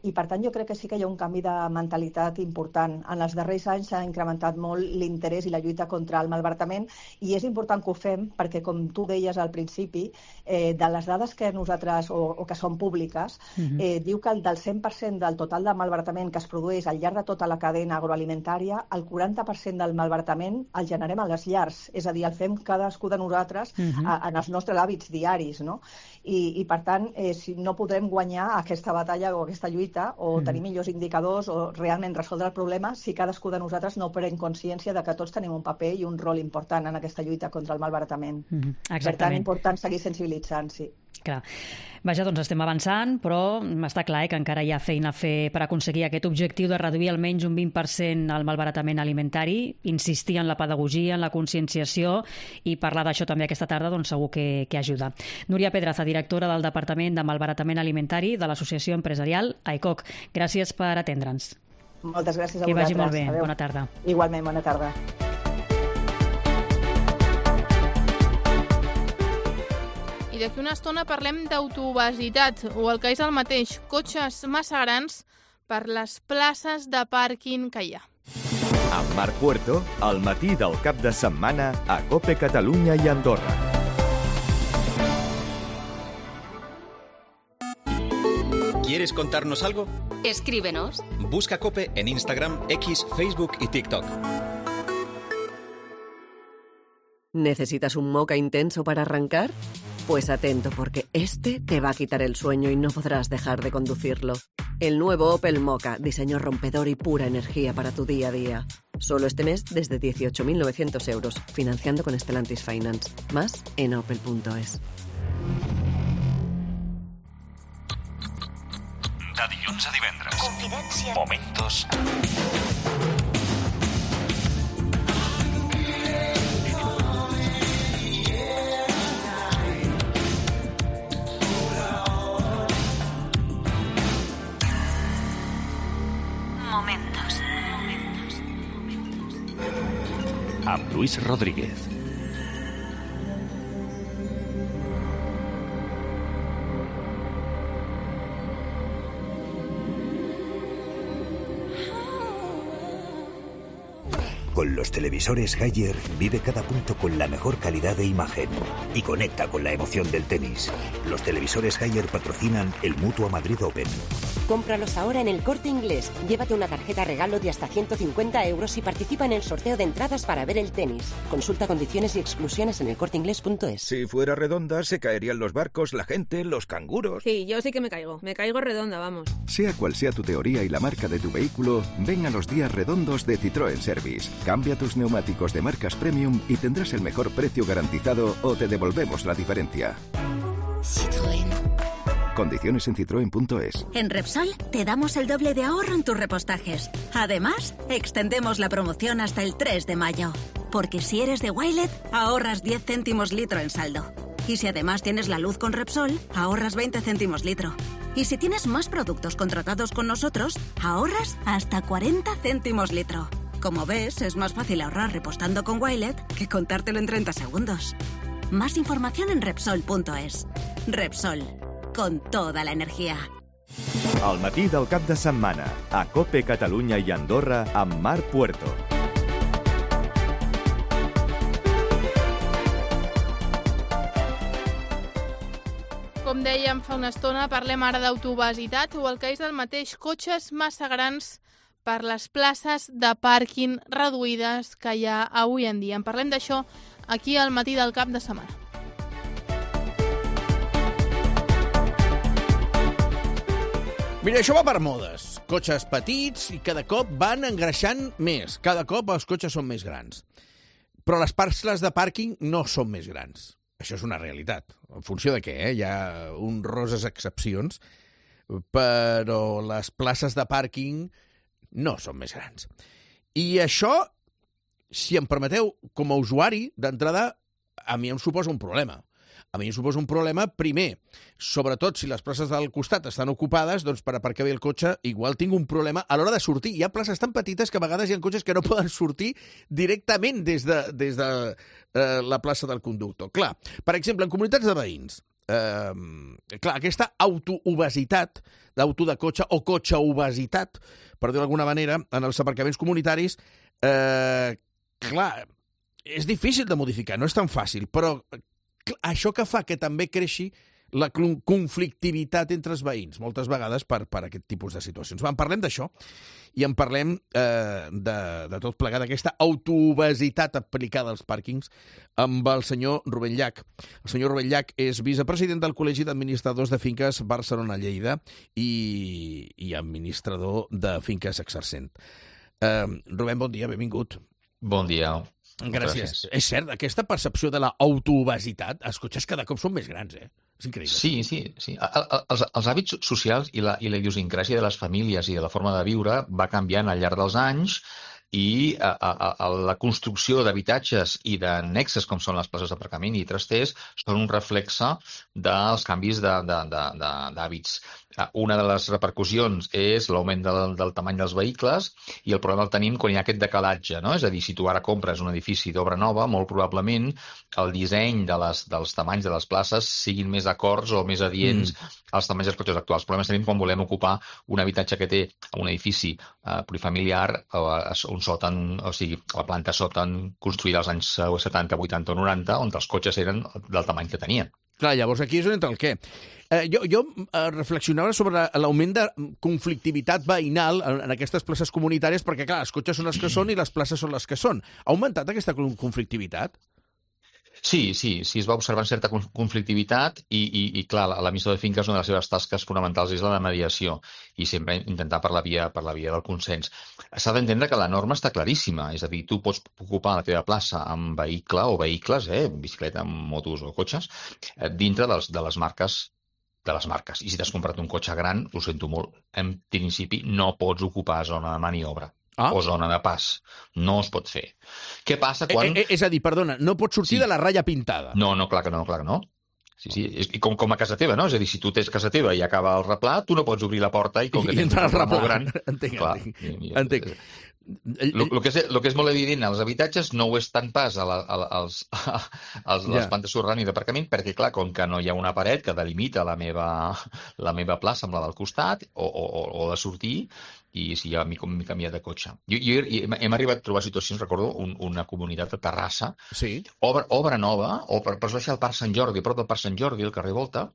I, per tant, jo crec que sí que hi ha un canvi de mentalitat important. En els darrers anys s'ha incrementat molt l'interès i la lluita contra el malbaratament i és important que ho fem perquè, com tu deies al principi, eh, de les dades que nosaltres, o, o que són públiques, uh-huh. eh, diu que del cent per cent del total de malbaratament que es produeix al llarg de tota la cadena agroalimentària, el quaranta per cent del malbaratament el generem a les llars, és a dir, el fem cadascú de nosaltres uh-huh. a, en els nostres hàbits diaris, no? I, i per tant, eh, si no podrem guanyar aquesta batalla o aquesta lluita o mm. tenir millors indicadors o realment resoldre el problema si cadascú de nosaltres no pren consciència de que tots tenim un paper i un rol important en aquesta lluita contra el malbaratament. Mm, per tant, important seguir sensibilitzant, sí. Clar. Vaja, doncs estem avançant, però està clar eh, que encara hi ha feina a fer per aconseguir aquest objectiu de reduir almenys un vint per cent el malbaratament alimentari, insistir en la pedagogia, en la conscienciació i parlar d'això també aquesta tarda doncs segur que, que ajuda. Núria Pedraza, directora del Departament de Malbaratament Alimentari de l'Associació Empresarial A E C O C. Gràcies per atendre'ns. Moltes gràcies a que vosaltres. Que vagi molt bé. Adéu. Bona tarda. Igualment, bona tarda. I d'aquí una estona parlem d'autoobesitat, o el que és el mateix, cotxes massa grans per les places de pàrquing que hi ha. Amb Marc Puerto, al matí del cap de setmana a COPE Catalunya i Andorra. ¿Quieres contarnos algo? Escríbenos. Busca COPE en Instagram, X, Facebook y TikTok. ¿Necesitas un moca intenso para arrancar? Pues atento, porque este te va a quitar el sueño y no podrás dejar de conducirlo. El nuevo Opel Mokka, diseño rompedor y pura energía para tu día a día. Solo este mes desde dieciocho mil novecientos euros, financiando con Stellantis Finance. Más en opel punto es. De dilluns a divendres. Confidència. Momentos Momentos. amb Luis Rodríguez. Con los televisores Haier vive cada punto con la mejor calidad de imagen y conecta con la emoción del tenis. Los televisores Haier patrocinan el Mutua Madrid Open. Cómpralos ahora en El Corte Inglés. Llévate una tarjeta regalo de hasta ciento cincuenta euros y participa en el sorteo de entradas para ver el tenis. Consulta condiciones y exclusiones en el corte inglés punto es. Si fuera redonda, se caerían los barcos, la gente, los canguros. Sí, yo sí que me caigo. Me caigo redonda, vamos. Sea cual sea tu teoría y la marca de tu vehículo, ven a los días redondos de Citroën Service. Cambia tus neumáticos de marcas premium y tendrás el mejor precio garantizado o te devolvemos la diferencia. Citroën. Condiciones en citroen punto es. En Repsol te damos el doble de ahorro en tus repostajes. Además, extendemos la promoción hasta el tres de mayo. Porque si eres de Wilet, ahorras diez céntimos litro en saldo. Y si además tienes la luz con Repsol, ahorras veinte céntimos litro. Y si tienes más productos contratados con nosotros, ahorras hasta cuarenta céntimos litro. Como ves, es más fácil ahorrar repostando con Wilet que contártelo en treinta segundos. Más información en Repsol punto es. Repsol, con toda la energía. Al matí del cap de setmana, a COPE Catalunya i Andorra amb Marc Puerto. Com dèiem fa una estona, parlem ara d'autobesitat o el que és el mateix, cotxes massa grans per les places de pàrquing reduïdes que hi ha avui en dia. En parlem d'això aquí al matí del cap de setmana. Mira, això va per modes. Cotxes petits i cada cop van engreixant més. Cada cop els cotxes són més grans. Però les parcel·les de pàrquing no són més grans. Això és una realitat. En funció de què, eh? Hi ha honroses excepcions, però les places de pàrquing no són més grans. I això, si em permeteu, com a usuari, d'entrada, a mi em suposa un problema. A mi em suposa un problema, primer, sobretot si les places del costat estan ocupades, doncs per aparcar bé el cotxe igual tinc un problema a l'hora de sortir. Hi ha places tan petites que a vegades hi ha cotxes que no poden sortir directament des de, des de eh, la plaça del conductor. Clar, per exemple, en comunitats de veïns, eh, clar, aquesta autoobesitat, d'auto de cotxe o cotxe-obesitat, per dir d'alguna manera, en els aparcaments comunitaris, eh, clar, és difícil de modificar, no és tan fàcil, però això que fa que també creixi la conflictivitat entre els veïns, moltes vegades per, per aquest tipus de situacions. En parlem d'això i en parlem eh, de, de tot plegat, d'aquesta autoobesitat aplicada als pàrquings amb el senyor Rubén Llach. El senyor Rubén Llach és vicepresident del Col·legi d'Administradors de Finques Barcelona-Lleida i, i administrador de Finques Exercent. Eh, Rubén, bon dia, benvingut. Bon dia. Gràcies. Gràcies. És cert, aquesta percepció de l'autoobesitat, els cotxes cada cop són més grans, eh? És increïble. Sí, sí, sí. Els, els hàbits socials i la, i la idiosincràsia de les famílies i de la forma de viure va canviant al llarg dels anys i a, a, a la construcció d'habitatges i d'annexes, com són les places d'aparcament i trasters, són un reflexe dels canvis de, de, de, de, d'hàbits. Una de les repercussions és l'augment del, del tamany dels vehicles i el problema el tenim quan hi ha aquest decalatge, no? És a dir, si tu ara compres un edifici d'obra nova, molt probablement el disseny de les, dels tamanys de les places siguin més acords o més adients mm. als tamanys dels cotxes actuals. El problema és tenim quan volem ocupar un habitatge que té un edifici eh, plurifamiliar, eh, un sòtan, o sigui, la planta sòtan construïda als anys setanta, vuitanta o noranta, on els cotxes eren del tamany que tenien. Clar, llavors aquí és on entra el què. Eh, jo jo eh, reflexionava sobre l'augment de conflictivitat veïnal en, en aquestes places comunitàries, perquè, clar, els cotxes són els que són i les places són les que són. Ha augmentat aquesta conflictivitat? Sí, sí, sí, es va observant certa conflictivitat i, i, i clar, l'emissor de finques, una de les seves tasques fonamentals és la de mediació i sempre intentar per la via, per la via del consens. S'ha d'entendre que la norma està claríssima, és a dir, tu pots ocupar la teva plaça amb vehicle o vehicles, eh, bicicleta, motos o cotxes, eh, dintre dels, de les marques de les marques. I si t'has comprat un cotxe gran, ho sento molt, en principi no pots ocupar zona de maniobra. Ah. O zona de pas. No es pot fer. Què passa quan... Eh, eh, és a dir, perdona, no pots sortir sí. de la ratlla pintada. No, no, clar que no, clar que no. Sí, sí, és com, com a casa teva, no? És a dir, si tu tens casa teva i acaba el replà, tu no pots obrir la porta i com que I tens un replà molt gran... Entenc, clar, entenc. I, i, entenc. El, el, que és, el que és molt evident als habitatges no ho és tant pas a la, a, als, a, a les yeah. plantes subterrànies i d'aparcament, perquè, clar, com que no hi ha una paret que delimita la meva, la meva plaça amb la del costat o, o, o de sortir, i si ja m'he canviat de cotxe. Jo, jo hem arribat a trobar situacions, recordo, un, una comunitat de Terrassa, sí. obra, obra nova, o per, per baixar al Parc Sant Jordi, prop del Parc Sant Jordi, al carrer Volta,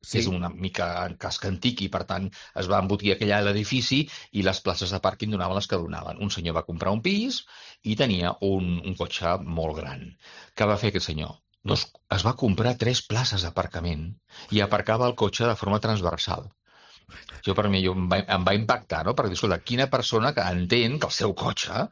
sí. és una mica casc antic i, per tant, es va embotir aquell l'edifici i les places de pàrquing donaven les que donaven. Un senyor va comprar un pis i tenia un, un cotxe molt gran. Què va fer aquest senyor? Doncs es va comprar tres places d'aparcament i aparcava el cotxe de forma transversal. Jo, per mi, jo, em, va, em va impactar, no? Perquè, escolta, quina persona que entén que el seu cotxe,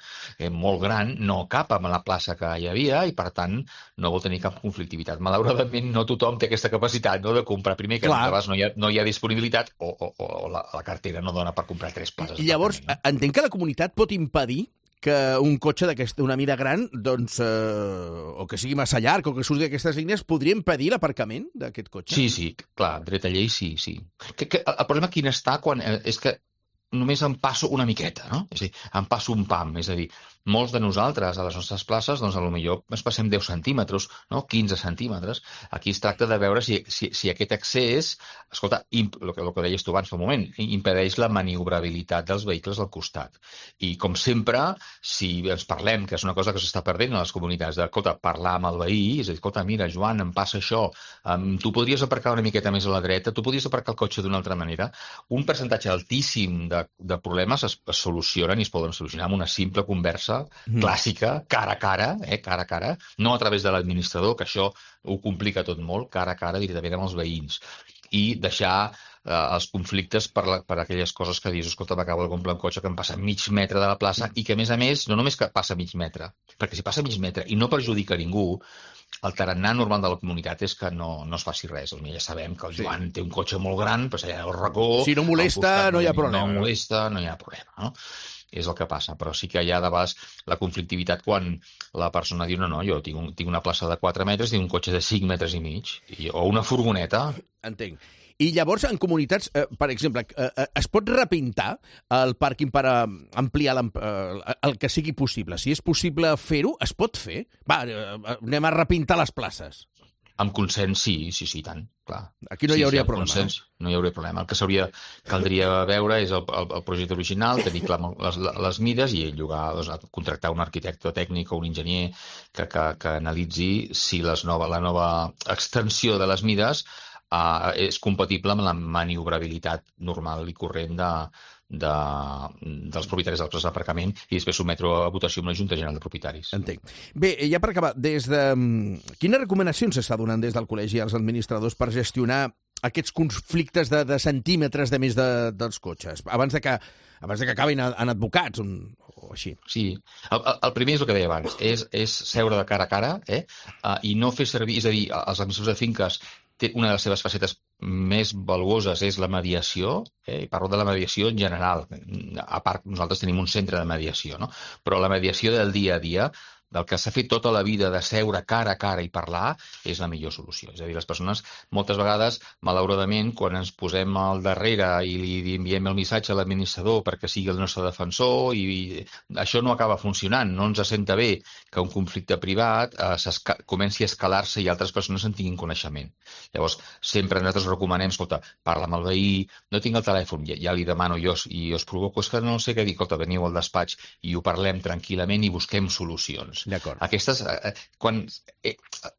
eh, molt gran, no cap amb la plaça que hi havia i, per tant, no vol tenir cap conflictivitat. Malauradament, no tothom té aquesta capacitat, no?, de comprar primer, que a vegades no hi ha, no hi ha disponibilitat o, o, o la, la cartera no dona per comprar tres places. I llavors, entenc que la comunitat pot impedir que un cotxe d'una mida gran, doncs, eh, o que sigui massa llarg, o que surti d'aquestes línies, podria impedir l'aparcament d'aquest cotxe? Sí, sí, clar, dret a llei sí, sí. Que, que el problema quin està quan, eh, és que només em passo una miqueta, no? És a dir, em passo un pam, és a dir, molts de nosaltres a les nostres places, doncs, potser ens passem deu centímetres, no? quinze centímetres. Aquí es tracta de veure si, si, si aquest accés, escolta, imp, el, que, el que deies tu abans fa un moment, impedeix la maniobrabilitat dels vehicles al costat. I, com sempre, si ens parlem, que és una cosa que s'està perdent a les comunitats, de, escolta, parlar amb el veí, és a dir, escolta, mira, Joan, em passa això, um, tu podries aparcar una miqueta més a la dreta, tu podries aparcar el cotxe d'una altra manera. Un percentatge altíssim de, de problemes es, es solucionen i es poden solucionar amb una simple conversa Mm. clàssica, cara a cara, eh, cara a cara, no a través de l'administrador, que això ho complica tot molt, cara a cara directament amb els veïns, i deixar eh, els conflictes per, la, per aquelles coses que dius, escolta, m'acabo de comprar un cotxe que em passa mig metre de la plaça i que, a més a més, no només que passa mig metre, perquè si passa mig metre i no perjudica ningú, el tarannà normal de la comunitat és que no, no es faci res. Ja sabem que el Joan sí. té un cotxe molt gran, però allà al racó... Si no molesta, no hi ha problema. No molesta, no hi ha problema, no? És el que passa, però sí que hi ha de vegades la conflictivitat quan la persona diu no, no, jo tinc, un, tinc una plaça de quatre metres, tinc un cotxe de cinc metres i mig, i, o una furgoneta. Entenc. I llavors, en comunitats, eh, per exemple, eh, es pot repintar el pàrquing per eh, ampliar eh, el que sigui possible? Si és possible fer-ho, es pot fer? Va, eh, anem a repintar les places. Amb consens, sí, sí, sí, tant, clar. Aquí no sí, hi hauria sí, problema. Consens, no hi hauria problema. El que s'hauria, caldria veure és el, el, el projecte original, tenir clar les, les mides i llogar, doncs, contractar un arquitecte tècnic o un enginyer que, que, que analitzi si les nova, la nova extensió de les mides uh, és compatible amb la maniobrabilitat normal i corrent de, de, dels propietaris dels places d'aparcament i després sotmetre a votació amb la Junta General de Propietaris. Entenc. Bé, ja per acabar, des de... quines recomanacions s'està donant des del col·legi als administradors per gestionar aquests conflictes de, de centímetres de més de, dels cotxes, abans de que, abans de que acabin en advocats o, o així? Sí, el, el primer és el que deia abans, és, és seure de cara a cara eh? uh, i no fer servir, és a dir, els administradors de finques té una de les seves facetes més valuoses és la mediació, eh? i parlo de la mediació en general. A part, nosaltres tenim un centre de mediació, no? Però la mediació del dia a dia, del que s'ha fet tota la vida de seure cara a cara i parlar, és la millor solució. És a dir, les persones, moltes vegades, malauradament, quan ens posem al darrere i li enviem el missatge a l'administrador perquè sigui el nostre defensor, i, i això no acaba funcionant. No ens assenta bé que un conflicte privat eh, comenci a escalar-se i altres persones en tinguin coneixement. Llavors, sempre nosaltres recomanem, escolta, parla amb el veí, no tinc el telèfon, ja, ja li demano jo i us provoco, és que no sé què dir, escolta, veniu al despatx i ho parlem tranquil·lament i busquem solucions. Aquestes, eh, quan, eh,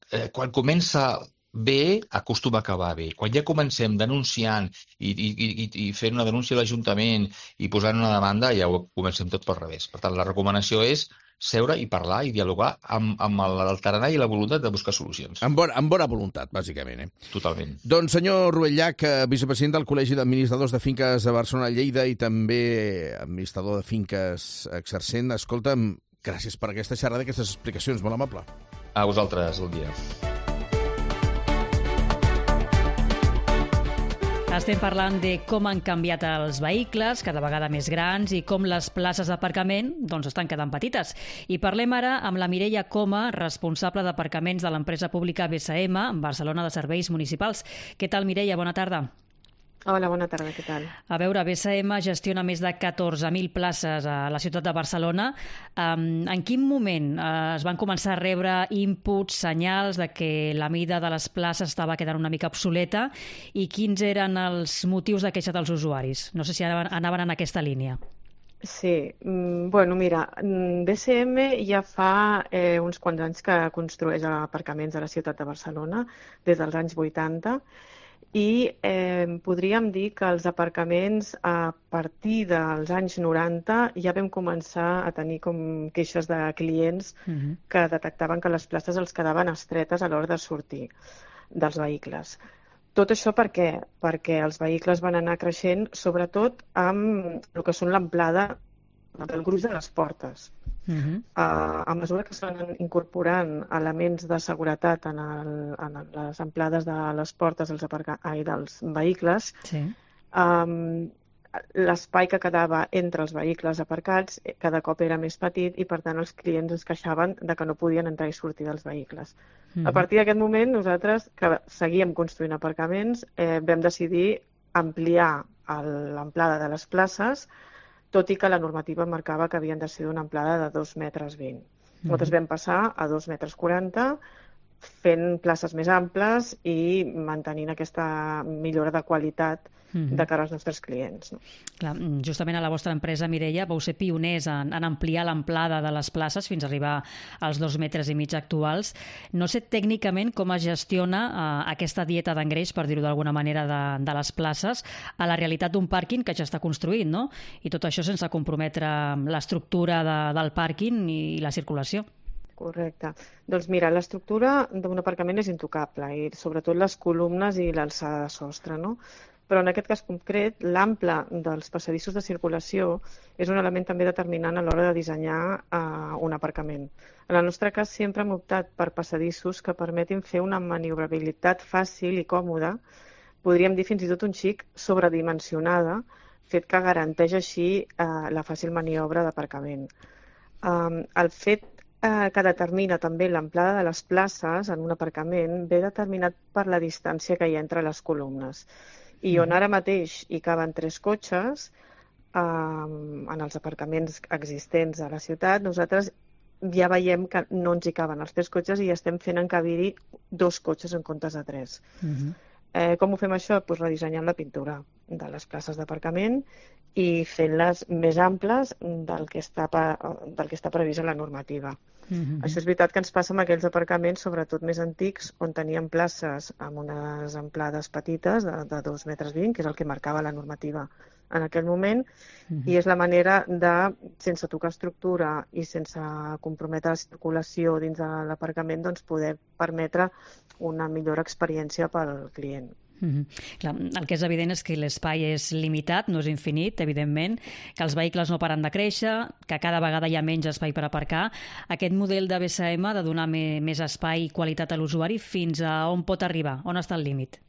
eh, quan comença bé, acostuma a acabar bé. Quan ja comencem denunciant i, i, i, i fent una denúncia a l'Ajuntament i posant una demanda, ja ho comencem tot pel revés. Per tant, la recomanació és seure i parlar i dialogar amb, amb el tarannà i la voluntat de buscar solucions. Amb bona, amb bona voluntat, bàsicament. Eh? Totalment. Doncs senyor Ruel Llach, vicepresident del Col·legi d'Administradors de Finques a Barcelona-Lleida i també administrador de finques exercent, escolta'm, gràcies per aquesta xerrada i aquestes explicacions, molt amable. A vosaltres, bon dia. Estem parlant de com han canviat els vehicles, cada vegada més grans, i com les places d'aparcament doncs, estan quedant petites. I parlem ara amb la Mireia Coma, responsable d'aparcaments de l'empresa pública B S M, Barcelona de Serveis Municipals. Què tal, Mireia? Bona tarda. Hola, bona tarda, què tal? A veure, B S M gestiona més de catorze mil places a la ciutat de Barcelona. En quin moment es van començar a rebre inputs, senyals de que la mida de les places estava quedant una mica obsoleta i quins eren els motius de queixa dels usuaris? No sé si anaven en aquesta línia. Sí, bueno, mira, B S M ja fa eh, uns quants anys que construeix aparcaments a la ciutat de Barcelona, des dels anys vuitanta, i eh, podríem dir que els aparcaments a partir dels anys noranta ja vam començar a tenir com queixes de clients uh-huh. que detectaven que les places els quedaven estretes a l'hora de sortir dels vehicles. Tot això per què? Perquè els vehicles van anar creixent, sobretot amb el que són l'amplada del gruix de les portes. Uh-huh. Uh, a mesura que s'han incorporant elements de seguretat en, el, en les amplades de les portes dels, aparca... Ai, dels vehicles, sí. um, l'espai que quedava entre els vehicles aparcats cada cop era més petit i per tant els clients es queixaven de que no podien entrar i sortir dels vehicles. Uh-huh. A partir d'aquest moment nosaltres, que seguíem construint aparcaments, eh, vam decidir ampliar l'amplada de les places, tot i que la normativa marcava que havien de ser d'una amplada de dos metres vint. Mm-hmm. Nosaltres vam passar a dos metres quaranta, fent places més amples i mantenint aquesta millora de qualitat mm-hmm. de cara als nostres clients. No? Clar, justament a la vostra empresa, Mireia, vau ser pioners en, en ampliar l'amplada de les places fins a arribar als dos metres i mig actuals. No sé tècnicament com es gestiona eh, aquesta dieta d'engreix, per dir-ho d'alguna manera, de, de les places a la realitat d'un pàrquing que ja està construït, no? I tot això sense comprometre l'estructura de, del pàrquing i la circulació. Correcte. Doncs mira, l'estructura d'un aparcament és intocable, i sobretot les columnes i l'alçada de sostre, no? Però en aquest cas concret, l'ample dels passadissos de circulació és un element també determinant a l'hora de dissenyar uh, un aparcament. En el nostre cas sempre hem optat per passadissos que permetin fer una maniobrabilitat fàcil i còmoda, podríem dir fins i tot un xic sobredimensionada, fet que garanteix així uh, la fàcil maniobra d'aparcament. Um, el fet que determina també l'amplada de les places en un aparcament ve determinat per la distància que hi ha entre les columnes. I on ara mateix hi caben tres cotxes, eh, en els aparcaments existents a la ciutat, nosaltres ja veiem que no ens hi caben els tres cotxes i estem fent encabir-hi dos cotxes en comptes de tres. Uh-huh. Eh, com ho fem això? Pues redissenyant la pintura de les places d'aparcament i fent-les més amples del que està, del que està previst a la normativa. Mm-hmm. Això és veritat que ens passa amb aquells aparcaments, sobretot més antics, on teníem places amb unes amplades petites de, de dos metres vint, que és el que marcava la normativa en aquell moment, mm-hmm. i és la manera de, sense tocar estructura i sense comprometre la circulació dins de l'aparcament, doncs poder permetre una millor experiència pel client. Mm-hmm. Clar, el que és evident és que l'espai és limitat, no és infinit, evidentment, que els vehicles no paren de créixer, que cada vegada hi ha menys espai per aparcar. Aquest model de B S M de donar més espai i qualitat a l'usuari, fins a on pot arribar? On està el límit?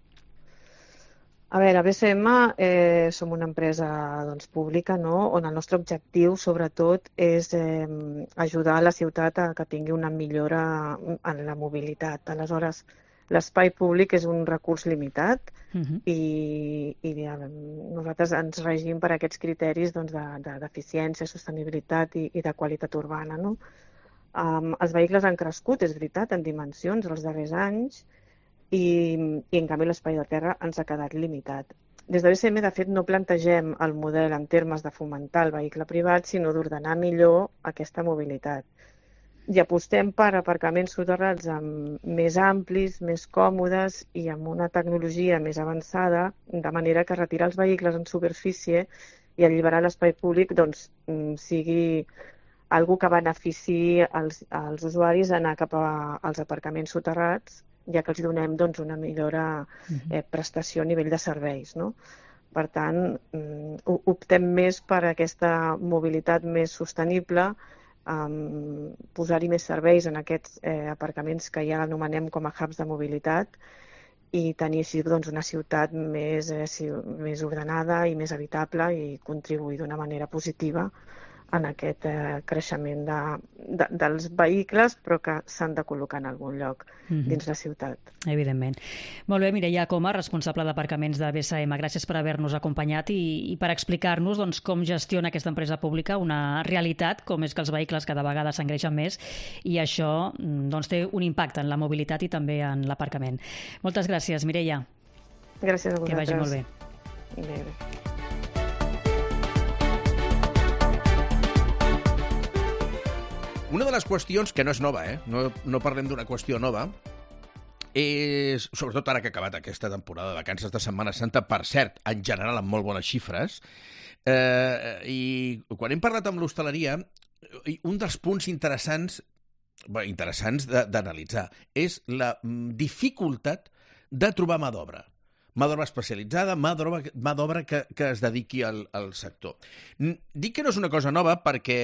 A veure, a B C M eh, som una empresa doncs, pública, no? On el nostre objectiu, sobretot, és eh, ajudar la ciutat a que tingui una millora en la mobilitat. Aleshores, l'espai públic és un recurs limitat uh-huh. i, i ja, nosaltres ens regim per aquests criteris doncs, d'eficiència, de, de sostenibilitat i, i de qualitat urbana. No? Um, els vehicles han crescut, és veritat, en dimensions els darrers anys, I, i en canvi l'espai de terra ens ha quedat limitat. Des de B C M, de fet, no plantegem el model en termes de fomentar el vehicle privat, sinó d'ordenar millor aquesta mobilitat. I apostem per aparcaments soterrats amb més amplis, més còmodes i amb una tecnologia més avançada, de manera que retirar els vehicles en superfície i alliberar l'espai públic doncs, sigui algo que beneficiï els, els usuaris a anar cap als aparcaments soterrats, ja que els donem doncs, una millora eh, prestació a nivell de serveis. No? Per tant, optem més per aquesta mobilitat més sostenible, um, posar-hi més serveis en aquests eh, aparcaments que ja anomenem com a hubs de mobilitat i tenir així doncs, una ciutat més, eh, més ordenada i més habitable i contribuir d'una manera positiva en aquest eh, creixement de, de, dels vehicles, però que s'han de col·locar en algun lloc mm-hmm. dins la ciutat. Evidentment. Molt bé, Mireia Coma, responsable d'aparcaments de B C M. Gràcies per haver-nos acompanyat i, i per explicar-nos doncs, com gestiona aquesta empresa pública una realitat, com és que els vehicles cada vegada s'engreixen més i això doncs, té un impacte en la mobilitat i també en l'aparcament. Moltes gràcies, Mireia. Gràcies a vosaltres. Que vagi molt bé. Bé, bé. Una de les qüestions, que no és nova, eh? no, no parlem d'una qüestió nova, és, sobretot ara que ha acabat aquesta temporada de vacances de Setmana Santa, per cert, en general amb molt bones xifres, eh, i quan hem parlat amb l'hostaleria, un dels punts interessants, bé, interessants d'analitzar és la dificultat de trobar mà d'obra. Mà d'obra especialitzada, mà d'obra que, que es dediqui al, al sector. Dic que no és una cosa nova perquè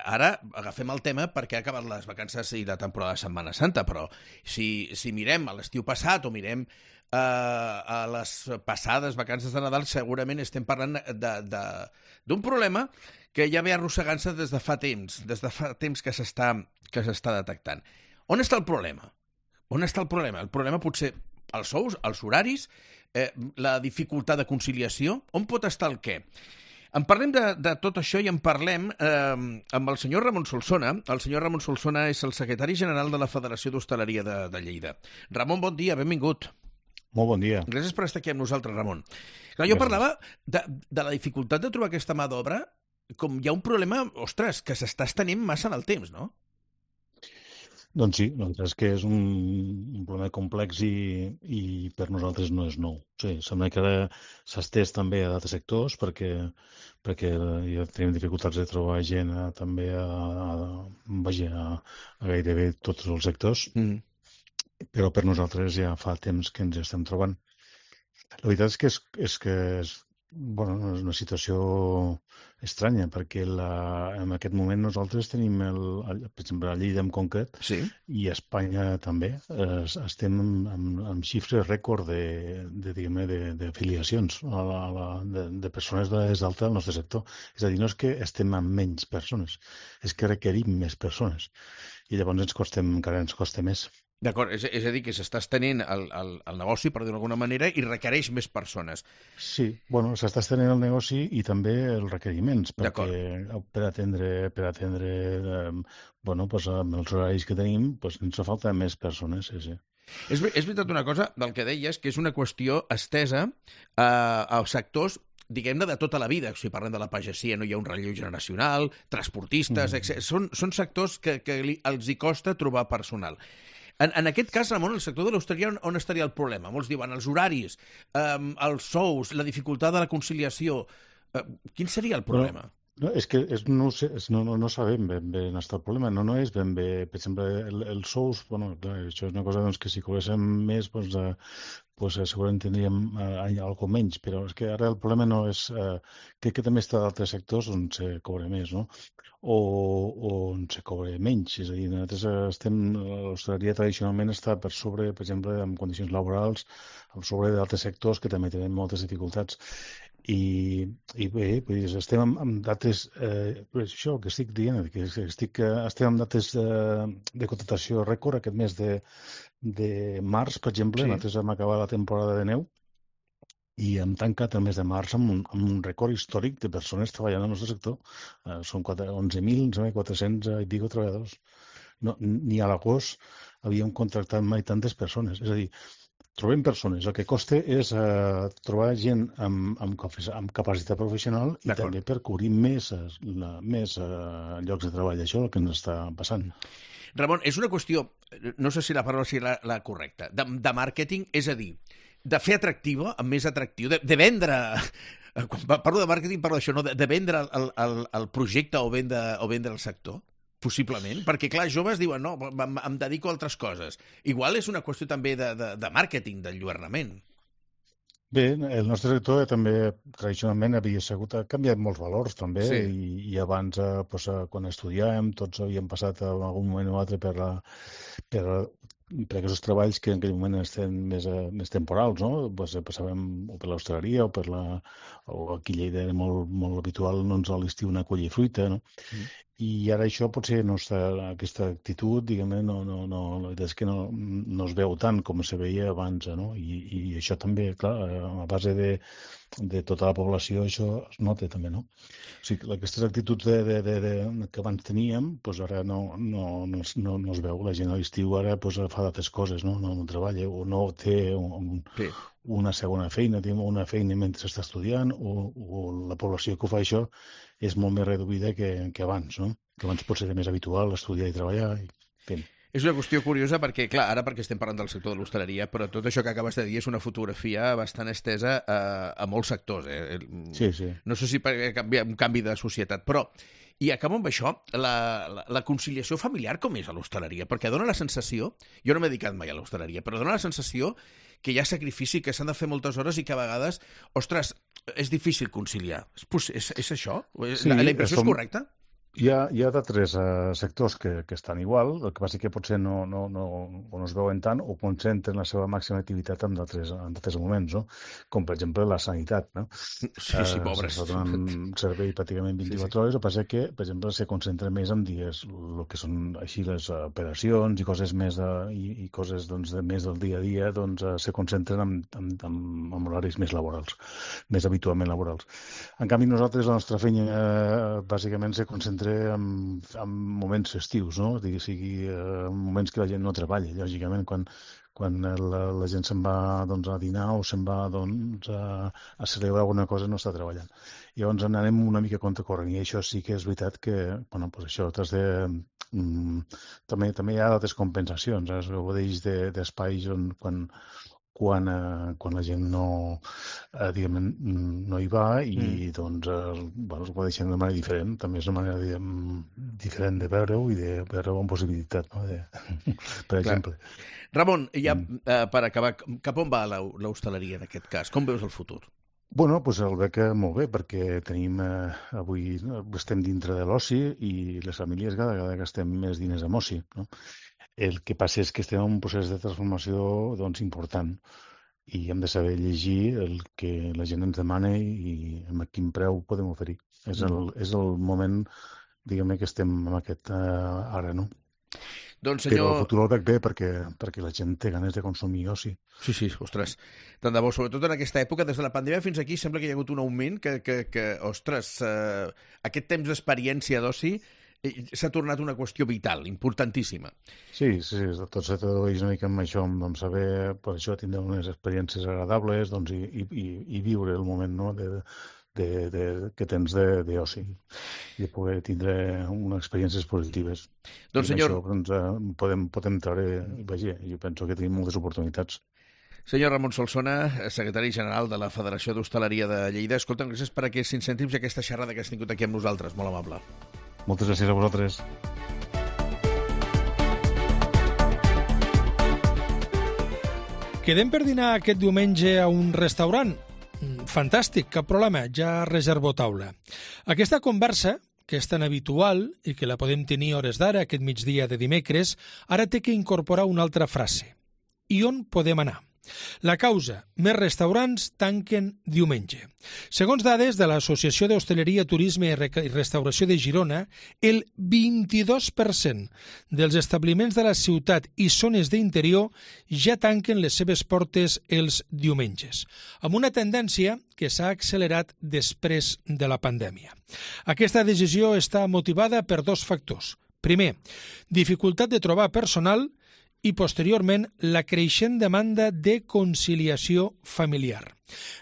ara agafem el tema perquè ha acabat les vacances i la temporada de Setmana Santa, però si, si mirem a l'estiu passat o mirem uh, a les passades vacances de Nadal, segurament estem parlant d'un problema que ja ve arrossegant-se des de fa temps, des de fa temps que s'està que s'està detectant. On està el problema? On està el problema? El problema potser els sous, els horaris, Eh, la dificultat de conciliació, on pot estar el què? En parlem de, de tot això i en parlem eh, amb el senyor Ramon Solsona. El senyor Ramon Solsona és el secretari general de la Federació d'Hostaleria de, de Lleida. Ramon, bon dia, benvingut. Molt bon dia. Gràcies per estar aquí amb nosaltres, Ramon. Clar, jo Gràcies. parlava de, de la dificultat de trobar aquesta mà d'obra, com hi ha un problema, ostres, que s'està estenent massa en el temps, no? Doncs sí, doncs és que és un, un problema complex i, i per nosaltres no és nou. Sí, sembla que ara s'estès també a d'altres sectors perquè, perquè ja tenim dificultats de trobar gent a, també a, a, vaja, a, a gairebé tots els sectors, mm. però per nosaltres ja fa temps que ens estem trobant. La veritat és que és, és, que és, bueno, és una situació estranya, perquè la, en aquest moment nosaltres tenim, el, el, per exemple, a Lleida en concret, sí. i a Espanya també, eh, estem amb, amb xifres rècord de, de, diguem-ne, de, de afiliacions a la, a la, de, de persones des d'alta al nostre sector. És a dir, no és que estem amb menys persones, és que requerim més persones. I llavors ens costem, encara ens costa més. D'acord, és, és a dir, que s'està estenent el, el, el negoci, per dir-ho d'alguna manera, i requereix més persones. Sí, bueno, s'està estenent el negoci i també els requeriments, perquè per atendre, per atendre eh, bueno, pues, amb els horaris que tenim, pues, ens fa falta més persones, sí, sí. És, és veritat una cosa del que deies, que és una qüestió estesa eh, als sectors, diguem-ne, de tota la vida. Si parlem de la pagesia, no hi ha un relleu generacional, transportistes, mm. etcètera. Són, són sectors que, que li, els hi costa trobar personal. En, en aquest cas, Ramon, el sector de l'hostaleria, on, on estaria el problema? Molts diuen els horaris, eh, els sous, la dificultat de la conciliació. Eh, quin seria el problema? Però, No, és que és, no, sé, és, no, no, no sabem ben bé on està el problema. No, no és ben bé, per exemple, el, els sous, bueno, clar, això és una cosa doncs, que si cobréssim més, doncs, eh, pues, eh, segurament tindríem eh, alguna menys, però és que ara el problema no és... Eh, crec que també està d'altres sectors on se cobra més, no? O, o on se cobra menys. És a dir, nosaltres estem... L'hostaleria tradicionalment està per sobre, per exemple, en condicions laborals, per sobre d'altres sectors que també tenen moltes dificultats. I, i bé, vull dir, estem amb, amb dates, eh, això que estic dient, que estic, estem amb dates de, de contractació rècord aquest mes de, de març, per exemple, sí. Nosaltres vam acabar la temporada de neu i hem tancat el mes de març amb un, amb un rècord històric de persones treballant al nostre sector. Eh, són onze mil quatre-cents i pico treballadors. No, ni a l'agost havíem contractat mai tantes persones. És a dir, trobem persones. El que costa és eh, trobar gent amb, amb, amb capacitat professional i també per cobrir més, la, més eh, llocs de treball. Això és el que ens està passant. Ramon, és una qüestió, no sé si la paraula sigui la, la correcta, de, de màrqueting, és a dir, de fer atractiva, més atractiu, de, de vendre... Quan parlo de màrqueting parlo d'això, no? de, de vendre el, el, el projecte o vendre, o vendre el sector? Possiblement, perquè clar, joves diuen no, em, em dedico a altres coses. Igual és una qüestió també de, de, de màrqueting, d'enlluernament. Bé, el nostre sector també tradicionalment havia sigut, ha canviat molts valors també, sí. i, i abans eh, pues, quan estudiàvem tots havíem passat en algun moment o altre per, la, per, per aquests treballs que en aquell moment estan més, més temporals, no? Pues, passàvem o per l'hostaleria o per la... o aquí a Lleida era molt, molt habitual doncs, a l'estiu anar a collir fruita, no? Mm. I ara això potser no està, aquesta actitud, diguem-ne, no, no, no, la veritat és que no, no es veu tant com se veia abans, no? I, i això també, clar, a base de, de tota la població, això es nota també, no? O sigui, aquestes actituds de, de, de, de, que abans teníem, doncs ara no, no, no, no, no es veu. La gent a l'estiu ara doncs, fa d'altres coses, no? No, no treballa o no té un, sí. una segona feina, té una feina mentre està estudiant o, o la població que ho fa això és molt més reduïda que, que abans, no? Que abans pot ser més habitual estudiar i treballar. I... Fem. És una qüestió curiosa perquè, clar, ara perquè estem parlant del sector de l'hostaleria, però tot això que acabes de dir és una fotografia bastant estesa a, a molts sectors. Eh? Sí, sí. No sé si per canviar, un canvi de societat, però... I acabo amb això, la, la, la conciliació familiar com és a l'hostaleria? Perquè dona la sensació, jo no m'he dedicat mai a l'hostaleria, però dona la sensació que hi ha sacrifici, que s'han de fer moltes hores i que a vegades, ostres, és difícil conciliar. És, és, és això? Sí, la, la impressió som... és correcta? Hi ha, hi ha d'altres uh, sectors que, que estan igual, el que passa que potser no, no, no, no es veuen tant o concentren la seva màxima activitat en d'altres moments, no? Com per exemple la sanitat, no? Sí, sí, pobres. Uh, se donen servei pràcticament vint-i-quatre hores, el que passa que, per exemple, se concentra més en dies, el que són així les operacions i coses més de, i, i coses doncs, de més del dia a dia, doncs uh, se concentren en, en, en, en horaris més laborals, més habitualment laborals. En canvi, nosaltres, la nostra feina, uh, bàsicament se concentra En, en moments festius, no? O sigui, en moments que la gent no treballa, lògicament, quan, quan la, la gent se'n va doncs, a dinar o se'n va doncs, a, a celebrar alguna cosa no està treballant. Llavors anem una mica contra corrent i això sí que és veritat que, bueno, pues això, de, mm, també, també hi ha d'altres compensacions, eh? Es gaudeix d'espais on quan quan, eh, quan la gent no, eh, diguem, no hi va i mm. doncs, eh, bueno, es ho deixar de manera diferent. També és una manera diguem, diferent de veure-ho i de veure-ho amb possibilitat, no? De, per exemple. Ramon, ja mm. eh, per acabar, cap on va l'hostaleria en aquest cas? Com veus el futur? Bueno, doncs el veig molt bé, perquè tenim, eh, avui estem dintre de l'oci i les famílies cada vegada gastem més diners en oci, no? El que passa és que estem en un procés de transformació doncs, important i hem de saber llegir el que la gent ens demana i amb quin preu podem oferir. És el, és el moment, diguem-ne, que estem en aquest uh, ara, no? Doncs, senyor... Però el futur el veig bé perquè, perquè la gent té ganes de consumir oci. Sí, sí, ostres. Tant de bo, sobretot en aquesta època, des de la pandèmia fins aquí, sembla que hi ha hagut un augment que, que, que ostres, eh, aquest temps d'experiència d'oci s'ha tornat una qüestió vital, importantíssima. Sí, sí, tot se tradueix una mica amb això, amb saber, per això, tindre unes experiències agradables doncs, i, i, i viure el moment, no?, de, de, de, que tens d'oci i de poder tindre unes experiències positives. Doncs, senyor... Això, doncs, podem, podem treure, vaja, jo penso que tenim moltes oportunitats. Senyor Ramon Solsona, secretari general de la Federació d'Hostaleria de Lleida, escolta'm, gràcies per aquests cinc cèntims i aquesta xerrada que has tingut aquí amb nosaltres, molt amable. Moltes gràcies a vosaltres. Quedem per dinar aquest diumenge a un restaurant? Fantàstic, cap problema, ja reservo taula. Aquesta conversa, que és tan habitual i que la podem tenir hores d'ara, aquest migdia de dimecres, ara té que incorporar una altra frase. I on podem anar? La causa, més restaurants tanquen diumenge. Segons dades de l'Associació d'Hostaleria, Turisme i Restauració de Girona, el vint-i-dos per cent dels establiments de la ciutat i zones d'interior ja tanquen les seves portes els diumenges, amb una tendència que s'ha accelerat després de la pandèmia. Aquesta decisió està motivada per dos factors. Primer, dificultat de trobar personal i, posteriorment, la creixent demanda de conciliació familiar.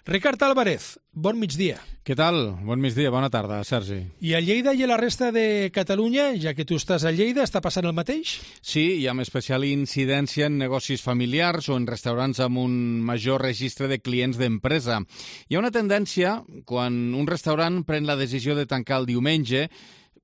Ricard Álvarez, bon migdia. Què tal? Bon migdia, bona tarda, Sergi. I a Lleida i a la resta de Catalunya, ja que tu estàs a Lleida, està passant el mateix? Sí, i amb especial incidència en negocis familiars o en restaurants amb un major registre de clients d'empresa. Hi ha una tendència, quan un restaurant pren la decisió de tancar el diumenge,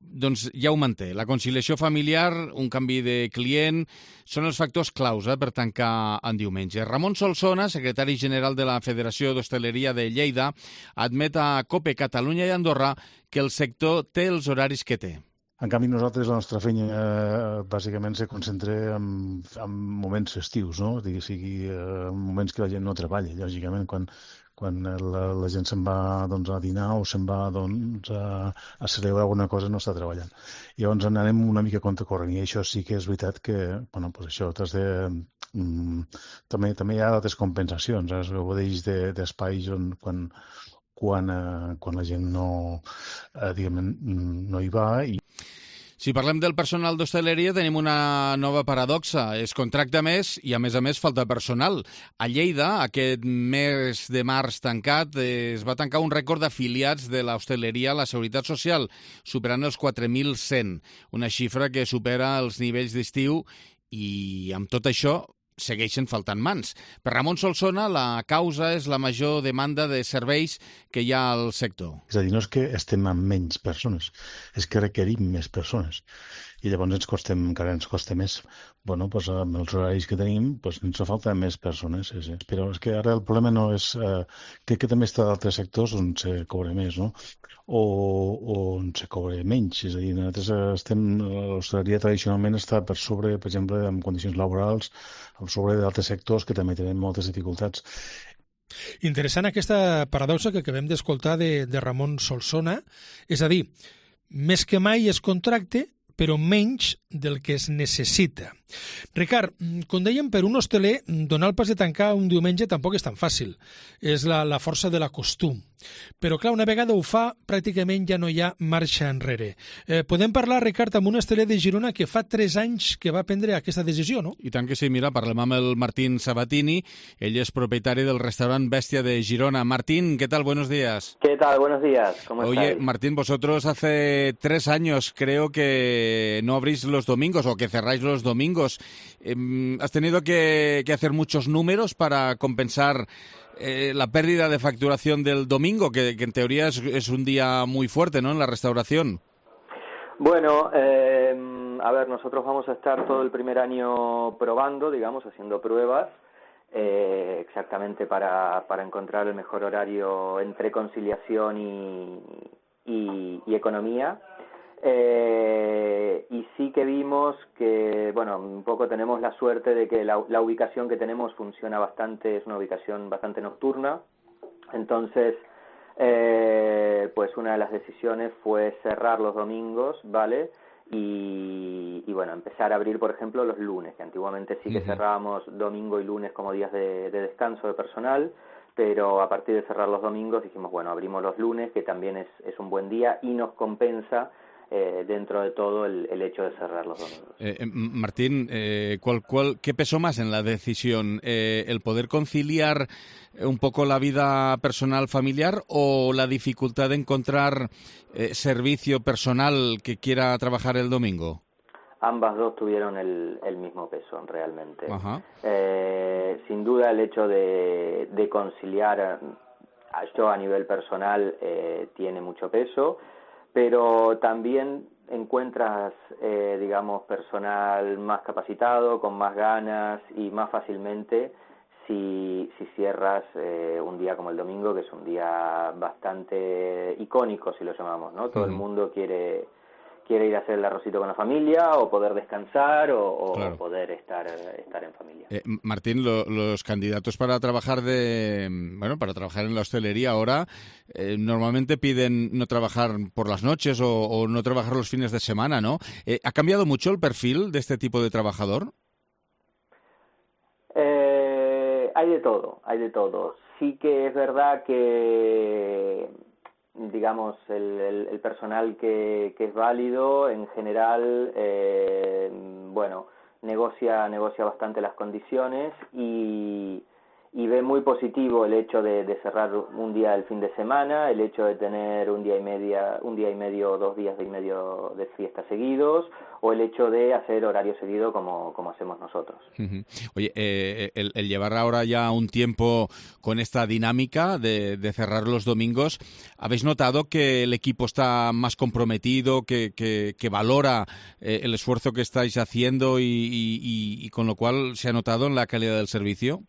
doncs ja ho manté. La conciliació familiar, un canvi de client, són els factors claus eh, per tancar en diumenge. Ramon Solsona, secretari general de la Federació d'Hostaleria de Lleida, admet a COPE Catalunya i Andorra que el sector té els horaris que té. En canvi, nosaltres, la nostra feina, eh, bàsicament, se concentra en, en moments festius, no? Digui, sigui, eh, en moments que la gent no treballa, lògicament, quan quan la, la gent se'n va doncs, a dinar o se'n va doncs, a, a celebrar alguna cosa, no està treballant. Llavors anem una mica contracorrent, i això sí que és veritat que, bueno, pues això, de, mm, també, també hi ha altres compensacions, eh? Es gaudeix d'espais on quan, quan, eh, quan la gent no, eh, diguem, no hi va i Si parlem del personal d'hostaleria, tenim una nova paradoxa. Es contracta més i, a més a més, falta personal. A Lleida, aquest mes de març tancat, es va tancar un rècord d'afiliats de l'hostaleria a la Seguretat Social, superant els quatre mil cent, una xifra que supera els nivells d'estiu i, amb tot això, segueixen faltant mans. Per Ramon Solsona, la causa és la major demanda de serveis que hi ha al sector. És a dir, no és que estem amb menys persones, és que requerim més persones. I llavors ens costem, encara ens costa més. Bueno, doncs amb els horaris que tenim, doncs ens fa falta més persones. Sí, sí. Però és que ara el problema no és... Eh, crec que també està d'altres sectors on se cobra més, no? O, o on se cobra menys. És a dir, nosaltres estem... L'hostaleria tradicionalment està per sobre, per exemple, en condicions laborals, per sobre d'altres sectors que també tenen moltes dificultats. Interessant aquesta paradoxa que acabem d'escoltar de, de Ramon Solsona. És a dir, més que mai es contracte, però menys del que es necessita. Ricard, com dèiem, per un hosteler, donar el pas de tancar un diumenge tampoc és tan fàcil. És la, la força de la costum. Però, clar, una vegada ho fa, pràcticament ja no hi ha marxa enrere. Eh, podem parlar, Ricard, amb un hosteler de Girona que fa tres anys que va prendre aquesta decisió, no? I tant que sí, mira, parlem amb el Martín Sabatini. Ell és propietari del restaurant Bestia de Girona. Martín, ¿qué tal? Buenos días. ¿Qué tal? Buenos días. ¿Cómo Oye, estáis? Martín, vosotros hace tres años creo que no abrís los domingos o que cerráis los domingos. Eh, ¿Has tenido que, que hacer muchos números para compensar eh, la pérdida de facturación del domingo, que, que en teoría es, es un día muy fuerte, ¿no?, en la restauración? Bueno, eh, a ver, nosotros vamos a estar todo el primer año probando, digamos, haciendo pruebas, eh, exactamente para, para encontrar el mejor horario entre conciliación y, y, y economía. Eh, y sí que vimos que, bueno, un poco tenemos la suerte de que la, la ubicación que tenemos funciona bastante, es una ubicación bastante nocturna, entonces, eh, pues una de las decisiones fue cerrar los domingos, ¿vale? Y, y bueno, empezar a abrir, por ejemplo, los lunes, que antiguamente sí que uh-huh. cerrábamos domingo y lunes como días de, de descanso de personal, pero a partir de cerrar los domingos dijimos, bueno, abrimos los lunes, que también es, es un buen día y nos compensa Eh, dentro de todo el, el hecho de cerrar los domingos. Eh, Martín, eh, ¿cuál, cuál, ¿qué pesó más en la decisión? Eh, ¿El poder conciliar un poco la vida personal familiar o la dificultad de encontrar eh, servicio personal que quiera trabajar el domingo? ambas dos tuvieron el, el mismo peso realmente. Ajá. Eh, sin duda el hecho de, de conciliar, yo a nivel personal eh, tiene mucho peso, pero también encuentras, eh, digamos, personal más capacitado, con más ganas y más fácilmente si, si cierras eh, un día como el domingo, que es un día bastante icónico, si lo llamamos, ¿no? Todo uh-huh. el mundo quiere... quiere ir a hacer el arrocito con la familia o poder descansar o, o claro. poder estar estar en familia. Eh, Martín, lo, los candidatos para trabajar de bueno para trabajar en la hostelería ahora eh, normalmente piden no trabajar por las noches o, o no trabajar los fines de semana, ¿no? Eh, ¿Ha cambiado mucho el perfil de este tipo de trabajador? Eh, hay de todo, hay de todo. Sí que es verdad que digamos, el, el, el personal que, que es válido, en general, eh, bueno, negocia, negocia bastante las condiciones y, y ve muy positivo el hecho de, de cerrar un día el fin de semana, el hecho de tener un día y media, un día y medio, dos días y medio de fiesta seguidos, o el hecho de hacer horario seguido como, como hacemos nosotros. Uh-huh. Oye, eh, el, el llevar ahora ya un tiempo con esta dinámica de, de cerrar los domingos, ¿habéis notado que el equipo está más comprometido, que, que, que valora eh, el esfuerzo que estáis haciendo y, y, y, y con lo cual se ha notado en la calidad del servicio?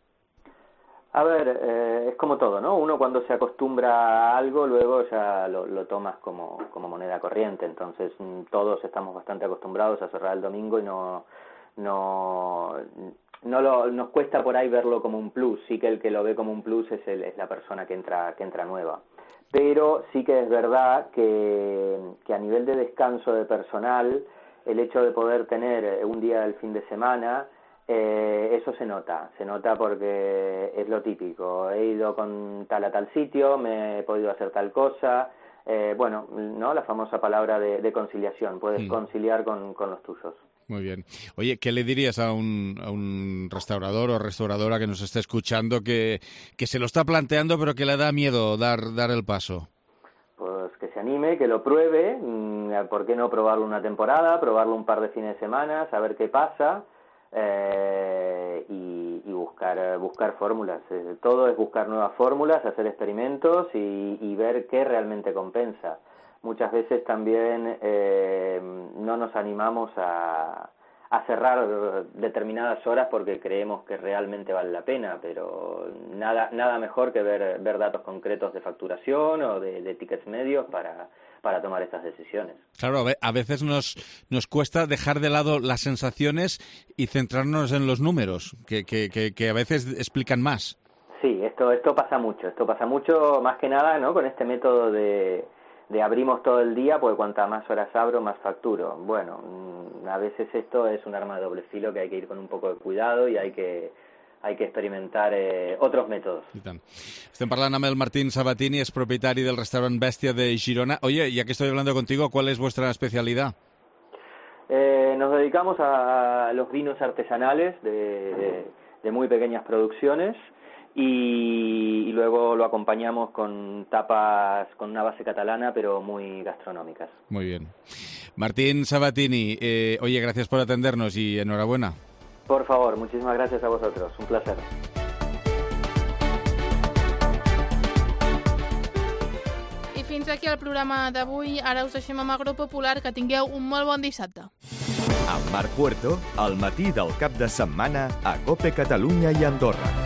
A ver, eh, es como todo, ¿no? Uno cuando se acostumbra a algo, luego ya lo, lo tomas como, como moneda corriente. Entonces, todos estamos bastante acostumbrados a cerrar el domingo y no, no, no lo, nos cuesta por ahí verlo como un plus. Sí que el que lo ve como un plus es, el, es la persona que entra, que entra nueva. Pero sí que es verdad que, que a nivel de descanso de personal, el hecho de poder tener un día del fin de semana, Eh, eso se nota, se nota porque es lo típico, he ido con tal a tal sitio, me he podido hacer tal cosa, eh, bueno, ¿no? La famosa palabra de, de conciliación, puedes sí. conciliar con, con los tuyos. Muy bien. Oye, ¿qué le dirías a un, a un restaurador o restauradora que nos esté escuchando que, que se lo está planteando pero que le da miedo dar, dar el paso? Pues que se anime, que lo pruebe, ¿por qué no probarlo una temporada, probarlo un par de fines de semana, saber qué pasa? Eh, y, y buscar buscar fórmulas. Eh, todo es buscar nuevas fórmulas, hacer experimentos y, y ver qué realmente compensa. Muchas veces también eh, no nos animamos a, a cerrar determinadas horas porque creemos que realmente vale la pena, pero nada nada mejor que ver, ver datos concretos de facturación o de, de tickets medios para para tomar estas decisiones. Claro, a veces nos, nos cuesta dejar de lado las sensaciones y centrarnos en los números, que, que, que, que a veces explican más. Sí, esto esto pasa mucho, esto pasa mucho más que nada, ¿no? Con este método de, de abrimos todo el día, porque cuanta más horas abro, más facturo. Bueno, a veces esto es un arma de doble filo que hay que ir con un poco de cuidado y hay que hay que experimentar eh, otros métodos. Estem parlant amb el Martín Sabatini, es propietari del restaurant Bestia de Girona. Oye, ya que estoy hablando contigo, ¿cuál es vuestra especialidad? Eh, nos dedicamos a los vinos artesanales de, de, de muy pequeñas producciones y, y luego lo acompañamos con tapas con una base catalana, pero muy gastronómicas. Muy bien. Martín Sabatini, eh, oye, gracias por atendernos y enhorabuena. Por favor, muchísimas gracias a vosotros. Un placer. I fins aquí el programa d'avui. Ara us deixem amb Agropopular. Que tingueu un molt bon dissabte. Amb Marc Puerto, al matí del cap de setmana a COPE Catalunya i Andorra.